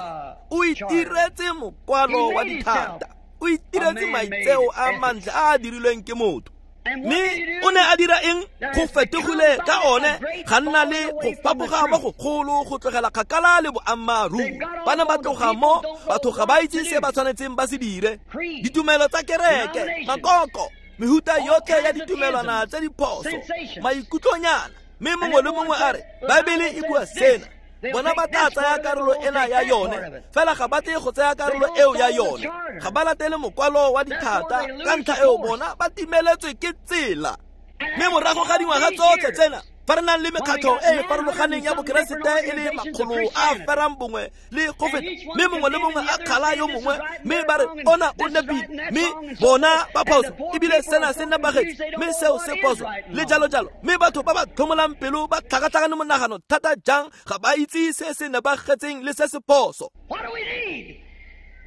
O itiretse mokwalo wa dithata, o itiretse maitseo a mantle a a dirilweng ke motho. Mme o ne a dira eng? Go fetogile ka one ga nna le go fapoga mo go golo go tlogela kgakala le boammaaruri. Ba ne ba tloga mo, batho ga ba itse se ba tshwanetseng ba se dire. Ditumelo tsa kereke, makoko, mehuta yotlhe ya ditumelwana tse diphoso, maikutlonyana, mme mongwe le mongwe a re, Baebele e bua sena. Bona ba tla tsaya karolo ena ya yone, fela ga ba tle go tsaya karolo eo ya yone. Ga ba latele mokwalo wa dithata, ka ntlha eo bona ba timeletswe ke tsela. Mme morago ga dingwaga tsotlhe tsena, Fa re nang le mekgatlho e e farologaneng ya bokeresete e le makgolo a ferang bongwe le go feta, mme mongwe le mongwe a kgala yo mongwe, mme ba re ona o nepile, mme bona ba phoso, ebile sena se nepagetse, mme seo se phoso, le jalo jalo. Mme batho ba ba tlhomolang pelo ba tlhakatlhakane monagano thata jang ga ba itse se se nepagetseng le se se phoso.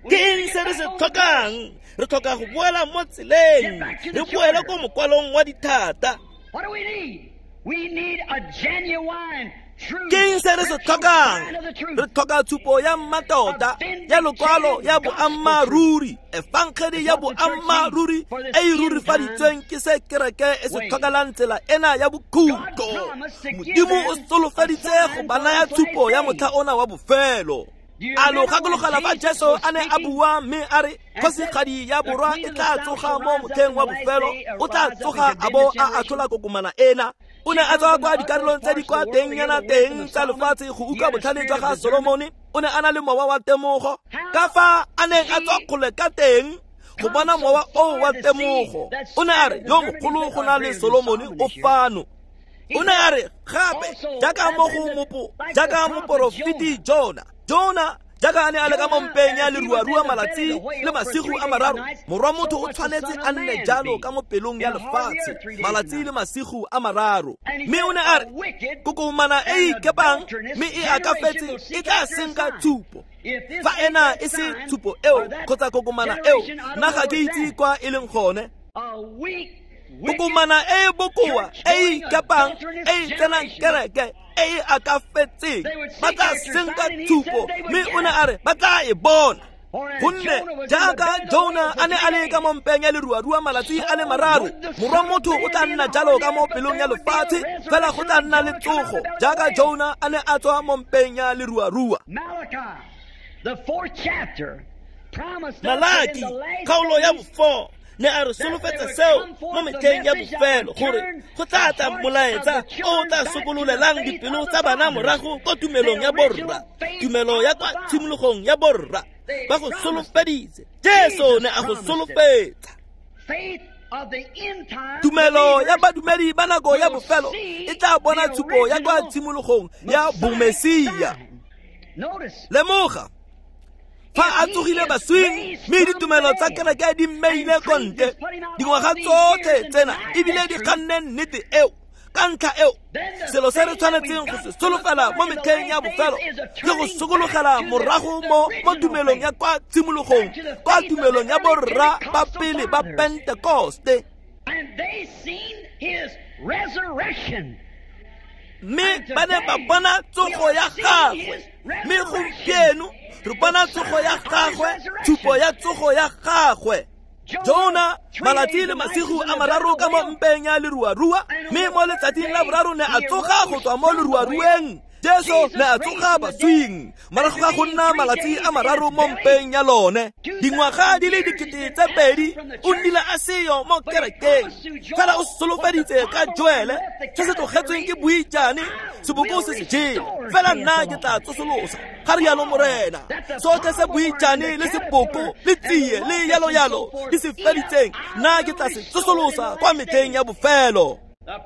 Ke eng se re se tlhokang? Re tlhoka go boela mo tseleng, re boele ko mokwalong wa dithata. We need a genuine, true Ke eng se re se tlhokang? Re tlhoka tshupo ya mmatota, ya lokwalo ya boammaaruri, efangedi ya boammaaruri e e rurifaditsweng ke se kereke e se tlhokelang tsela ena ya bokhutlo. Modimo o solofeditse go ba naya tshupo ya motlha ona wa bofelo. A lo gakologela fa Jesu a ne a bua mme a re kgosigadi ya borwa e tla tsoga mo motlheng wa bofelo, o tla tsoga a bo a atlhola kokomana ena. O ne a tswa kwa dikarolong tse di kwa tengnyana teng tsa lefatshe go utlwa botlhale jwa ga Solomone. O ne a na le mowa wa temogo, ka fa a neng a tswa kgole ka teng go bona mowa oo wa temogo. O ne a re yo mogolo go na le Solomone o fano. O ne a re gape jaaka mo go mopo jaaka moporofeti Jona, Jona jaaka a ne a le ka mo mpeng ya leruarua malatsi le masigo a mararo, morwa motho o tshwanetse a nne jalo ka mo pelong ya lefatshe malatsi le masigo a mararo. Mme o ne a re kokomana e ikepang mme e akafetse e tla senka tshupo. Fa ena e se tshupo eo kgotsa kokomana eo, nna ga ke itse kwa e leng gone. Kokomana e e bokoa e e ikepang e e tsenang kereke e e akafetseng, ba tla senka tshupo, mme o ne a re ba tla e bona. Gonne jaaka Jona a ne a le ka mo mpeng ya leruarua malatsi a le mararo, morwa motho o tla nna jalo ka mo pelong ya lefatshe, fela go tla nna le tsogo jaaka Jona a ne a tswa mo mpeng ya leruarua. Malaki kgaolo ya bofo ne a re solofetsa seo mo metlheng ya bofelo, gore go tla tla molaetsa o tla sokololelang dipelo tsa bana morago ko tumelong ya borra, tumelo ya kwa tshimologong ya borra. Ba go solofeditse, Jesu ne a go solofetsa. Tumelo ya badumedi ba nako ya bofelo e tla bona tshupo ya kwa tshimologong ya bomesia. Lemoga fa a tsogile baswing, mme ditumelo tsa kereke di mmeile kontle dingwaga tsotlhe tsena, ebile di kganne nnete eo. Ka ntlha eo, selo se re tshwanetseng go se solofela mo metlheng ya bofelo ke go sokologela morago mo mo tumelong ya kwa tshimologong, kwa tumelong ya borra ba pele ba Pentekoste. Mme ba ne ba bona tsogo ya gagwe, mme gompieno re bona tsogo ya gagwe, tshupo ya tsogo ya gagwe. Jona malatsi le masigo a mararo ka mo mpeng ya leruarua, mme mo letsatsing la boraro ne a tsoga go tswa mo leruarueng. Jesu ne a tsoga baswing morago ga go nna malatsi a mararo mo mpeng ya lone. Dingwaga di le dikete tse pedi o nnile a seyo mo kerekeng, fela o solofeditse ka Joele se se tlogetsweng ke boijane, seboko se se jele, fela nna ke tla tsosolosa, ga rialo Morena. Sotlhe se boijane le seboko le tsie le yalo-yalo di se feditseng, nna ke tla se tsosolosa kwa metlheng ya bofelo.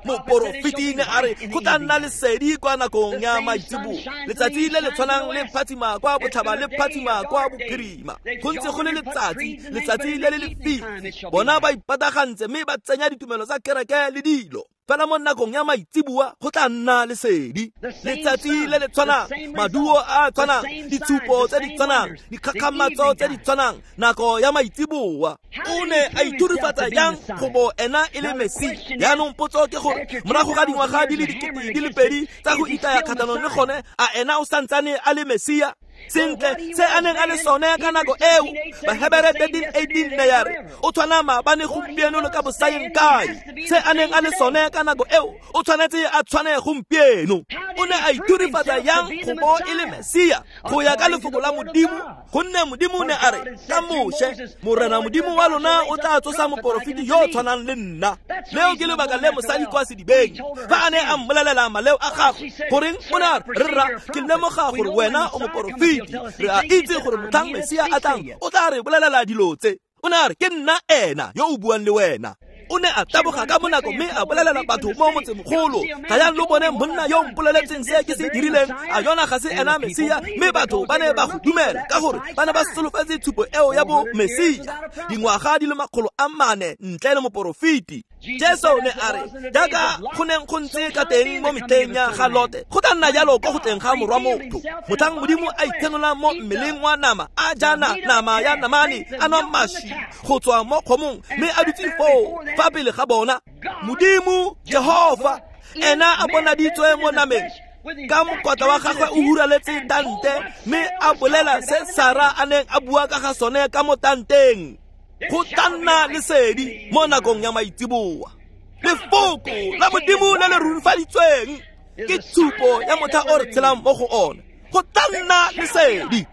Moporofeti ne a re go tla nna lesedi kwa nakong ya maitseboa, letsatsi le le tshwanang le phatsima kwa botlhaba le phatsima kwa bophirima. Go ntse go le letsatsi, letsatsi le le lefifi. Bona ba ipatagantse mme ba tsenya ditumelo tsa kereke le dilo, fela mo nakong ya maitseboa go tla nna lesedi. Letsatsi le le tshwanang, maduo a tshwanang, ditshupo tse di tshwanang, dikgakgamatso tse di tshwanang, nako ya maitseboa. O ne a ithurifatsa jang go bo ena e le Mesia? Jaanong potso ke gore morago ga dingwaga di le dikete di le pedi tsa go itaya kgatlhanong le gone, a ena o santsane a le Mesia? Sentle se a neng a le sone ka nako eo, Bahebere thirteen eighteen ne ya re o tshwana maabane gompieno le ka bosayeng kae. Se a neng a le sone ka nako eo, o tshwanetse a tshwane gompieno. O ne a ithurifatsa yang go bo e le Mesia go ya ka lefoko la Modimo? Gonne Modimo ne a re ka Moshe, Morena Modimo wa lona o tla tsosa moporofeti yo o tshwanang le nna. Leo ke lebaka le mosadi kwa sedibeng fa a ne a mmolelela maleo a gagwe, goreng o ne a re, rra, ke lemoga gore wena o moporofeti, re a itse gore motlhang Mesia a tlang o tla re bolelela dilo tse. O ne a re ke nna ena yo o buang le wena. O ne a taboga ka bonako mme a bolelela batho mo motsemogolo, tlayang lo bone monna yo mpoleletseng se ke se dirileng, a yona ga se ena Mesia? Mme batho ba ne ba go dumela ka gore ba ne ba solofetse tshupo eo ya bo Mesia dingwaga di le makgolo a mane ntle le moporofeti. Jesu ne a re, jaaka go neng go ntse ka teng mo metlheng ya ga Lote, go tla nna jalo ko go tleng ga morwa motho. Motlhang Modimo a itshenola mo mmeleng wa nama, a jana nama ya namane, a nwa mašwi go tswa mo kgomong, mme a dutse foo fa pele ga bona. Modimo Jehova ena a bonaditswe mo nameng ka mokotla wa gagwe o huraletse tante, mme a bolela se Sara a neng a bua ka ga sone ka mo tanteng. Go tla nna lesedi mo nakong ya maitseboa. Lefoko la Modimo le le rurifaditsweng ke tshupo ya motlha o re tshelang mo go ona. Go tla nna lesedi.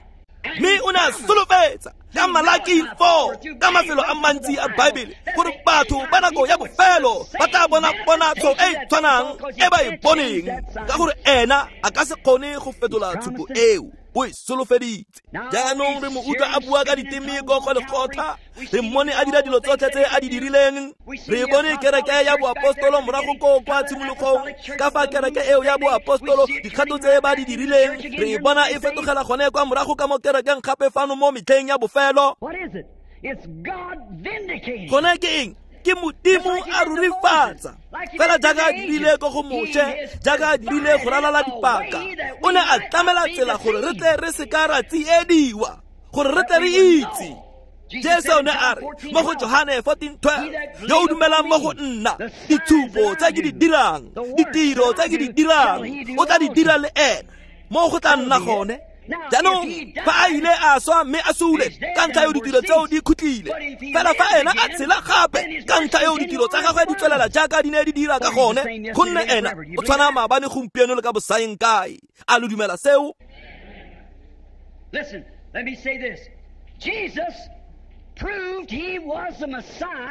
Mme o ne a solofetsa ka Malaki four, ka mafelo a mantsi a Baebele, gore batho ba nako ya bofelo ba tla bona ponatsho e e tshwanang e ba e boneng, ka gore ena a ka se kgone go fetola tshupo eo. O e solofeditse. Jaanong re mo utlwa a bua ka diteme ko go lekgotla, re mmone a dira dilo tsotlhe tse a di dirileng. Re bone kereke ya boapostolo morago ko kwa tshimologong, ka fa kereke eo ya boapostolo dikgato tse ba di dirileng, re bona e fetogela gone kwa morago ka mo kerekeng gape fano mo metlheng ya bofelo. Gone ke eng? Ke Modimo a rurifatsa fela jaaka a dirile ko go Moshe, jaaka a dirile go ralala dipaka. O ne a tlamela tsela gore re tle re se ka ra tsiediwa, gore re tle re itse. Jesu ne a re mo go Johane fourteen twelve, yo o dumelang mo go nna, ditshupo tse ke di dirang, ditiro tse ke di dirang, o tla di dira le ena. Mo go tla nna gone. Jaanong fa a ile a swa mme a sule ka ntlha eo ditiro tseo di khutlile, fela fa ena a tshela gape ka ntlha eo ditiro tsa gagwe di tswelela jaaka di ne di dira ka gone, gonne ena o tshwana maabane, gompieno le ka bosaeng kae. A lo dumela seo?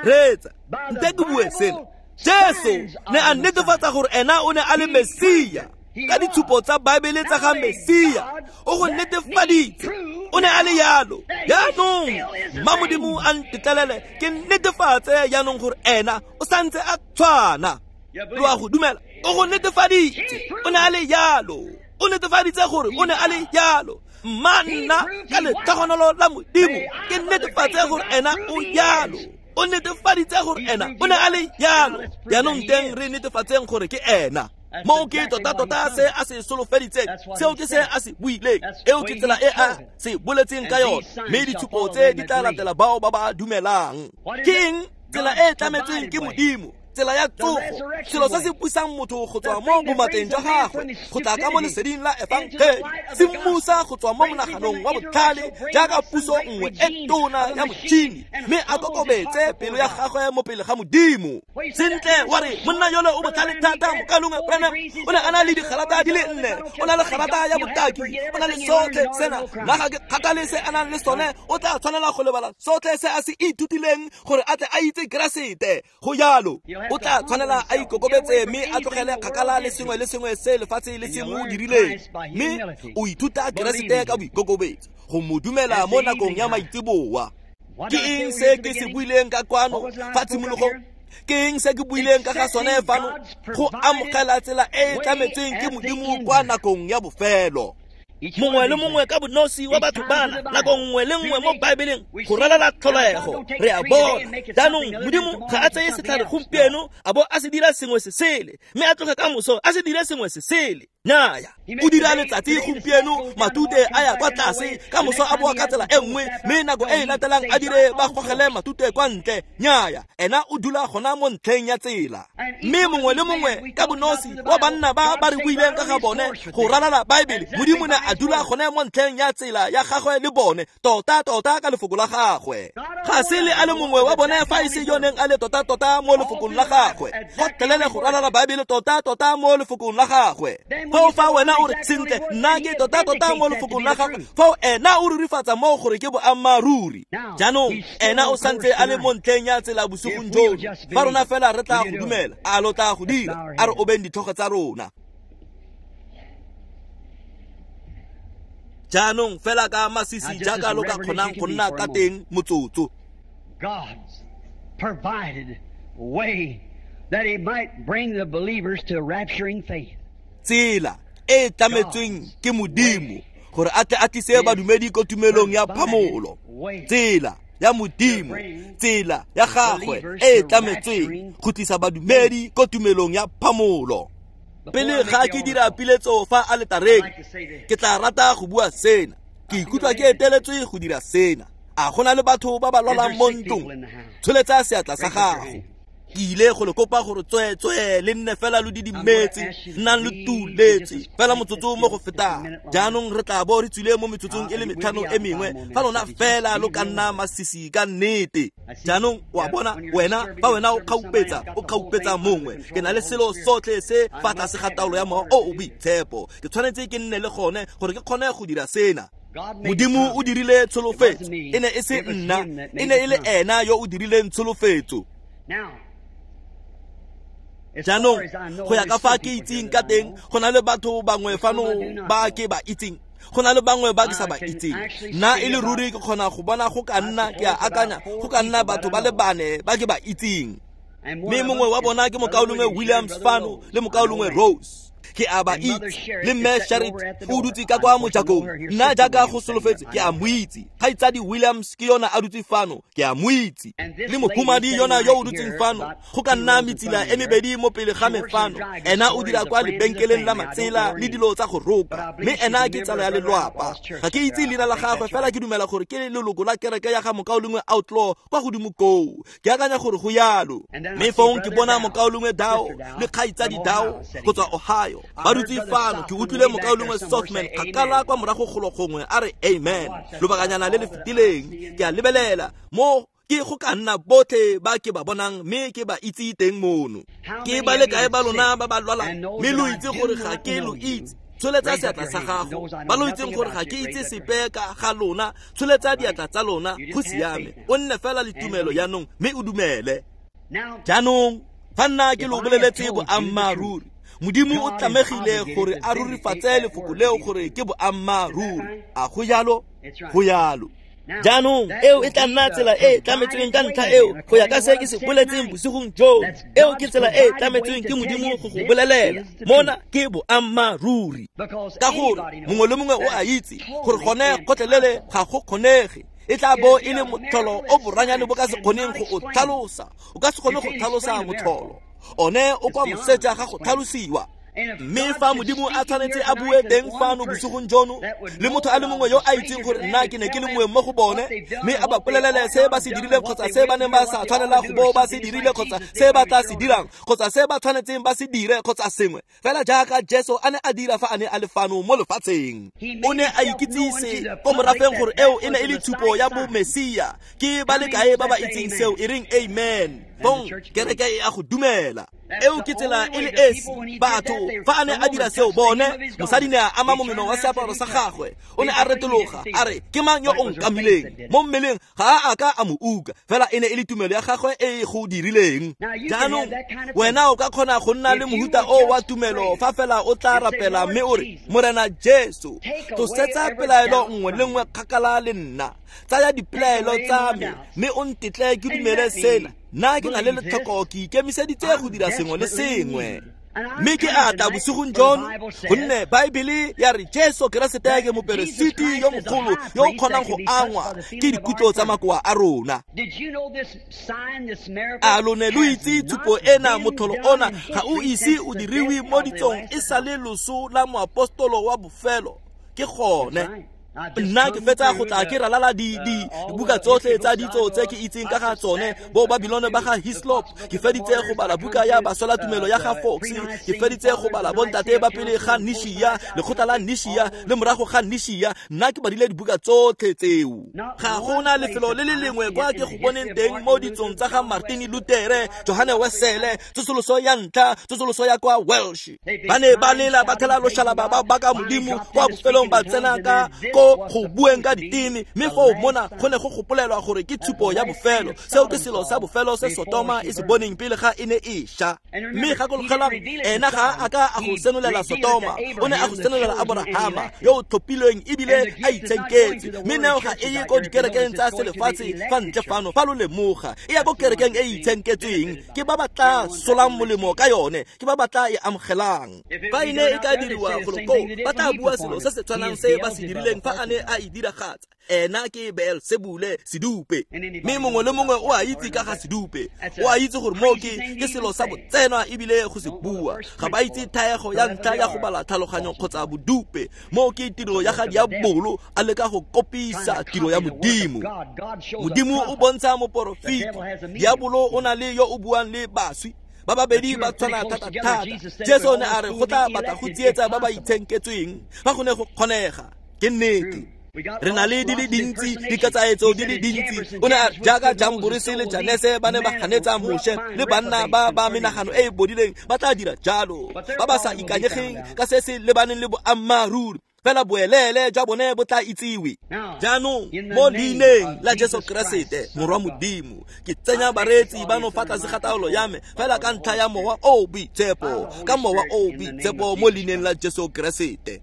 Reetsa, nte ke bue sena. Jesu ne a netefatsa gore ena o ne a le Mesia ka ditshupo tsa Baebele tsa ga Mesia. O go netefaditse, o ne a le yalo. Jaanong mma Modimo a ntetlelele ke netefatse jaanong gore ena o santse a tshwana. Lo a go dumela? O go netefaditse, o ne a le yalo. O netefaditse gore o ne a le yalo. Mma nna ka letlhogonolo la Modimo ke netefatse gore ena o yalo. O netefaditse gore ena o ne a le yalo. Jaanong teng re netefatseng gore ke ena. Mo ke tota-tota se a se solofeditseng, seo ke se a se buileng, eo ke tsela e a se boletseng ka yone. Mme ditshupo tse di tla latela bao ba ba dumelang. Ke eng tsela e e tlametsweng ke Modimo? Tsela ya tsogo, selo se se pusang motho go tswa mo bomateng jwa gagwe go tla ka mo leseding la efangele, se mmusa go tswa mo monaganong wa botlhale jaaka puso nngwe e tona ya motšhini, mme a kokobetse pelo ya gagwe mo pele ga Modimo. Sentle wa re monna yole o botlhale thata, mokalongwe Branham o ne a na le digalata di le nne, o na le galata ya botaki, o na le sotlhe sena. Nna ga ke kgathale se a nang le sone, o tla tshwanela go lebala sotlhe se a se ithutileng gore a tle a itse Keresete. Go jalo, o tla tshwanela a ikokobetse mme a tlogele kgakala le sengwe le sengwe se lefatshe le se mo dirileng, mme o ithuta Keresete ka boikokobetso go mo dumela mo nakong ya maitseboa. Ke eng se ke se buileng ka kwano fa tshimologong? Ke eng se ke buileng ka ga sone fano? Go amogela tsela e e tlametsweng ke Modimo kwa nakong ya bofelo. Mongwe le mongwe ka bonosi wa batho bana nako nngwe le nngwe mo Baebeleng go ralala tlholego re a bona. Jaanong Modimo ga a tseye setlhare gompieno a bo a se dira sengwe se sele, mme a tloge ka moso a se dire sengwe se sele. Naya, o dira letsatsi gompieno matute a ya kwa tlase, ka moso a boa ka tsela e nngwe, mme nako e e latelang a dire ba gogele matute kwa ntle. Nyaya, ena o dula gona mo ntlheng ya tsela. Mme mongwe le mongwe ka bonosi wa banna ba ba re buileng ka ga bone go ralala Baebele, Modimo ne a dula gone mo ntlheng ya tsela ya gagwe le bone, tota-tota ka lefoko la gagwe. Ga se le a le mongwe wa bone fa e se yo neng a le tota-tota mo lefokong la gagwe, gotlhelele go ralala Baebele tota-tota mo lefokong la gagwe. Foo fa wena o re sentle nna ke tota-tota mo lefokong la gagwe, foo ena o rurifatsa moo gore ke boammaaruri. Jaanong ena o santse a le mo ntlheng ya tsela bosigong jono. Fa rona fela re tla go dumela, a lo tla go dira? A re obeng ditlhogo tsa rona. Jaanong fela ka masisi jaaka lo ka kgonang go nna ka teng motsotso. God's provided way that he might bring the believers to rapturing faith. Tsela e tlametsweng ke Modimo gore a tle a tlise badumedi ko tumelong ya phamolo. Tsela ya Modimo, tsela ya gagwe e tlametsweng go tlisa badumedi ko tumelong ya phamolo. Pele ga ke dira piletso fa aletareng, ke tla rata go bua sena. Ke ikutlwa ke eteletswe go dira sena. A go na le batho ba ba lwalang mo ntlong? Tsholetsa seatla sa gago. Ke ile go le kopa gore tsweetswee le nne fela lo didimetse, nnang lo tuletse fela motsotso mo go fetang. Jaanong re tla bo re tswile mo metsotsong e le metlhano e mengwe fa lona fela lo ka nna masisi ka nnete. Jaanong wa bona wena fa wena o kgaupetsa o kgaupetsa mongwe, ke na le selo sotlhe se fa tlase ga taolo ya Mowa o o Boitshepo. Ke tshwanetse ke nne le gone gore ke kgone go dira sena. Modimo o dirile tsholofetso, e ne e se nna, e ne e le ena yo o dirileng tsholofetso. Jaanong go ya ka fa ke itseng ka teng, go na le batho bangwe fano ba ke ba itseng, go na le bangwe ba ke sa ba itseng. Nna e le ruri ke kgona go bona go ka nna, ke a akanya, go ka nna batho ba le bane ba ke ba itseng. Mme mongwe wa bona ke mokaulengwe Williams fano le mokaulengwe Rose. Ke a ba itse, le mme Sharit o dutse ka kwa mojakong. Nna jaaka go solofetse ke a mo itse. Kgaitsadi Williams ke yona a dutse fano, ke a mo itse. Le mohumadi yona yo o dutseng fano, go ka nna metsila e mebedi mo pele ga me fano. Ena o dira kwa lebenkeleng la matsela le dilo tsa go roka, mme ena ke tsala ya lelwapa. Ga ke itse leina la gagwe, fela ke dumela gore ke leloko la kereke ya ga mokaulengwe Outlaw kwa godimo koo. Ke akanya gore go yalo. Mme fong ke bona mokaulengwe Dao le kgaitsadi Dao go tswa Ohio. Ba dutse fano. Ke utlwile mokaulengwe Softman kgakala kwa morago golo gongwe a re amen lobakanyana le le fetileng. Ke a lebelela mo ke go ka nna botlhe ba ke ba bonang mme ke ba itse teng mono. Ke ba le kae ba lona ba ba lwalang mme lo itse gore ga ke lo itse? Tsholetsa seatla sa gago. Ba lo itseng gore ga ke itse sepe ka ga lona, tsholetsa diatla tsa lona. Go siame, o nne fela le tumelo jaanong mme o dumele. Jaanong fa nna ke lo boleletse boammaaruri, Modimo o tlamegile gore a rurifatse lefoko leo gore ke boammaaruri. A go jalo? Go jalo. Jaanong eo e tla nna tsela e tlametsweng ka ntlha eo go ya ka se ke se boletseng bosigong joo. Eo ke tsela e tlametsweng ke Modimo go go bolelela. Mona ke boammaaruri. Ka gore mongwe le mongwe o a itse gore gone gotlhelele ga go kgonege. E tla bo e le motlholo o boranyane bo ka se kgoneng go o tlhalosa. O ka se kgone go tlhalosa motlholo. One o kwa moseja ga go tlhalosiwa. Mme fa Modimo a tshwanetse a bue teng fano bosigong jono le motho a le mongwe yo a itseng gore nna ke ne ke le mongwe mo go bone, mme a ba bolelele se ba se dirileng kgotsa se ba neng ba sa tshwanela go bo ba se dirile kgotsa se ba tla se dirang kgotsa se ba tshwanetseng ba se dire kgotsa sengwe fela jaaka Jesu a ne a dira fa a ne a le fano mo lefatsheng. O ne a ikitsise ko morafeng gore eo e ne e le tshupo ya bomesia. Ke ba le kae ba ba itseng seo? E reng amen. Fong kereke e a go dumela. Eo ke tsela e le esi batho fa a ne a dira seo bone, mosadi ne a ama momeno wa seaparo sa gagwe. O ne a retologa a re, ke mang yo o nkamileng? Mo mmeleng ga a a ka a mo uka, fela e ne e le tumelo ya gagwe e go dirileng. Jaanong wena o ka kgona go nna le mohuta o wa tumelo fa fela o tla rapela mme o re, Morena Jesu, tlosetsa pelaelo nngwe le nngwe kgakala le nna. Tsaya dipelaelo tsa me mme o ntetle ke dumele sena. Nna ke na le letlhoko, ke ikemiseditse go dira sengwe le sengwe. Mme ke a tla bosigong jono, gonne Baebele ya re Jesu Keresete ke moperesiti yo mogolo yo o kgonang go angwa ke dikutlo tsa makoa a rona. A lo ne lo itse tshupo ena, motlholo ona ga o ise o diriwe mo ditsong e sa le loso la moapostolo wa bofelo? Ke gone. Nna ke fetsa go tla ke ralala di di dibuka tsotlhe tsa ditso tse ke itseng ka ga tsone, bo Babylon ba ga Hislop. Ke feditse go bala buka ya Baswela Tumelo ya ga Fox. Ke feditse go bala bontate ba pele ga Nishia, lekgotla la Nishia le morago ga Nishia. Nna ke badile dibuka tsotlhe tseo. Ga gona lefelo le le lengwe kwa ke go boneng teng mo ditsong tsa ga Martin Luther, Johanne Wesele, tsosoloso ya ntlha, tsosoloso ya kwa Welsh. Ba ne ba lela ba thela loshalaba ba baka Modimo kwa bofelong ba tsena ka ko ko go bueng ka diteme, mme foo mona go ne go gopolelwa gore ke tshupo ya bofelo. Seo ke selo sa bofelo se Sotoma e se boneng pele ga e ne e sha. Mme gakologelwang, ena ga a ka a go senolela Sotoma, o ne a go senolela Aborahama yo o tlhophilweng ebile a itshenketse. Mme neo ga e ye ko dikerekeng tsa selefatshe fa ntle fano, fa lo lemoga, e ya ko kerekeng e e itshenketsweng. Ke ba ba tla solang molemo ka yone, ke ba ba tla e amogelang. Fa e ne e ka diriwa golo koo, ba tla bua selo se se tshwanang se ba se dirileng fa a ne a e diragatsa. Ena ke Beelsebule, sedupe. Mme mongwe le mongwe o a itse ka ga sedupe, o a itse gore moo ke ke selo sa botsenwa ebile go se bua. Ga ba itse thaego ya ntlha ya go bala tlhaloganyo kgotsa bodupe. Moo ke tiro ya ga diabolo a leka go kopisa tiro ya Modimo. Modimo o bontsha moporofeti, diabolo o na le yo o buang le baswi. Ba babedi ba tshwana thata-thata. Jesu o ne a re go tla batla go tsietsa ba ba itshenketsweng fa go ne go kgonega. Ke nnete. Re na le di le dintsi, dikatsaetso di le dintsi. O ne a jaaka Jamborese le Janese ba ne ba ganetsa Moshe, le banna ba ba menagano e e bodileng ba tla dira jalo, ba ba sa ikanyegeng ka se se lebaneng le boammaaruri. Fela boelele jwa bone bo tla itsiwe. Jaanong mo leineng la Jesu Keresete Morwa Modimo, ke tsenya bareetsi bano fa tlase ga taolo ya me fela ka ntlha ya Mowa o o Boitshepo, ka Mowa o o Boitshepo mo leineng la Jesu Keresete.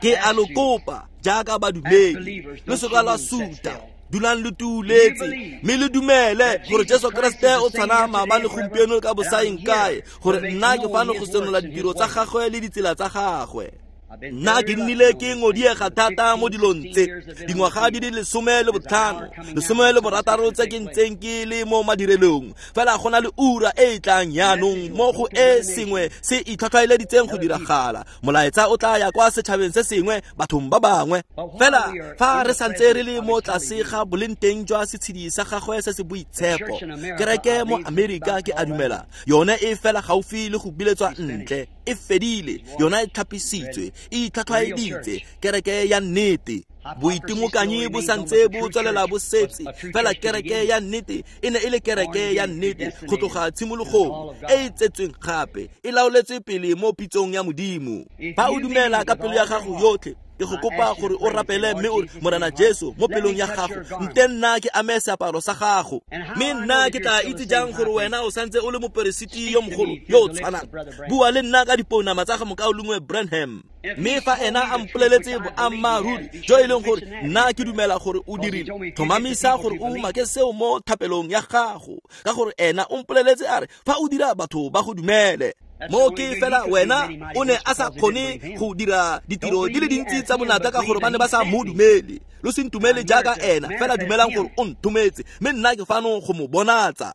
Ke a lo kopa jaaka badumedi, lo se ka la suta, dulang lo tuuletse, mme le dumele gore Jesu Keresete o tshwana maabane, gompieno ka bosaeng kae, gore nna ke fano go senola ditiro tsa gagwe le ditsela tsa gagwe. Nna ke nnile ke ngodiega thata mo dilong tse, dingwaga di le lesome le botlhano, lesome le borataro tse ke ntseng ke le mo madirelong. Fela go na le ura e e tlang jaanong mo go e sengwe se itlhwatlhwaeleditseng go diragala. Molaetsa o tla ya kwa setšhabeng se sengwe, bathong ba bangwe. Fela fa re santse re le mo tlase ga boleng jwa setshedi sa gagwe se se boitshepo, kereke mo Amerika ke a dumela yone e fela gaufi le go biletswa ntle, e fedile, yona e tlhapisitswe, e itlhwatlhwaeditse, kereke ya nnete. Boitimokanyi bo santse bo tswelela bo setse, fela kereke ya nnete e ne e le kereke ya nnete go tloga tshimologong, e e tsetsweng gape, e laoletswe pele mo pitsong ya Modimo. Fa o dumela ka pelo ya gago yotlhe, ke go kopa gore o rapele mme o re, Morena Jesu, mo pelong ya gago, nte nna ke ame seaparo sa gago. Mme nna ke tla itse jang gore wena o santse o le moperesiti yo mogolo yo o tshwanang? Bua le nna ka dipounama tsa ga mokaulengwe Branham. Mme fa ena a mpoleletse boammaaruri jo e leng gore nna ke dumela gore o dirile, tlhomamisa gore o umake seo mo thapelong ya gago, ka gore ena o mpoleletse a re fa o dira batho ba go dumele. Mo ke fela wena o ne a sa kgone go dira ditiro di le dintsi tsa bonatla ka gore ba ne ba sa mo dumele. Lo se ntumele jaaka ena, fela dumelang gore o nthometse, mme nna ke fano go mo bonatsa.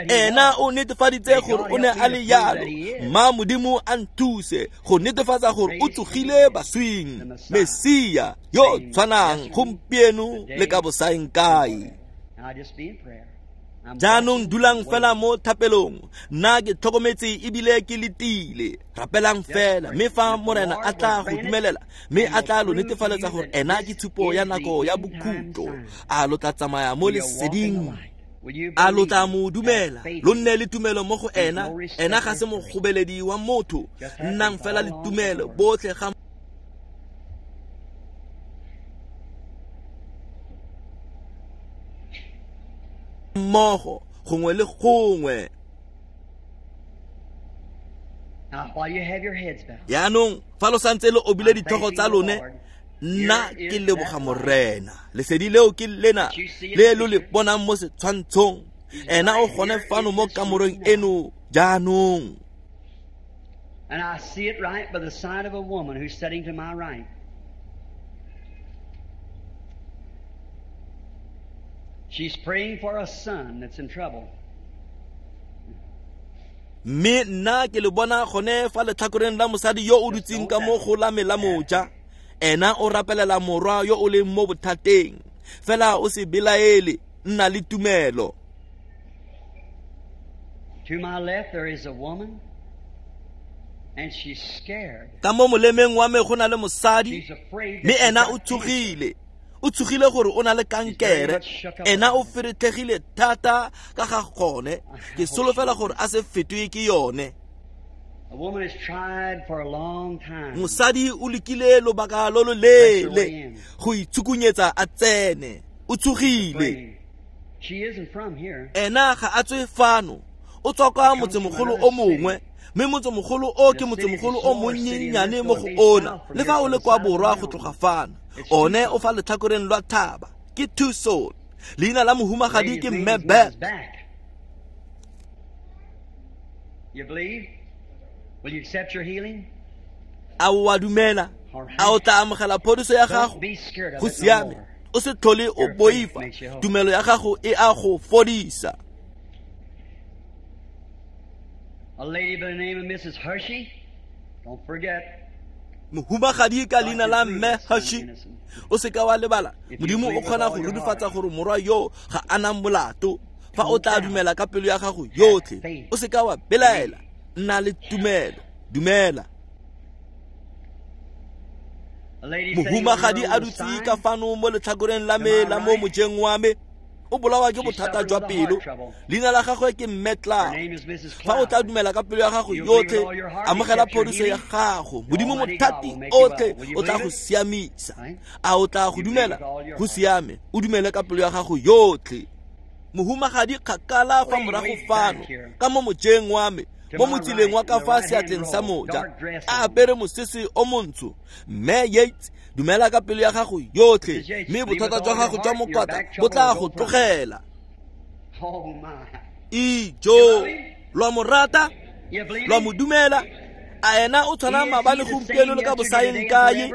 Ena o netefaditse gore o ne a le yalo. Mma Modimo a nthuse go netefatsa gore o tsogile baswing, Mesia yo tshwanang gompieno le ka bosaeng kae. Jaanong dulang fela mo thapelong, nna ke tlhokometse ebile ke letile. Rapelang fela, mme fa Morena a tla go dumelela, mme a tla lo netefaletsa gore ena ke tshupo ya nako ya bokhutlo, a lo tla tsamaya mo leseding. A lo tla mo dumela, lo nne le tumelo mo go ena. Ena ga se mogobeledi wa motho, nnang fela le tumelo botlhe ga mmogo gongwe le gongwe. Jaanong fa lo santse lo obile ditlhogo tsa lone, nna ke leboga Morena. Lesedi leo ke lena le lo le bonang mo setshwantshong. Ena o gone fano mo kamoreng eno jaanong. And I see it right by the side of a woman who's sitting to my right. She's praying for a son that's in trouble. Mme nna ke le bona gone fa letlhakoreng la mosadi yo o dutseng ka mo go la me la moja. Ena o rapelela morwa yo o leng mo bothateng. Fela o se belaele, nna le tumelo. To my left there is a woman, and she's scared. Ka mo molemeng wa me go na le mosadi, mme ena o tshogile. O tshogile gore o na le kankere. Ena o feretlhegile thata ka ga gone. Ke solofela gore a se fetwe ke yone. Mosadi o lekile lobaka lo lo leele go itsukunyetsa a tsene. O tsogile. Ena ga a tswe fano. O tswa kwa motsemogolo o mongwe. Mme motsemogolo o ke motsemogolo o monnyenyane mo go ona. Le fa o le kwa borwa go tloga fano. One o fa letlhakoreng lwa thaba. Ke Tucson. Leina la mohumagadi ke Mme Beck. You believe? Will you accept your healing? A o a dumela? A o tla amogela phodiso ya gago? Go siame. O se tlhole o boifa. Tumelo ya gago e a go fodisa. A lady by the name of Missus Hershey. Don't forget. Mohumagadi ka leina la Mme Hershey. O se ka wa lebala. Modimo o kgona go rurifatsa gore morwa yo ga a na molato. Fa o tla dumela ka pelo ya gago yotlhe, o se ka wa belaela. Nna le tumelo. Dumela. Mohumagadi a dutse ka fano mo letlhakoreng la me la mo mojeng wa me. O bolawa ke bothata jwa pelo. Leina la gagwe ke Mme Cloud. Fa o tla dumela ka pelo ya gago yotlhe, amogela phodiso ya gago. Modimo mothati otlhe o tla go siamisa. A o tla go dumela? Go siame. O dumele ka pelo ya gago yotlhe. Mohumagadi kgakala fa morago fano ka mo mojeng wa me, mo motsileng wa ka fa seatleng sa moja, a apere mosese o montsho. Mme Yates, dumela ka pelo ya gago yotlhe, mme bothata jwa gago jwa mokwatla bo tla go tlogela. Ijo, lwa mo rata, lwa mo dumela. A ena o tshwana maabane gompieno le ka bosaeng kae?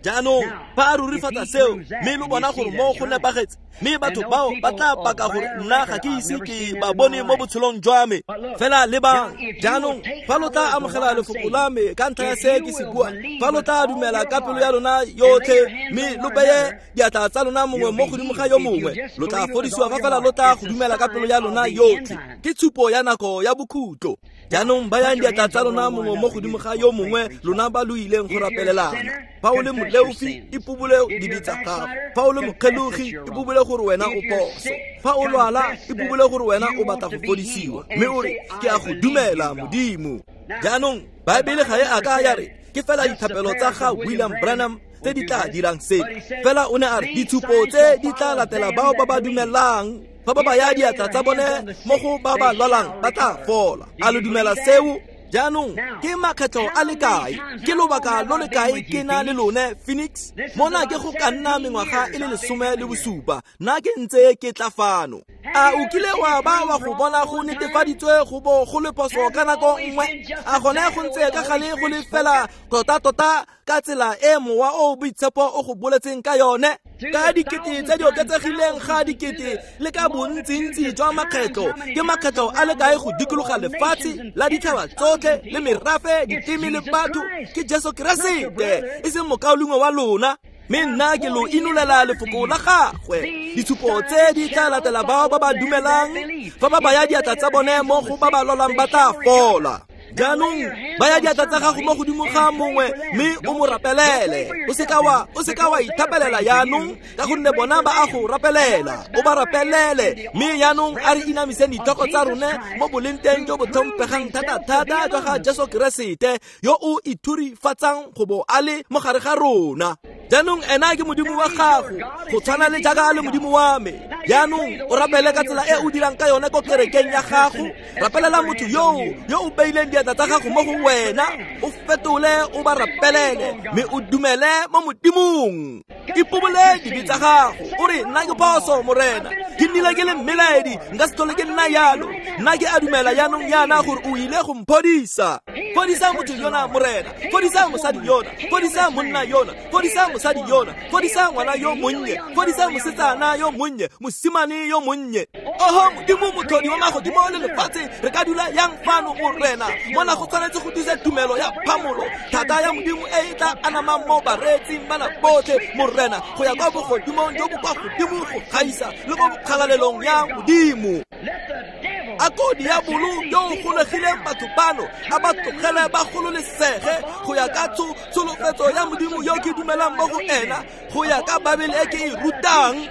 Jaanong fa a rurifatsa seo, mme lo bona gore mo go nepagetse, mme batho bao ba tla paka gore nna ga ke ise ke ba bone mo botshelong jwa me. Fela lebang, jaanong fa lo tla amogela lefoko la me ka ntlha ya se ke se buang, fa lo tla dumela ka pelo ya lona yotlhe, mme lo beye diatla tsa lona mongwe mo godimo ga yo mongwe, lo tla fodisiwa fa fela lo tla go dumela ka pelo ya lona yotlhe. Ke tshupo ya nako ya bokhutlo. Jaanong bayang diatla tsa lona mongwe mo godimo ga yo mongwe, lona ba lo ileng go rapelelana. Fa o le moleofi, ipobole dibe tsa gago. Fa o le mokgelogi, ipobole gore wena o phoso. Fa o lwala, ipobole gore wena o batla go fodisiwa. Mme o re, ke a go dumela Modimo. Jaanong Baebele ga e a ka ya re ke fela dithapelo tsa ga William Branham tse di tla dirang se. Fela o ne a re ditshupo tse di tla latela bao ba ba dumelang. Fa ba baya diatla tsa bone mo go ba ba lwalang ba tla fola. A lo dumela seo? Jaanong ke makgetlho a le kae, ke lobaka lo le kae ke na le lone Phoenix? Mona ke go ka nna mengwaga e le lesome le bosupa, nna ke ntse ke tla fano. A o kile wa ba wa go bona go netefaditswe go bo go le phoso ka nako nngwe? A gone go ntse ka gale go le fela tota-tota ka tsela e mowa o boitshepo o go boletseng ka yone? Ka dikete tse di oketsegileng ga dikete le ka bontsintsi jwa makgetlho, ke makgetlho a le kae go dikologa lefatshe la ditšhaba tsotlhe le merafe, diteme le batho? Ke Jesu Keresete, e seng mokaulengwe wa lona. Mme nna ke lo inolela lefoko la gagwe. Ditshupo tse di tla latela bao ba ba dumelang. Fa ba baya diatla tsa bone mo go ba ba lwalang ba tla fola. Jaanong baya diatla tsa gago mo godimo ga mongwe mme o mo rapelele. O se ka wa o se ka wa ithapelela jaanong, ka gonne bona ba a go rapelela. O ba rapelele. Mme jaanong a re inamiseng ditlhogo tsa rone mo boleng teng jo bo tlhomphegang thata-thata jwa ga Jesu Keresete, yo o ithurifatsang go bo a le mo gare ga rona. Jaanong ena ke Modimo wa gago, go tshwana le jaaka a le Modimo wa me. Jaanong o rapele ka tsela e o dirang ka yone ko kerekeng ya gago. Rapelela motho yoo yo o beileng diatla tsa gago mo go wena, o fetole, o ba rapelele, mme o dumele mo Modimong. Ipobole dibe tsa gago. O re, nna ke phoso Morena, ke nnile ke le mmelaedi, nka se tlhole ke nna yalo. Nna ke a dumela jaanong yana gore o ile go mphodisa. Fodisa motho yona Morena, fodisa mosadi yona, fodisa monna yona, fodisa mosadi yona, fodisa ngwana yo monnye, fodisa mosetsana yo monnye, mosimane yo monnye. Oho Modimo motlhodi wa magodimo le lefatshe, re ka dula yang fano Morena? Mona go tshwanetse go tlisa tumelo ya phamolo, thata ya Modimo e e tla anamang mo bareetsing bana botlhe Morena, go ya kwa bogodimong jo bo kwa godimo go gaisa le mo kgalalelong ya Modimo. A ko diabolo yo o golegileng batho bano a ba tlogele ba gololesege go ya ka tsholofetso ya Modimo yo ke dumelang mo go ena, go ya ka Baebele e ke e rutang.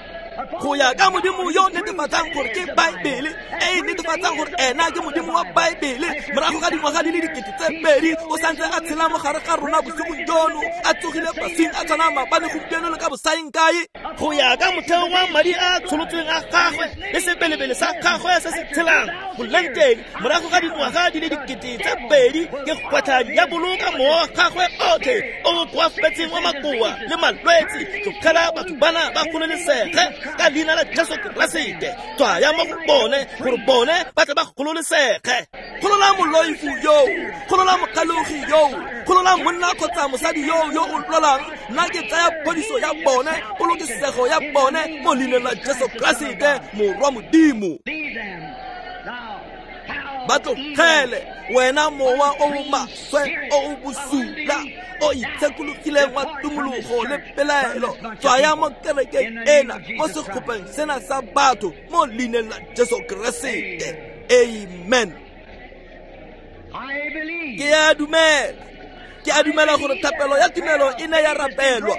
Go ya ka Modimo yo netefatsang gore ke Baebele, e e netefatsang gore ena ke Modimo wa Baebele. Morago ga dingwaga di le dikete tse pedi, o santse a tshela mo gare ga rona bosigong jono, a tsogile baswing, a tshwana maabane, gompieno le ka bosaeng kae. Go ya ka motheo wa madi a tsholotsweng a gagwe le sebelebele sa gagwe se se tshelang boleng teng, morago ga dingwaga di le dikete tse pedi, ke gwetlha diabolo ka mowa wa gagwe otlhe o o koafetseng wa makoa le malwetse. Tlogela batho bana ba gololesege ka leina la Jesu Keresete. Tswaya mo go bone gore bone ba tle ba gololesege. Golola moloifu yoo, golola mokalogi yoo, golola monna kgotsa mosadi yoo yo o lwalang. Nna ke tsaya phodiso ya bone, polokesego ya bone mo leineng la Jesu Keresete, Morwa Modimo. Ba tlogele wena mowa o o maswe o o bosula o itshekologileng wa tumologo le pelaelo, tswaya mo kerekeng ena, mo sekgopeng sena sa batho, mo leineng la Jesu Keresete. Amen. Ke a dumela, ke a dumela gore thapelo ya tumelo e ne ya rapelwa.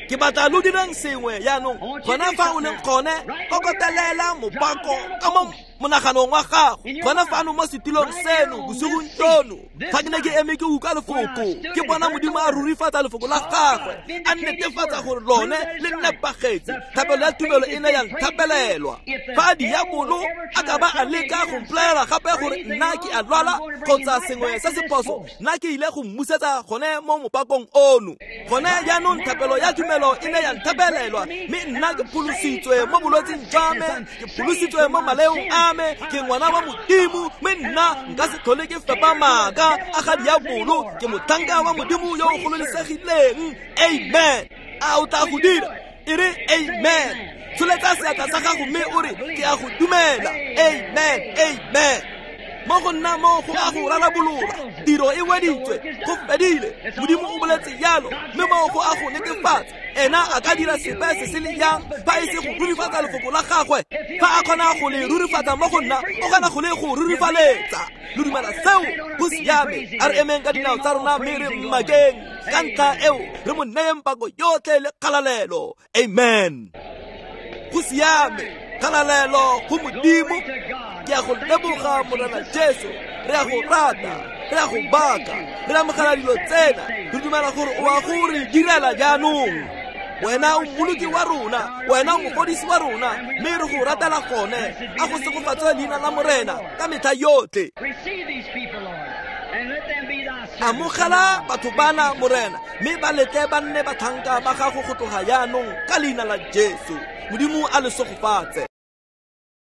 Ke batla lo direng sengwe jaanong, gona fa o leng gone, kokotelela mopako ka mo monaganong wa gago, gona fano mo setilong seno bosigong jono. Fa ke ne ke eme ke utlwa lefoko, ke bona Modimo a rurifatsa lefoko la gagwe, a netefatsa gore lone le nepagetse. Thapelo ya tumelo e ne ya nthapelelwa. Fa diabolo a ka ba a leka go mpolelela gape gore nna ke a lwala kgotsa sengwe se se phoso, nna ke ile go mmusetsa gone mo mopakong ono. Gone jaanong thapelo ya tumelo e ne ya nthapelelwa, mme nna ke pholositswe mo bolwetseng jwa me, ke pholositswe mo maleong a me, ke ngwana wa Modimo, mme nna nka se tlhole ke fepa maaka a ga diabolo. Ke motlhanka wa Modimo yo o gololesegileng. Amen. A o tla go dira? E re amen. Tsholetsa seatla sa gago mme o re, ke a go dumela. Amen, amen. Mo go nna mo go a go rarabolola, tiro e weditswe, go fedile. Modimo o boletse jalo, mme mo go a go netefatsa. Ena a ka dira sepe se se le yang fa e se go rurifatsa lefoko la gagwe. Fa a kgona go le rurifatsa mo go nna, o kgona go le go rurifaletsa. Lo dumela seo? Go siame. A re emeng ka dinao tsa rona mme re mmakeng. Ka ntlha eo re mo neyeng pako yotlhe le kgalalelo. Amen. Go siame. Kgalalelo go Modimo. Ke a go leboga Morena Jesu. Re a go rata, re a go baka, re amogela dilo tsena. Re dumela gore o a go re direla jaanong. Wena o mmoloki wa rona, wena o mofodisi wa rona, mme re go ratela gone. A go segofatswe leina la Morena ka metlha yotlhe. Amogela batho bana Morena, mme ba letle ba nne batlhanka ba gago go tloga jaanong ka leina la Jesu. Modimo a le segofatse.